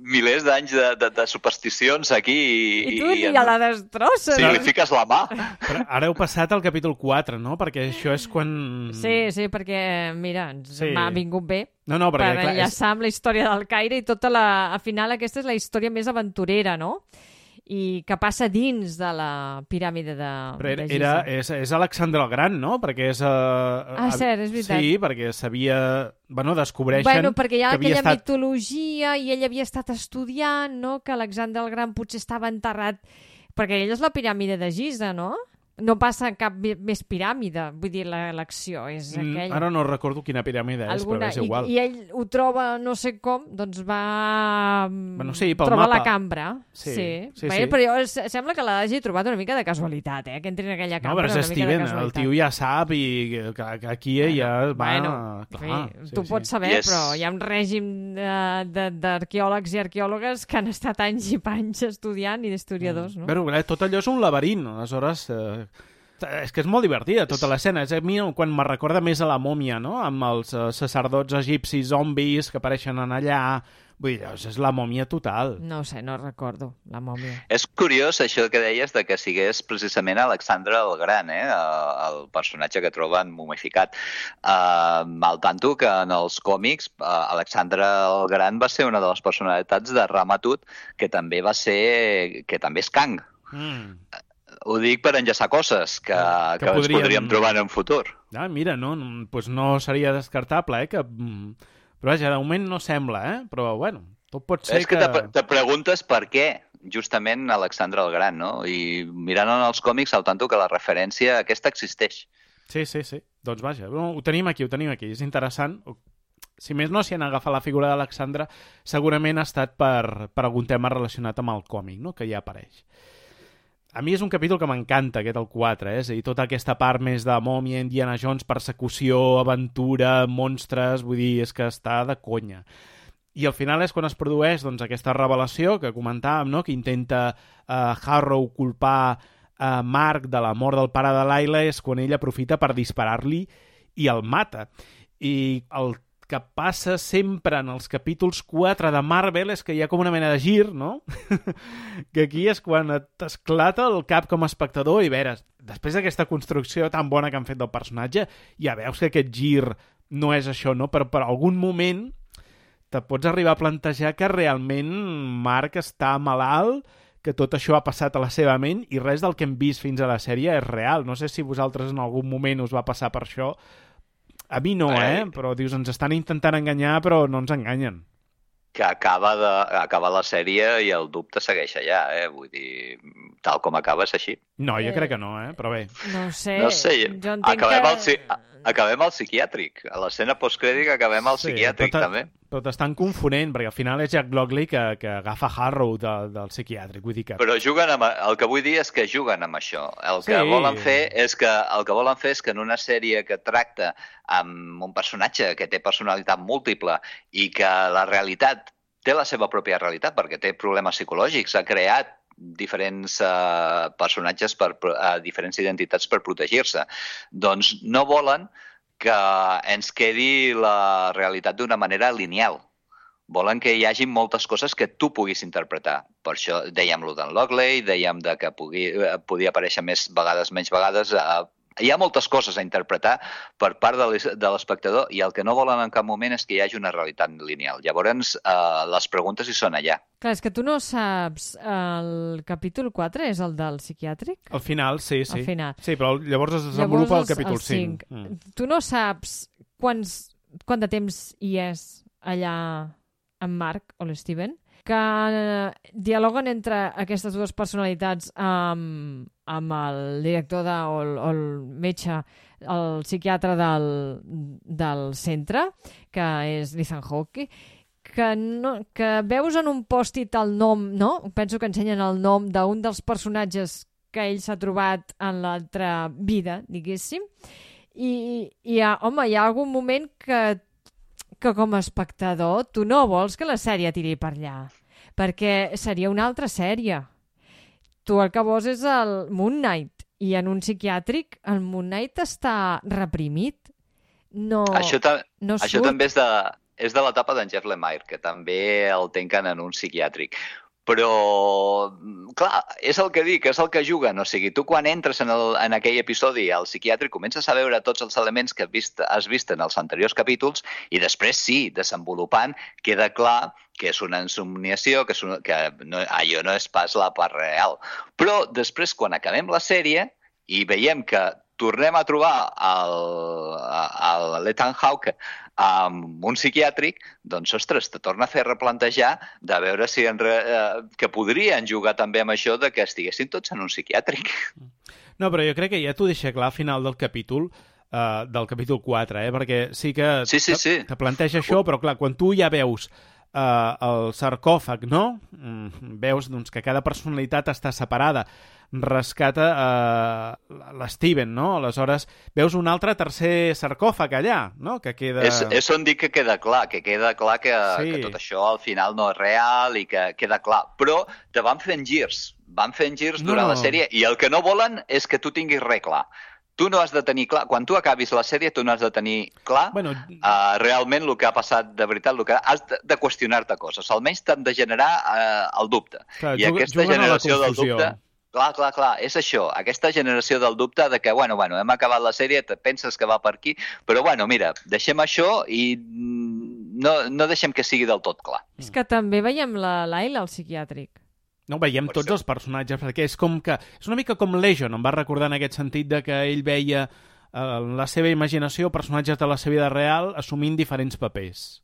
milers d'anys de supersticions aquí... I tu ni a la destrossa. Sí, li fiques la mà. Però ara heu passat al capítol 4, no? Perquè això és quan... Sí, perquè, mira, m'ha vingut bé. No, perquè... Per enllaçar amb la història del Caire i tota al final aquesta és la història més aventurera, no? I que passa dins de la piràmide de Giza. És Alexandre el Gran, no? Perquè és... cert, és veritat. Sí, perquè sabia... descobreixen... perquè hi ha aquella mitologia i ell havia estat estudiant, no? Que Alexandre el Gran potser estava enterrat... Perquè ell és la piràmide de Giza, no? No passa cap més piràmide, vull dir, l'acció és aquella. Ara no recordo quina piràmide és, però és igual. I ell ho troba no sé com, doncs va trobar la cambra. Sí. Però jo sembla que l'hagi trobat una mica de casualitat, que entri en aquella cambra una mica de casualitat. No, però és Steven, el tio ja sap i que aquí ja va... Tu pots saber, però hi ha un règim d'arqueòlegs i arqueòlogues que han estat anys i panys estudiant i d'historiadors, no? Però tot allò és un laberint, aleshores... És que és molt divertida tota l'escena. És a mi quan me recorda més a la mòmia, no? Amb els sacerdots egipcis zombis que apareixen en allà. Vull dir, és la mòmia total. No sé, no recordo la mòmia. És curiós això que deies de que sigués precisament Alexandre el Gran, el personatge que troben momificat. Al tanto que en els còmics Alexandre el Gran va ser una de les personalitats de Ramatut, que també és Kang. Ho dic per enllaçar coses que ens podríem trobar en un futur. Mira, no seria descartable, però vaja, de moment no sembla, però bueno, tot pot ser que... És que te preguntes per què justament Alexandre el Gran, no? I mirant en els còmics, al tanto que la referència aquesta existeix. Sí. Doncs vaja, ho tenim aquí. És interessant. Si més no, si han agafat la figura d'Alexandre, segurament ha estat per algun tema relacionat amb el còmic, no? Que ja apareix. A mi és un capítol que m'encanta, aquest el 4, és a dir, tota aquesta part més de mòmia, Indiana Jones, persecució, aventura, monstres, vull dir, és que està de conya. I al final és quan es produeix aquesta revelació que comentàvem, no? Que intenta Harrow culpar Mark de la mort del pare de Layla, és quan ell aprofita per disparar-li i el mata. I el que passa sempre en els capítols 4 de Marvel és que hi ha com una mena de gir, no? Que aquí és quan t'esclata el cap com a espectador i veres, després d'aquesta construcció tan bona que han fet del personatge, ja veus que aquest gir no és això, no? Però per algun moment te pots arribar a plantejar que realment Mark està malalt, que tot això ha passat a la seva ment i res del que hem vist fins a la sèrie és real. No sé si vosaltres en algun moment us va passar per això. A mi no, però dius, ens estan intentant enganyar, però no ens enganyen. Que acaba la sèrie i el dubte segueix allà, vull dir, tal com acaba és així. No, jo crec que no, però bé. No sé, jo entenc acabem al psiquiàtric. A l'escena postcrèdit acabem al psiquiàtric, també. Però t'estan confonent, perquè al final és Jack Lockley que agafa Harrow del psiquiàtric. Vull dir que... Però el que vull dir és que juguen amb això. El que volen fer és que en una sèrie que tracta amb un personatge que té personalitat múltiple i que la realitat té la seva pròpia realitat, perquè té problemes psicològics, ha creat diferents personatges, diferents identitats per protegir-se. Doncs no volen que ens quedi la realitat d'una manera lineal. Volen que hi hagi moltes coses que tu puguis interpretar. Per això dèiem-lo d'en Lockley, dèiem de que podia aparèixer més vegades, menys vegades. Hi ha moltes coses a interpretar per part de l'espectador i el que no volen en cap moment és que hi hagi una realitat lineal. Llavors, les preguntes hi són allà. Clar, és que tu no saps... El capítol 4 és el del psiquiàtric? Al final, sí. Al final. Sí, però llavors es desenvolupa el capítol 5. Tu no saps quant de temps hi és allà en Mark o l'Steven, que dialoguen entre aquestes dues personalitats amb el director o el metge, el psiquiatre del centre, que és Ethan Hawke, que veus en un pòstit el nom, no? Penso que ensenyen el nom d'un dels personatges que ell s'ha trobat en l'altra vida, diguéssim, i hi ha algun moment que com a espectador tu no vols que la sèrie tiri per allà, perquè seria una altra sèrie. Tu el que vols és el Moon Knight, i en un psiquiàtric el Moon Knight està reprimit. Això també és de l'etapa d'en Jeff Lemire, que també el tanquen en un psiquiàtric. Però, clar, és el que dic, és el que juguen. O sigui, tu quan entres en aquell episodi al psiquiàtric comences a veure tots els elements que has vist en els anteriors capítols i després, sí, desenvolupant, queda clar que és una insomniació, que allò no és pas la part real. Però després, quan acabem la sèrie i veiem que tornem a trobar l'Ethan Hawke amb un psiquiàtric, doncs, ostres, te torna a fer replantejar de veure si que podrien jugar també amb això de que estiguessin tots en un psiquiàtric. No, però jo crec que ja t'ho deixa clar al final del capítol 4, perquè sí que te planteja això, però clar, quan tu ja veus el sarcòfag, no? Veus doncs, que cada personalitat està separada, rescata l'Steven, no? Aleshores, veus un altre tercer sarcòfag allà, no? Que queda... És on dic que queda clar que tot això al final no és real i que queda clar. Però te van fent girs durant la sèrie i el que no volen és que tu tinguis res clar. Tu no has de tenir clar, quan tu acabis la sèrie, tu no has de tenir clar realment el que ha passat de veritat, el que has de qüestionar-te coses. Almenys t'han de generar el dubte. Clar, i aquesta generació del dubte... Clar, és això, aquesta generació del dubte de que, bueno, hem acabat la sèrie, te penses que va per aquí, però, mira, deixem això i no deixem que sigui del tot clar. És que també veiem la Layla al psiquiàtric. No, veiem tots els personatges, perquè és com que... És una mica com Legion, em va recordar en aquest sentit de que ell veia en la seva imaginació personatges de la seva vida real assumint diferents papers.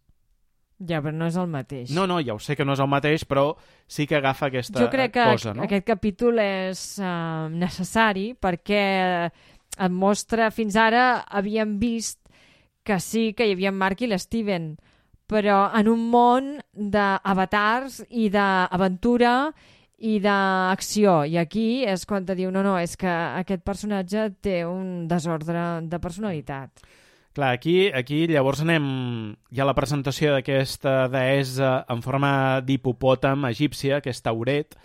Ja, però no és el mateix. No, ja ho sé que no és el mateix, però sí que agafa aquesta cosa, no? Jo crec que aquest capítol és necessari perquè et mostra... Fins ara havíem vist que sí que hi havia en Mark i l'Steven, però en un món d'avatars i d'aventura i d'acció. I aquí és quan te diu, no, és que aquest personatge té un desordre de personalitat. Clar, aquí llavors anem ja a la presentació d'aquesta deessa en forma d'hipopòtam egípcia, que és Tauret,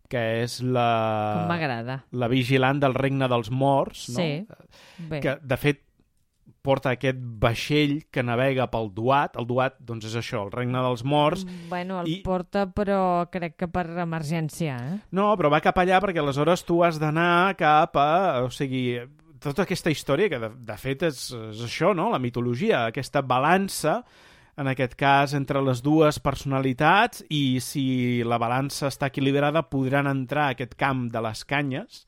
que és Com m'agrada. La vigilant del regne dels morts, no? Sí, bé. Que, de fet, porta aquest vaixell que navega pel Duat. El Duat, doncs, és això, el regne dels morts. Bueno, porta, però crec que per emergència, No, però va cap allà perquè aleshores tu has d'anar cap a... O sigui, tota aquesta història, que de fet és això, no? La mitologia, aquesta balança, en aquest cas, entre les dues personalitats, i si la balança està equilibrada podran entrar a aquest camp de les canyes,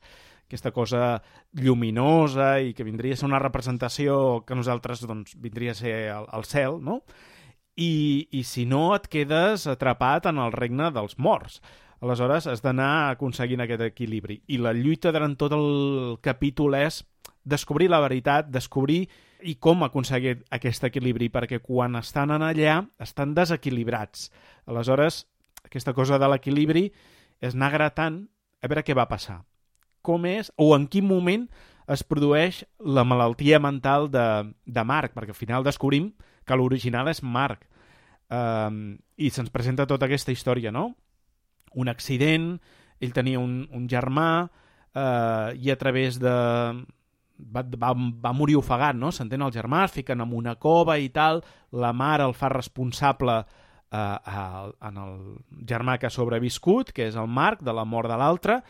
aquesta cosa lluminosa i que vindria a ser una representació que nosaltres, doncs, vindria a ser el cel, no? I si no, et quedes atrapat en el regne dels morts. Aleshores, has d'anar aconseguint aquest equilibri. I la lluita durant tot el capítol és descobrir la veritat, descobrir i com aconseguir aquest equilibri, perquè quan estan allà estan desequilibrats. Aleshores, aquesta cosa de l'equilibri és anar gratant a veure què va passar. Com és, o en quin moment es produeix la malaltia mental de Mark, perquè al final descobrim que l'original és Mark. I se'ns presenta tota aquesta història, no? Un accident, ell tenia un germà i a través de... Va morir ofegat, no? S'entén el germà, es fiquen en una cova i tal, la mare el fa responsable en el germà que ha sobreviscut, que és el Marc, de la mort de l'altre,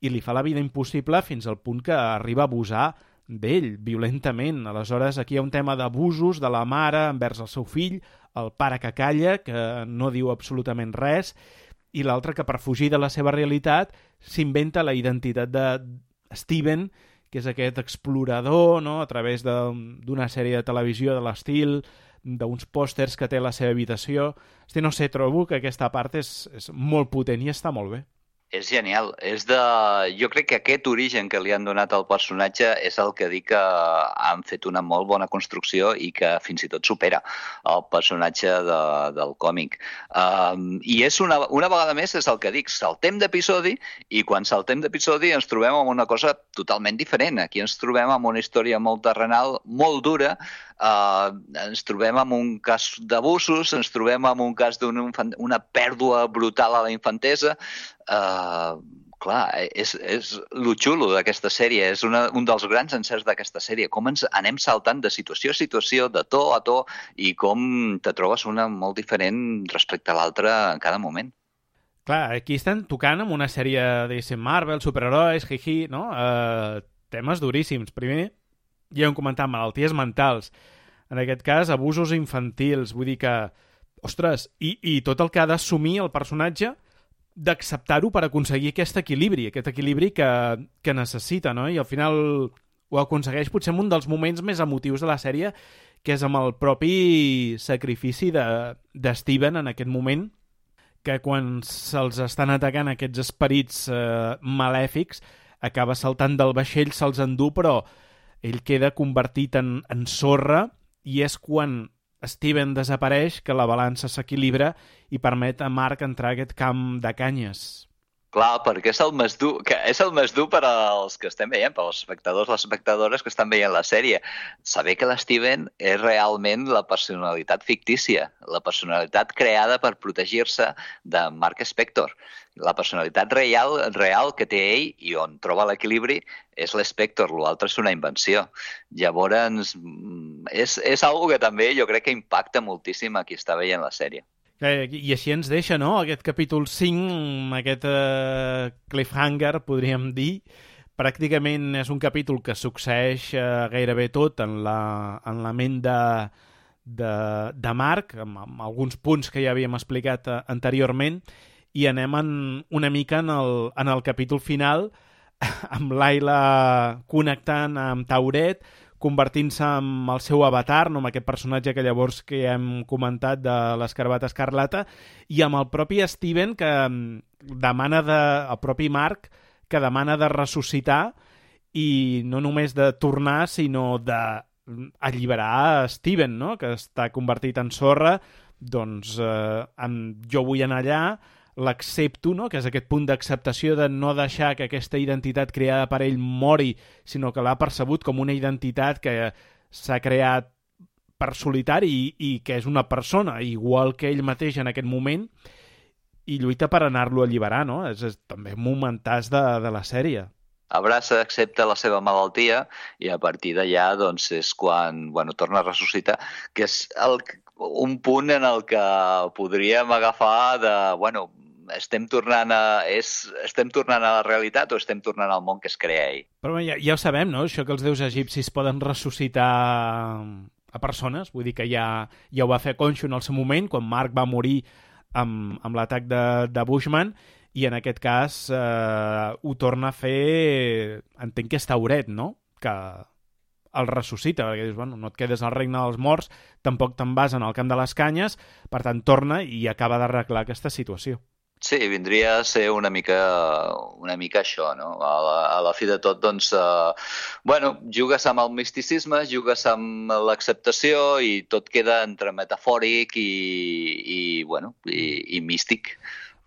i li fa la vida impossible fins al punt que arriba a abusar d'ell violentament. Aleshores, aquí hi ha un tema d'abusos de la mare envers el seu fill, el pare que calla, que no diu absolutament res, i l'altre que per fugir de la seva realitat s'inventa la identitat de Steven, que és aquest explorador, no?, a través d'una sèrie de televisió de l'estil, d'uns pòsters que té a la seva habitació. No sé, trobo que aquesta part és molt potent i està molt bé. És genial. Jo crec que aquest origen que li han donat al personatge és el que dic que han fet una molt bona construcció i que fins i tot supera el personatge del còmic. I és una vegada més és el que dic, saltem d'episodi i quan saltem d'episodi ens trobem amb una cosa totalment diferent. Aquí ens trobem amb una història molt terrenal, molt dura, ens trobem amb un cas d'abusos, ens trobem amb un cas d'una pèrdua brutal a la infantesa. Clar, és lo xulo d'aquesta sèrie, és un dels grans encerts d'aquesta sèrie, com ens anem saltant de situació a situació, de to a to, i com te trobes una molt diferent respecte a l'altra en cada moment. Clar, aquí estan tocant amb una sèrie de Marvel, superherois, no? Temes duríssims. Primer, ja hem comentat, malalties mentals. En aquest cas, abusos infantils. Vull dir que, ostres, i tot el que ha d'assumir el personatge d'acceptar-ho per aconseguir aquest equilibri que necessita, no? I al final ho aconsegueix potser en un dels moments més emotius de la sèrie, que és amb el propi sacrifici de Steven en aquest moment, que quan se'ls estan atacant aquests esperits malèfics, acaba saltant del vaixell, se'ls endú, però ell queda convertit en sorra, i és quan Steven desapareix que la balança s'equilibra i permet a Marc entrar a aquest camp de canyes. Clar, perquè és el més dur per als que estem veient, per als espectadors, les espectadores que estan veient la sèrie. Saber que l'Steven és realment la personalitat fictícia, la personalitat creada per protegir-se de Mark Spector. La personalitat real que té ell i on troba l'equilibri és l'Spector, l'altre és una invenció. Llavors, és algo que també jo crec que impacta moltíssim a qui està veient la sèrie. I així ens deixa, no?, aquest capítol 5, aquest cliffhanger, podríem dir. Pràcticament és un capítol que succeeix gairebé tot en la ment de Marc, amb alguns punts que ja havíem explicat anteriorment, i anem una mica en el capítol final, amb l'Ayla connectant amb Tauret, convertint-se en el seu avatar, no? Amb aquest personatge que llavors que hem comentat de l'Escarbata Escarlata, i amb el propi Steven que demana el propi Marc que demana de ressuscitar, i no només de tornar, sinó d'alliberar Steven, no? Que està convertit en sorra. Doncs jo vull anar allà, l'accepto, no? Que és aquest punt d'acceptació de no deixar que aquesta identitat creada per ell mori, sinó que l'ha percebut com una identitat que s'ha creat per solitari i que és una persona igual que ell mateix en aquest moment, i lluita per anar-lo a alliberar, no? És també un momentàs de la sèrie. Abraça, accepta la seva malaltia i a partir d'allà doncs, és quan torna a ressuscitar, que és un punt en el que podríem agafar de, estem tornant a la realitat o estem tornant al món que es crea ell? Però ja ho sabem, no?, això que els déus egipcis poden ressuscitar a persones, vull dir que ja ho va fer Khonshu en el seu moment, quan Marc va morir amb l'atac de Bushman, i en aquest cas ho torna a fer, entenc que és Tauret, no?, que el ressuscita, perquè dius, no et quedes al regne dels morts, tampoc te'n vas en el camp de les canyes, per tant torna i acaba d'arreglar aquesta situació. Sí, vindria a ser una mica això, no? A la fi de tot, doncs, jugues amb el misticisme, jugues amb l'acceptació i tot queda entre metafòric i místic.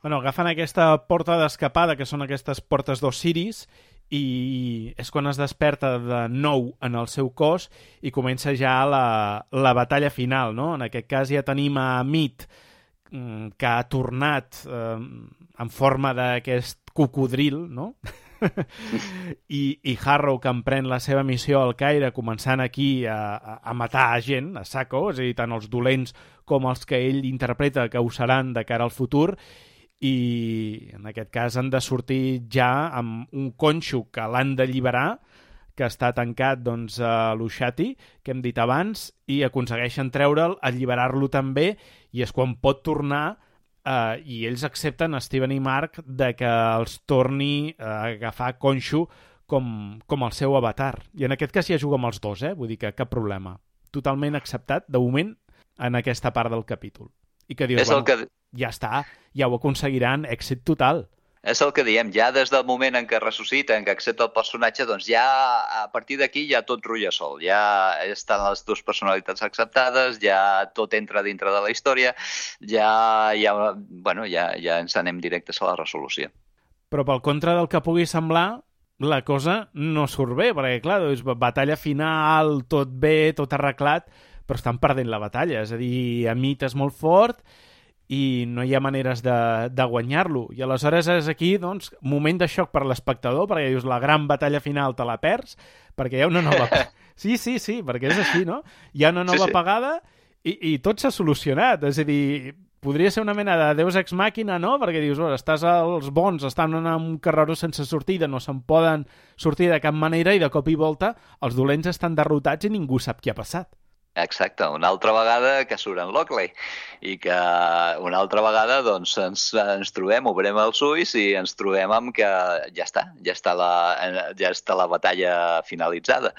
Agafen aquesta porta d'escapada, que són aquestes portes d'Osiris, i és quan es desperta de nou en el seu cos i comença ja la batalla final, no? En aquest cas ja tenim a Amit, que ha tornat en forma d'aquest cocodril, no? I Harrow, que emprèn la seva missió al Caire, començant aquí a matar gent, a saco, és a dir, tant els dolents com els que ell interpreta que ho seran de cara al futur, i en aquest cas han de sortir ja amb un conxo que l'han d'alliberar, que està tancat doncs, a l'Ushati, que hem dit abans, i aconsegueixen treure'l, alliberar-lo també, i és quan pot tornar, i ells accepten, Steven i Mark, de que els torni a agafar conxo com el seu avatar. I en aquest cas ja juga amb els dos, vull dir que cap problema. Totalment acceptat, de moment, en aquesta part del capítol. I que dius, ja està, ja ho aconseguiran, èxit total. És el que diem, ja des del moment en què ressuscita, en què accepta el personatge, doncs ja a partir d'aquí ja tot rutlla sol, ja estan les dues personalitats acceptades, ja tot entra dintre de la història, ja ens anem directes a la resolució. Però pel contra del que pugui semblar, la cosa no surt bé, perquè clar, doncs, batalla final, tot bé, tot arreglat, però estan perdent la batalla, és a dir, Amit és molt fort i no hi ha maneres de guanyar-lo. I aleshores és aquí, doncs, moment de xoc per l'espectador, perquè dius, la gran batalla final te la perds, perquè hi ha una nova... Sí, perquè és així, no? Hi ha una nova pagada i tot s'ha solucionat. És a dir, podria ser una mena de Deus Ex Machina, no? Perquè dius, els bons estan en un carreró sense sortida, no se'n poden sortir de cap manera i de cop i volta els dolents estan derrotats i ningú sap què ha passat. Exacte, una altra vegada que surt en Lockley i que una altra vegada doncs, ens trobem, obrem els ulls i ens trobem amb que ja està la batalla finalitzada.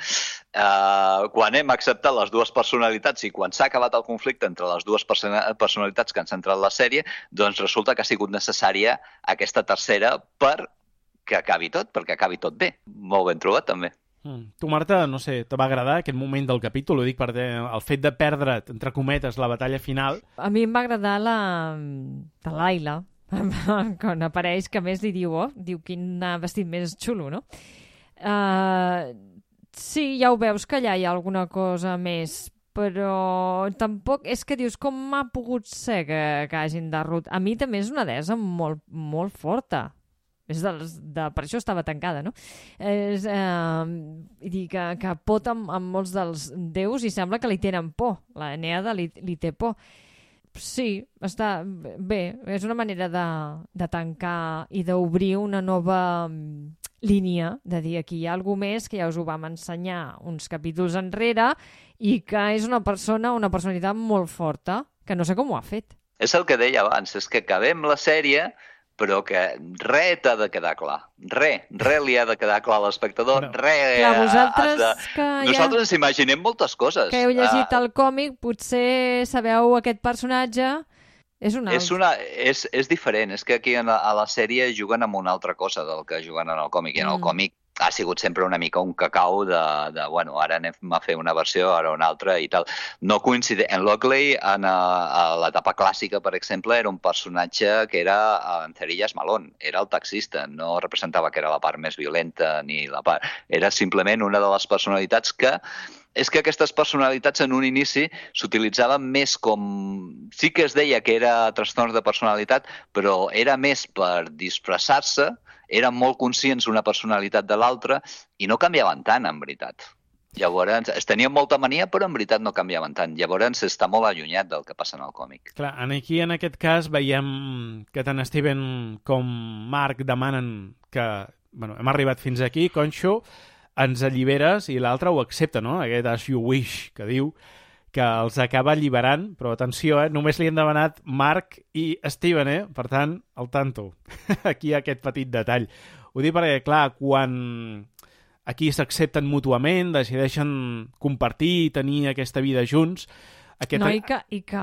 Quan hem acceptat les dues personalitats i quan s'ha acabat el conflicte entre les dues personalitats que han centrat la sèrie, doncs resulta que ha sigut necessària aquesta tercera perquè acabi tot bé. Molt ben trobat, també. Tu, Marta, no sé, te va agradar aquest moment del capítol? Ho dic perquè el fet de perdre, entre cometes, la batalla final... A mi em va agradar la Laila, quan apareix, que a més li diu, quin vestit més xulo, no? Sí, ja ho veus que allà hi ha alguna cosa més, però tampoc... És que dius, com ha pogut ser que hagin derrotat? A mi també és una deessa molt, molt forta. Per això estava tancada, no? Que pot amb molts dels déus i sembla que li tenen por. La Eneada li té por. Sí, està bé. És una manera de tancar i d'obrir una nova línia, de dir aquí hi ha alguna més que ja us ho vam ensenyar uns capítols enrere i que és una personalitat molt forta, que no sé com ho ha fet. És el que deia abans, és que acabem la sèrie però que res t'ha de quedar clar. Res li ha de quedar clar a l'espectador. Nosaltres ens imaginem moltes coses. Que heu llegit el còmic, potser sabeu aquest personatge... És un altre. És diferent. És que aquí a la sèrie juguen amb una altra cosa del que juguen en el còmic. I en el còmic ha sigut sempre una mica un cacau bueno, ara anem a fer una versió, ara una altra i tal. No coincideix. En Lockley, a l'etapa clàssica, per exemple, era un personatge que era en Cerillas Malón, era el taxista, no representava que era la part més violenta ni la part... Era simplement una de les personalitats que... És que aquestes personalitats en un inici s'utilitzaven més com... Sí que es deia que era trastorns de personalitat, però era més per disfressar-se, eren molt conscients una personalitat de l'altra i no canviaven tant, en veritat. Llavors, es tenien molta mania, però en veritat no canviaven tant. Llavors, està molt allunyat del que passa en el còmic. Clar, aquí, en aquest cas, veiem que tant Steven com Mark demanen que... Bueno, hem arribat fins aquí, Conxo, ens alliberes, i l'altre ho accepta, no? Aquest as you wish, que diu que els acaba alliberant, però atenció, només li han demanat Mark i Steven, per tant, al tanto. Aquí hi ha aquest petit detall. Ho dic perquè, clar, quan aquí s'accepten mútuament, decideixen compartir i tenir aquesta vida junts... I que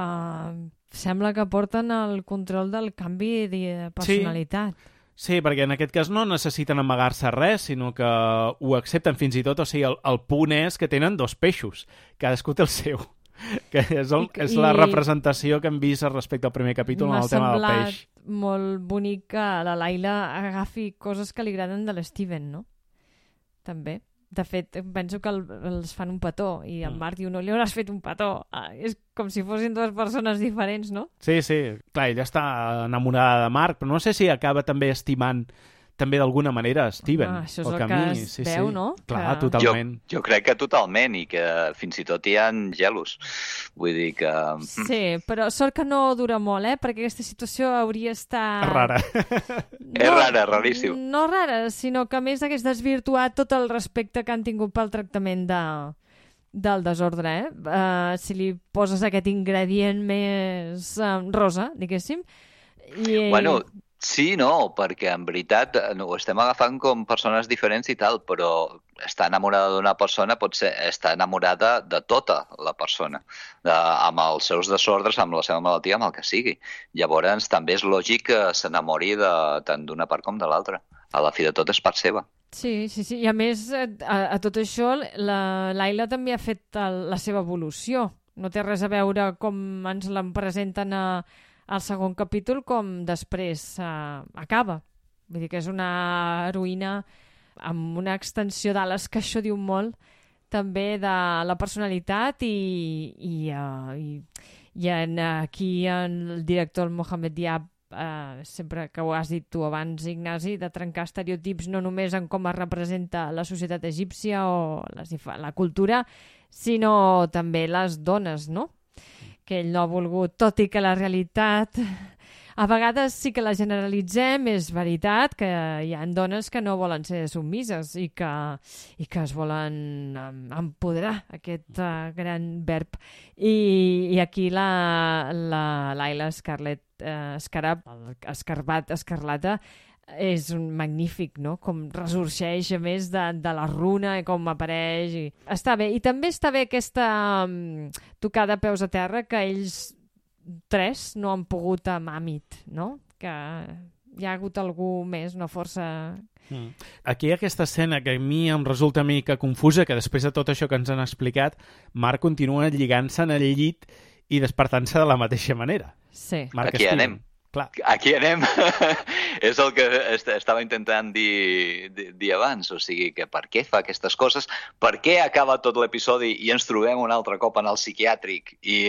sembla que porten el control del canvi de personalitat. Sí, perquè en aquest cas no necessiten amagar-se res, sinó que ho accepten fins i tot. O sigui, el punt és que tenen dos peixos. Cadascú té el seu. Que és la representació que hem vist respecte al primer capítol en el tema del peix. M'ha semblat molt bonic que la Laila agafi coses que li agraden de l'Steven, no? També. De fet, penso que els fan un petó i en Marc diu, no li hauràs fet un petó. És com si fossin dues persones diferents, no? Sí. Clar, ella està enamorada de Marc, però no sé si acaba també estimant també d'alguna manera Steven. Això és o el que es veu, no? Clar, totalment. Jo crec que totalment, i que fins i tot hi ha gelos. Vull dir que... Sí, però sort que no dura molt, perquè aquesta situació hauria estat... Rara. És rara, raríssim. No rara, sinó que a més hagués desvirtuat tot el respecte que han tingut pel tractament del desordre, si li poses aquest ingredient més rosa, diguéssim. Bueno, sí, no, perquè en veritat ho estem agafant com persones diferents i tal, però estar enamorada d'una persona pot ser estar enamorada de tota la persona, amb els seus desordres, amb la seva malaltia, amb el que sigui. Llavors també és lògic que s'enamori tant d'una part com de l'altra. A la fi de tot és part seva. Sí, i a més, a tot això, l'Ayla també ha fet la seva evolució. No té res a veure com ens la presenten al segon capítol com després acaba. Vull dir que és una heroïna amb una extensió d'ales, que això diu molt també de la personalitat i aquí el director Mohamed Diab, sempre que ho has dit tu abans, Ignasi, de trencar estereotips no només en com es representa la societat egípcia o la cultura, sinó també les dones, no? Que ell no ha volgut, tot i que la realitat a vegades sí que la generalitzem, és veritat que hi ha dones que no volen ser submises i que es volen empoderar, aquest gran verb. I aquí l'Ayla Escarlata és un magnífic, no? Com ressorgeix, a més de la runa, i com apareix. Està bé. I també està bé aquesta tocada a peus a terra, que ells tres no han pogut amb Amit, no? Que hi ha hagut algú més, una força... Aquí hi ha aquesta escena que a mi em resulta una mica confusa, que després de tot això que ens han explicat, Marc continua lligant-se en el llit i despertant-se de la mateixa manera. Sí. Marc Aquí Steven. anem. Clar. Aquí anem. És el que estava intentant dir abans. O sigui, que per què fa aquestes coses? Per què acaba tot l'episodi i ens trobem un altre cop en el psiquiàtric? I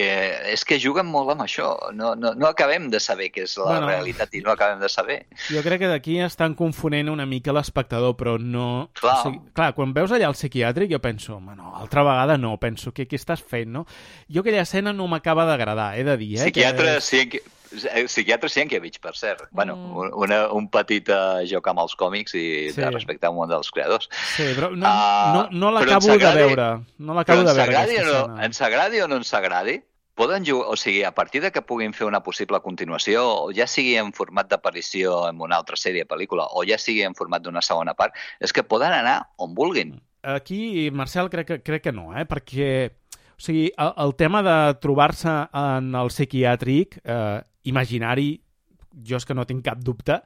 és que juguen molt amb això. No acabem de saber què és la realitat i no acabem de saber. Jo crec que d'aquí estan confonent una mica l'espectador, però no... Clar. O sigui, clar, quan veus allà el psiquiàtric jo penso, home, no, altra vegada no, penso, què estàs fent, no? Jo aquella escena no m'acaba d'agradar, he de dir, Psiquiatre Sienkiewicz, per cert. Bueno, un petit joc amb els còmics i de respectar un dels creadors. Sí, però no l'acabo de veure. No l'acabo de veure, aquesta escena. Ens agradi o no ens agradi, poden jugar, o sigui, a partir de que puguin fer una possible continuació, o ja sigui en format d'aparició en una altra sèrie, pel·lícula, o ja sigui en format d'una segona part, és que poden anar on vulguin. Aquí, Marcel, crec que no, perquè o sigui, el tema de trobar-se en el psiquiàtric imaginari, jo és que no tinc cap dubte,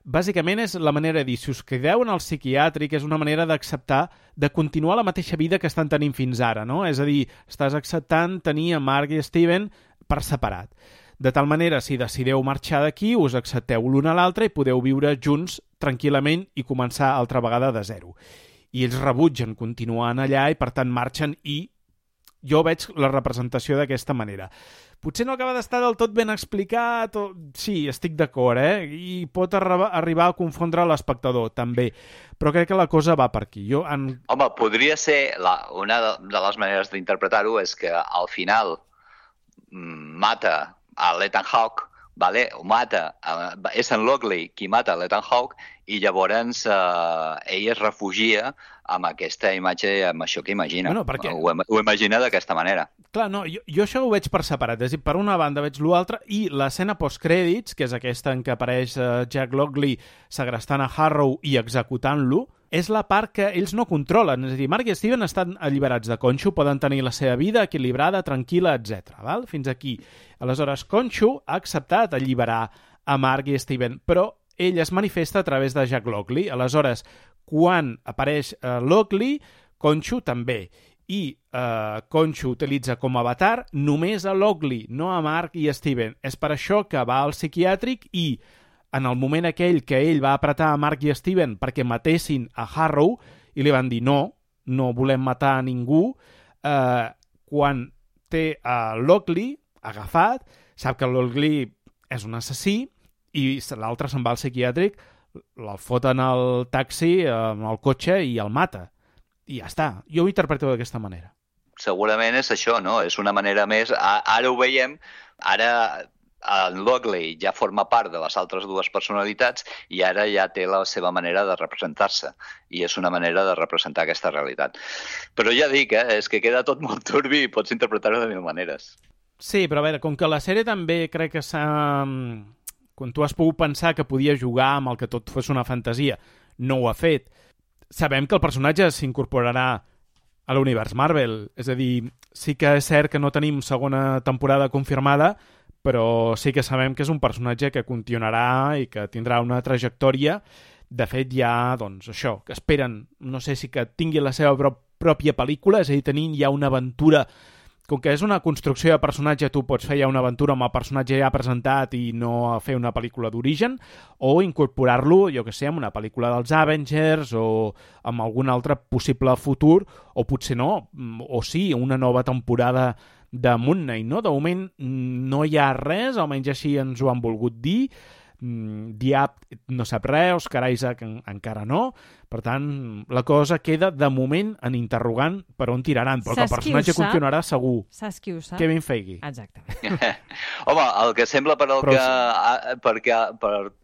bàsicament és la manera de dir, si us quedeu en el psiquiàtric, és una manera d'acceptar, de continuar la mateixa vida que estan tenint fins ara, no? És a dir, estàs acceptant tenir a Mark i Steven per separat. De tal manera, si decideu marxar d'aquí, us accepteu l'un a l'altre i podeu viure junts tranquil·lament i començar altra vegada de zero. I ells rebutgen continuant allà i, per tant, marxen i jo veig la representació d'aquesta manera. Potser no acaba d'estar del tot ben explicat, sí, estic d'acord, i pot arribar a confondre l'espectador, també. Però crec que la cosa va per aquí. Home, podria ser, una de les maneres d'interpretar-ho és que al final mata a l'Ethan Hawke, vale? Ho mata, és en Lockley qui mata l'Ethan Hawke, i llavors ell es refugia amb aquesta imatge, amb això que imagina. Bueno, perquè... Ho imagina d'aquesta manera. Clar, no, jo això ho veig per separat. És a dir, per una banda veig l'altra, i l'escena postcrèdits, que és aquesta en què apareix Jack Lockley segrestant a Harrow i executant-lo, és la part que ells no controlen. És a dir, Mark i Steven estan alliberats de Conxo, poden tenir la seva vida equilibrada, tranquil·la, etc. Val? Fins aquí. Aleshores, Conxo ha acceptat alliberar a Mark i Steven, però ell es manifesta a través de Jack Lockley. Aleshores, quan apareix Lockley, Conxo també. I Conxo utilitza com a avatar només a Lockley, no a Mark i Steven. És per això que va al psiquiàtric i en el moment aquell que ell va apretar a Mark i Steven perquè matessin a Harrow i li van dir no volem matar a ningú, quan té a Lockley agafat, sap que Lockley és un assassí i l'altre se'n va al psiquiàtric, el foten al taxi, al cotxe i el mata. I ja està. Jo ho interpreto d'aquesta manera. Segurament és això, no? És una manera més... Ara ho veiem, ara en Lockley ja forma part de les altres dues personalitats i ara ja té la seva manera de representar-se i és una manera de representar aquesta realitat. Però ja dic, és que queda tot molt turbi i pots interpretar-ho de mil maneres. Sí, però a veure, com que la sèrie també crec que s'ha... Quan tu has pogut pensar que podia jugar amb el que tot fos una fantasia, no ho ha fet. Sabem que el personatge s'incorporarà a l'univers Marvel, és a dir, sí que és cert que no tenim segona temporada confirmada, però sí que sabem que és un personatge que continuarà i que tindrà una trajectòria. De fet, ja, doncs, això, que esperen, no sé si que tingui la seva pròpia pel·lícula, és a dir, tenint ja una aventura. Com que és una construcció de personatge, tu pots fer ja una aventura amb el personatge ja presentat i no fer una pel·lícula d'origen, o incorporar-lo, jo que sé, en una pel·lícula dels Avengers o amb algun altre possible futur, o potser no, o sí, una nova temporada de Moon Knight, no? De moment no hi ha res, almenys així ens ho han volgut dir. Diab no sap res, Oscar Isaac encara no. Per tant, la cosa queda de moment en interrogant per on tiraran, però que el personatge continuarà segur. Saps qui ho sap? Kevin Feige. Exactament. Home, el que sembla per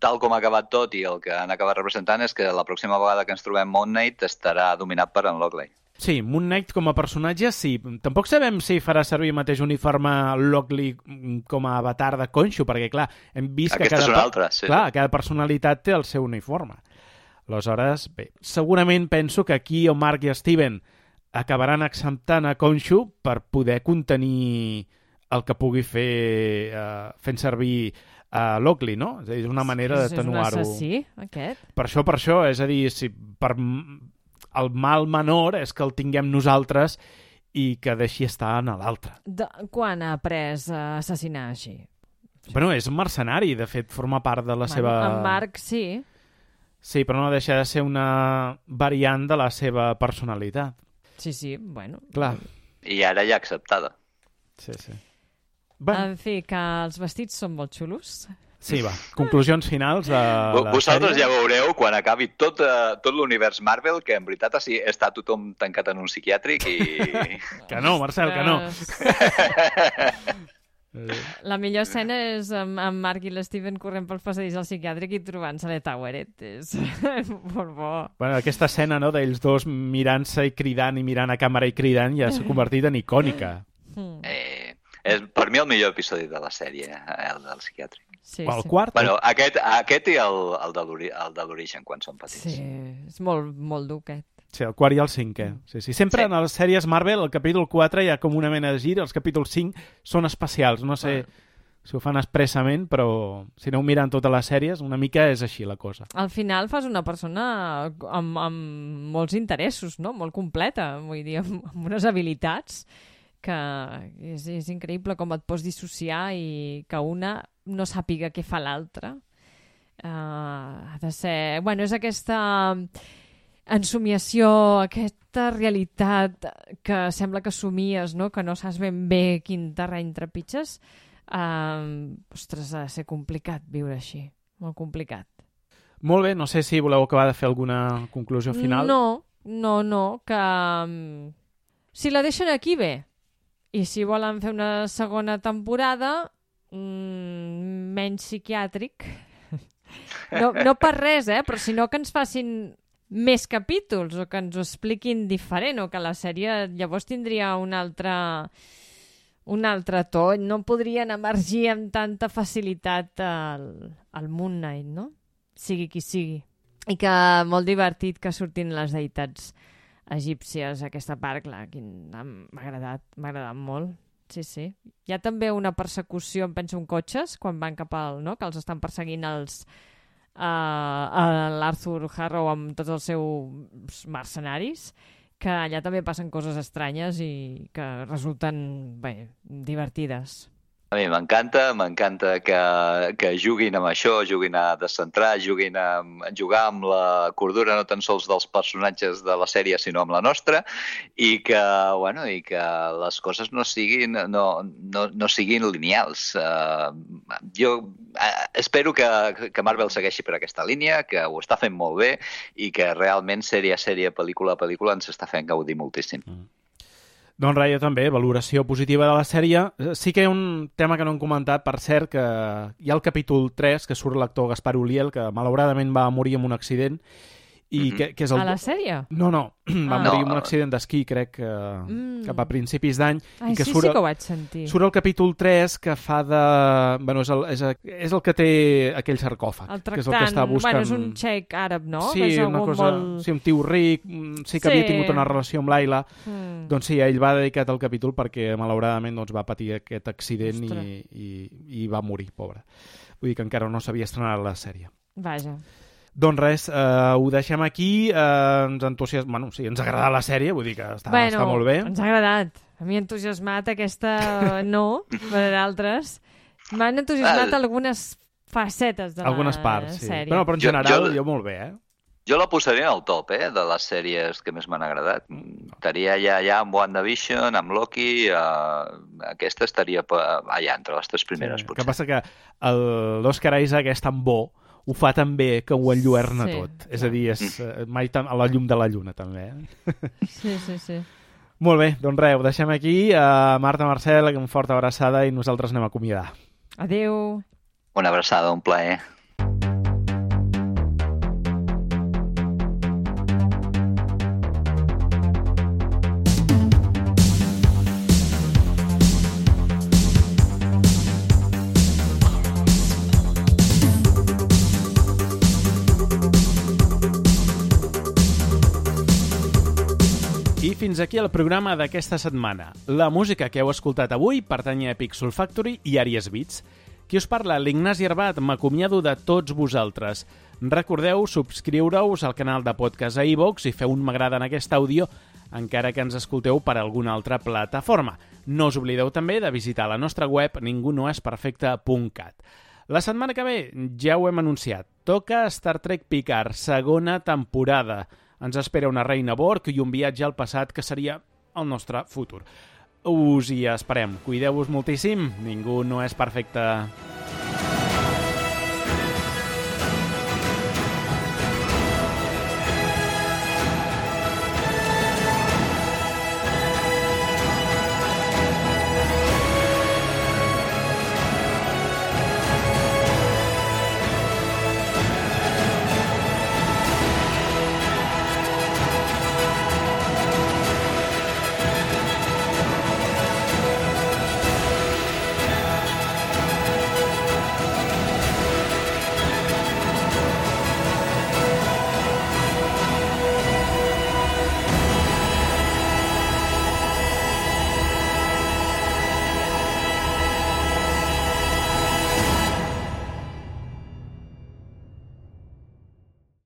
tal com ha acabat tot i el que han acabat representant és que la pròxima vegada que ens trobem Moon Knight estarà dominat per en Lockley. Sí, Moon Knight com a personatge, sí. Tampoc sabem si farà servir el mateix uniforme Lockley com a avatar de Khonshu, perquè, clar, hem vist que cada personalitat té el seu uniforme. Aleshores, bé, segurament penso que aquí el Mark i Steven acabaran acceptant a Khonshu per poder contenir el que pugui fer fent servir a Lockley, no? És a dir, és una manera d'atenuar-ho. És un assassí, aquest? Per això, és a dir, si per... el mal menor és que el tinguem nosaltres i que deixi estar en l'altre. Quan ha après a assassinar així? Bueno, és un mercenari, de fet, forma part de la seva... En Marc, sí. Sí, però no deixa de ser una variant de la seva personalitat. Sí, bueno. Clar. I ara ja acceptada. Sí. En fi, que els vestits són molt xulos. Sí, va. Conclusions finals de la Vosaltres sèrie. ja veureu quan acabi tot l'univers Marvel que en veritat està tothom tancat en un psiquiàtric i... Que no, Marcel, que no. La millor escena és amb Mark i l'Steven corrent pel passadís al psiquiàtric i trobant-se a Toweret. És molt bo. Bueno, aquesta escena, no?, d'ells dos mirant-se i cridant i mirant a càmera i cridant ja s'ha convertit en icònica. És per mi el millor episodi de la sèrie, el del psiquiàtric. Sí, el quart? Bueno, aquest i el de l'origen, quan són petits. Sí, és molt dur, aquest. Sí, el quart i el cinquè. Sí. Sempre en les sèries Marvel, el capítol 4 hi ha com una mena de gir, els capítols 5 són especials. No sé si ho fan expressament, però si aneu mirant totes les sèries, una mica és així la cosa. Al final fas una persona amb molts interessos, no? Molt completa, vull dir, amb unes habilitats que és increïble com et pots dissociar i que una no sàpiga què fa l'altra. Ha de ser... Bueno, és aquesta ensomiació, aquesta realitat que sembla que somies, no? Que no saps ben bé quin terreny trepitges. Ostres, ha de ser complicat viure així. Molt complicat. Molt bé, no sé si voleu acabar de fer alguna conclusió final. No, que si la deixen aquí, bé. I si volen fer una segona temporada, menys psiquiàtric. No per res, però sinó que ens facin més capítols o que ens ho expliquin diferent o que la sèrie llavors tindria un altre to. No podrien emergir amb tanta facilitat al Moon Knight, no? Sigui qui sigui. I que molt divertit que surtin les deïtats egípcies, aquesta part, clar, m'ha agradat molt. Sí. Hi ha també una persecució, em penso, en cotxes, quan van cap al... no? Que els estan perseguint l'Arthur Harrow amb tots els seus mercenaris, que allà també passen coses estranyes i que resulten, bé, divertides. A mi m'encanta que juguin amb això, juguin a descentrar, juguin a jugar amb la cordura no tan sols dels personatges de la sèrie, sinó amb la nostra, i que les coses no siguin lineals. Jo espero que Marvel segueixi per aquesta línia, que ho està fent molt bé i que realment sèrie a sèrie, pel·lícula a pel·lícula ens està fent gaudir moltíssim. Doncs res, jo també, valoració positiva de la sèrie. Sí que hi ha un tema que no hem comentat, per cert, que hi ha el capítol 3, que surt l'actor Gaspar Ulliel, que malauradament va morir en un accident, i que és el... A la sèrie? No, va morir en un accident d'esquí, crec, cap a principis d'any. Ai, que sí que ho vaig sentir. Surt el capítol 3 que fa de... Bueno, és el que té aquell sarcòfag. El que és el que està buscant... Bueno, és un xeic àrab, no? Sí, que és una cosa... molt... Sí, un tio ric, sí que havia tingut una relació amb l'Aila. Doncs sí, ell va dedicat al capítol perquè malauradament va patir aquest accident i va morir, pobre. Vull dir que encara no s'havia estrenat la sèrie. Vaja. Doncs res, ho deixem aquí, ens entusiasma... Bueno, sí, ens ha agradat la sèrie, vull dir que està molt bé. Ens ha agradat. A mi ha entusiasmat aquesta no, per d'altres. M'han entusiasmat algunes facetes de algunes la parts, sí. sèrie. Però en general, jo molt bé, Jo la posaria al top, de les sèries que més m'han agradat. Estaria ja amb WandaVision, amb Loki, aquesta estaria allà entre les 3 primeres, potser. El que passa que l'Oscar Isaac és tan bo, ho fa tan bé que ho enlluerna tot. És a dir, és mai a la llum de la lluna, també. Sí. Molt bé, doncs res, ho deixem aquí. Marta, Marcel, una forta abraçada i nosaltres anem a acomiadar. Adéu. Una abraçada, un plaer. I fins aquí el programa d'aquesta setmana. La música que heu escoltat avui pertany a Epic Soul Factory i Àries Beats. Qui us parla, l'Ignasi Arbat, m'acomiado de tots vosaltres. Recordeu subscriure-us al canal de podcast a iVoox i feu un m'agrada en aquest àudio, encara que ens escolteu per alguna altra plataforma. No us oblideu també de visitar la nostra web ningunoesperfecte.cat. La setmana que ve ja ho hem anunciat. Toca Star Trek Picard, segona temporada. Ens espera una reina Borg i un viatge al passat que seria el nostre futur. Us hi esperem. Cuideu-vos moltíssim. Ningú no és perfecte.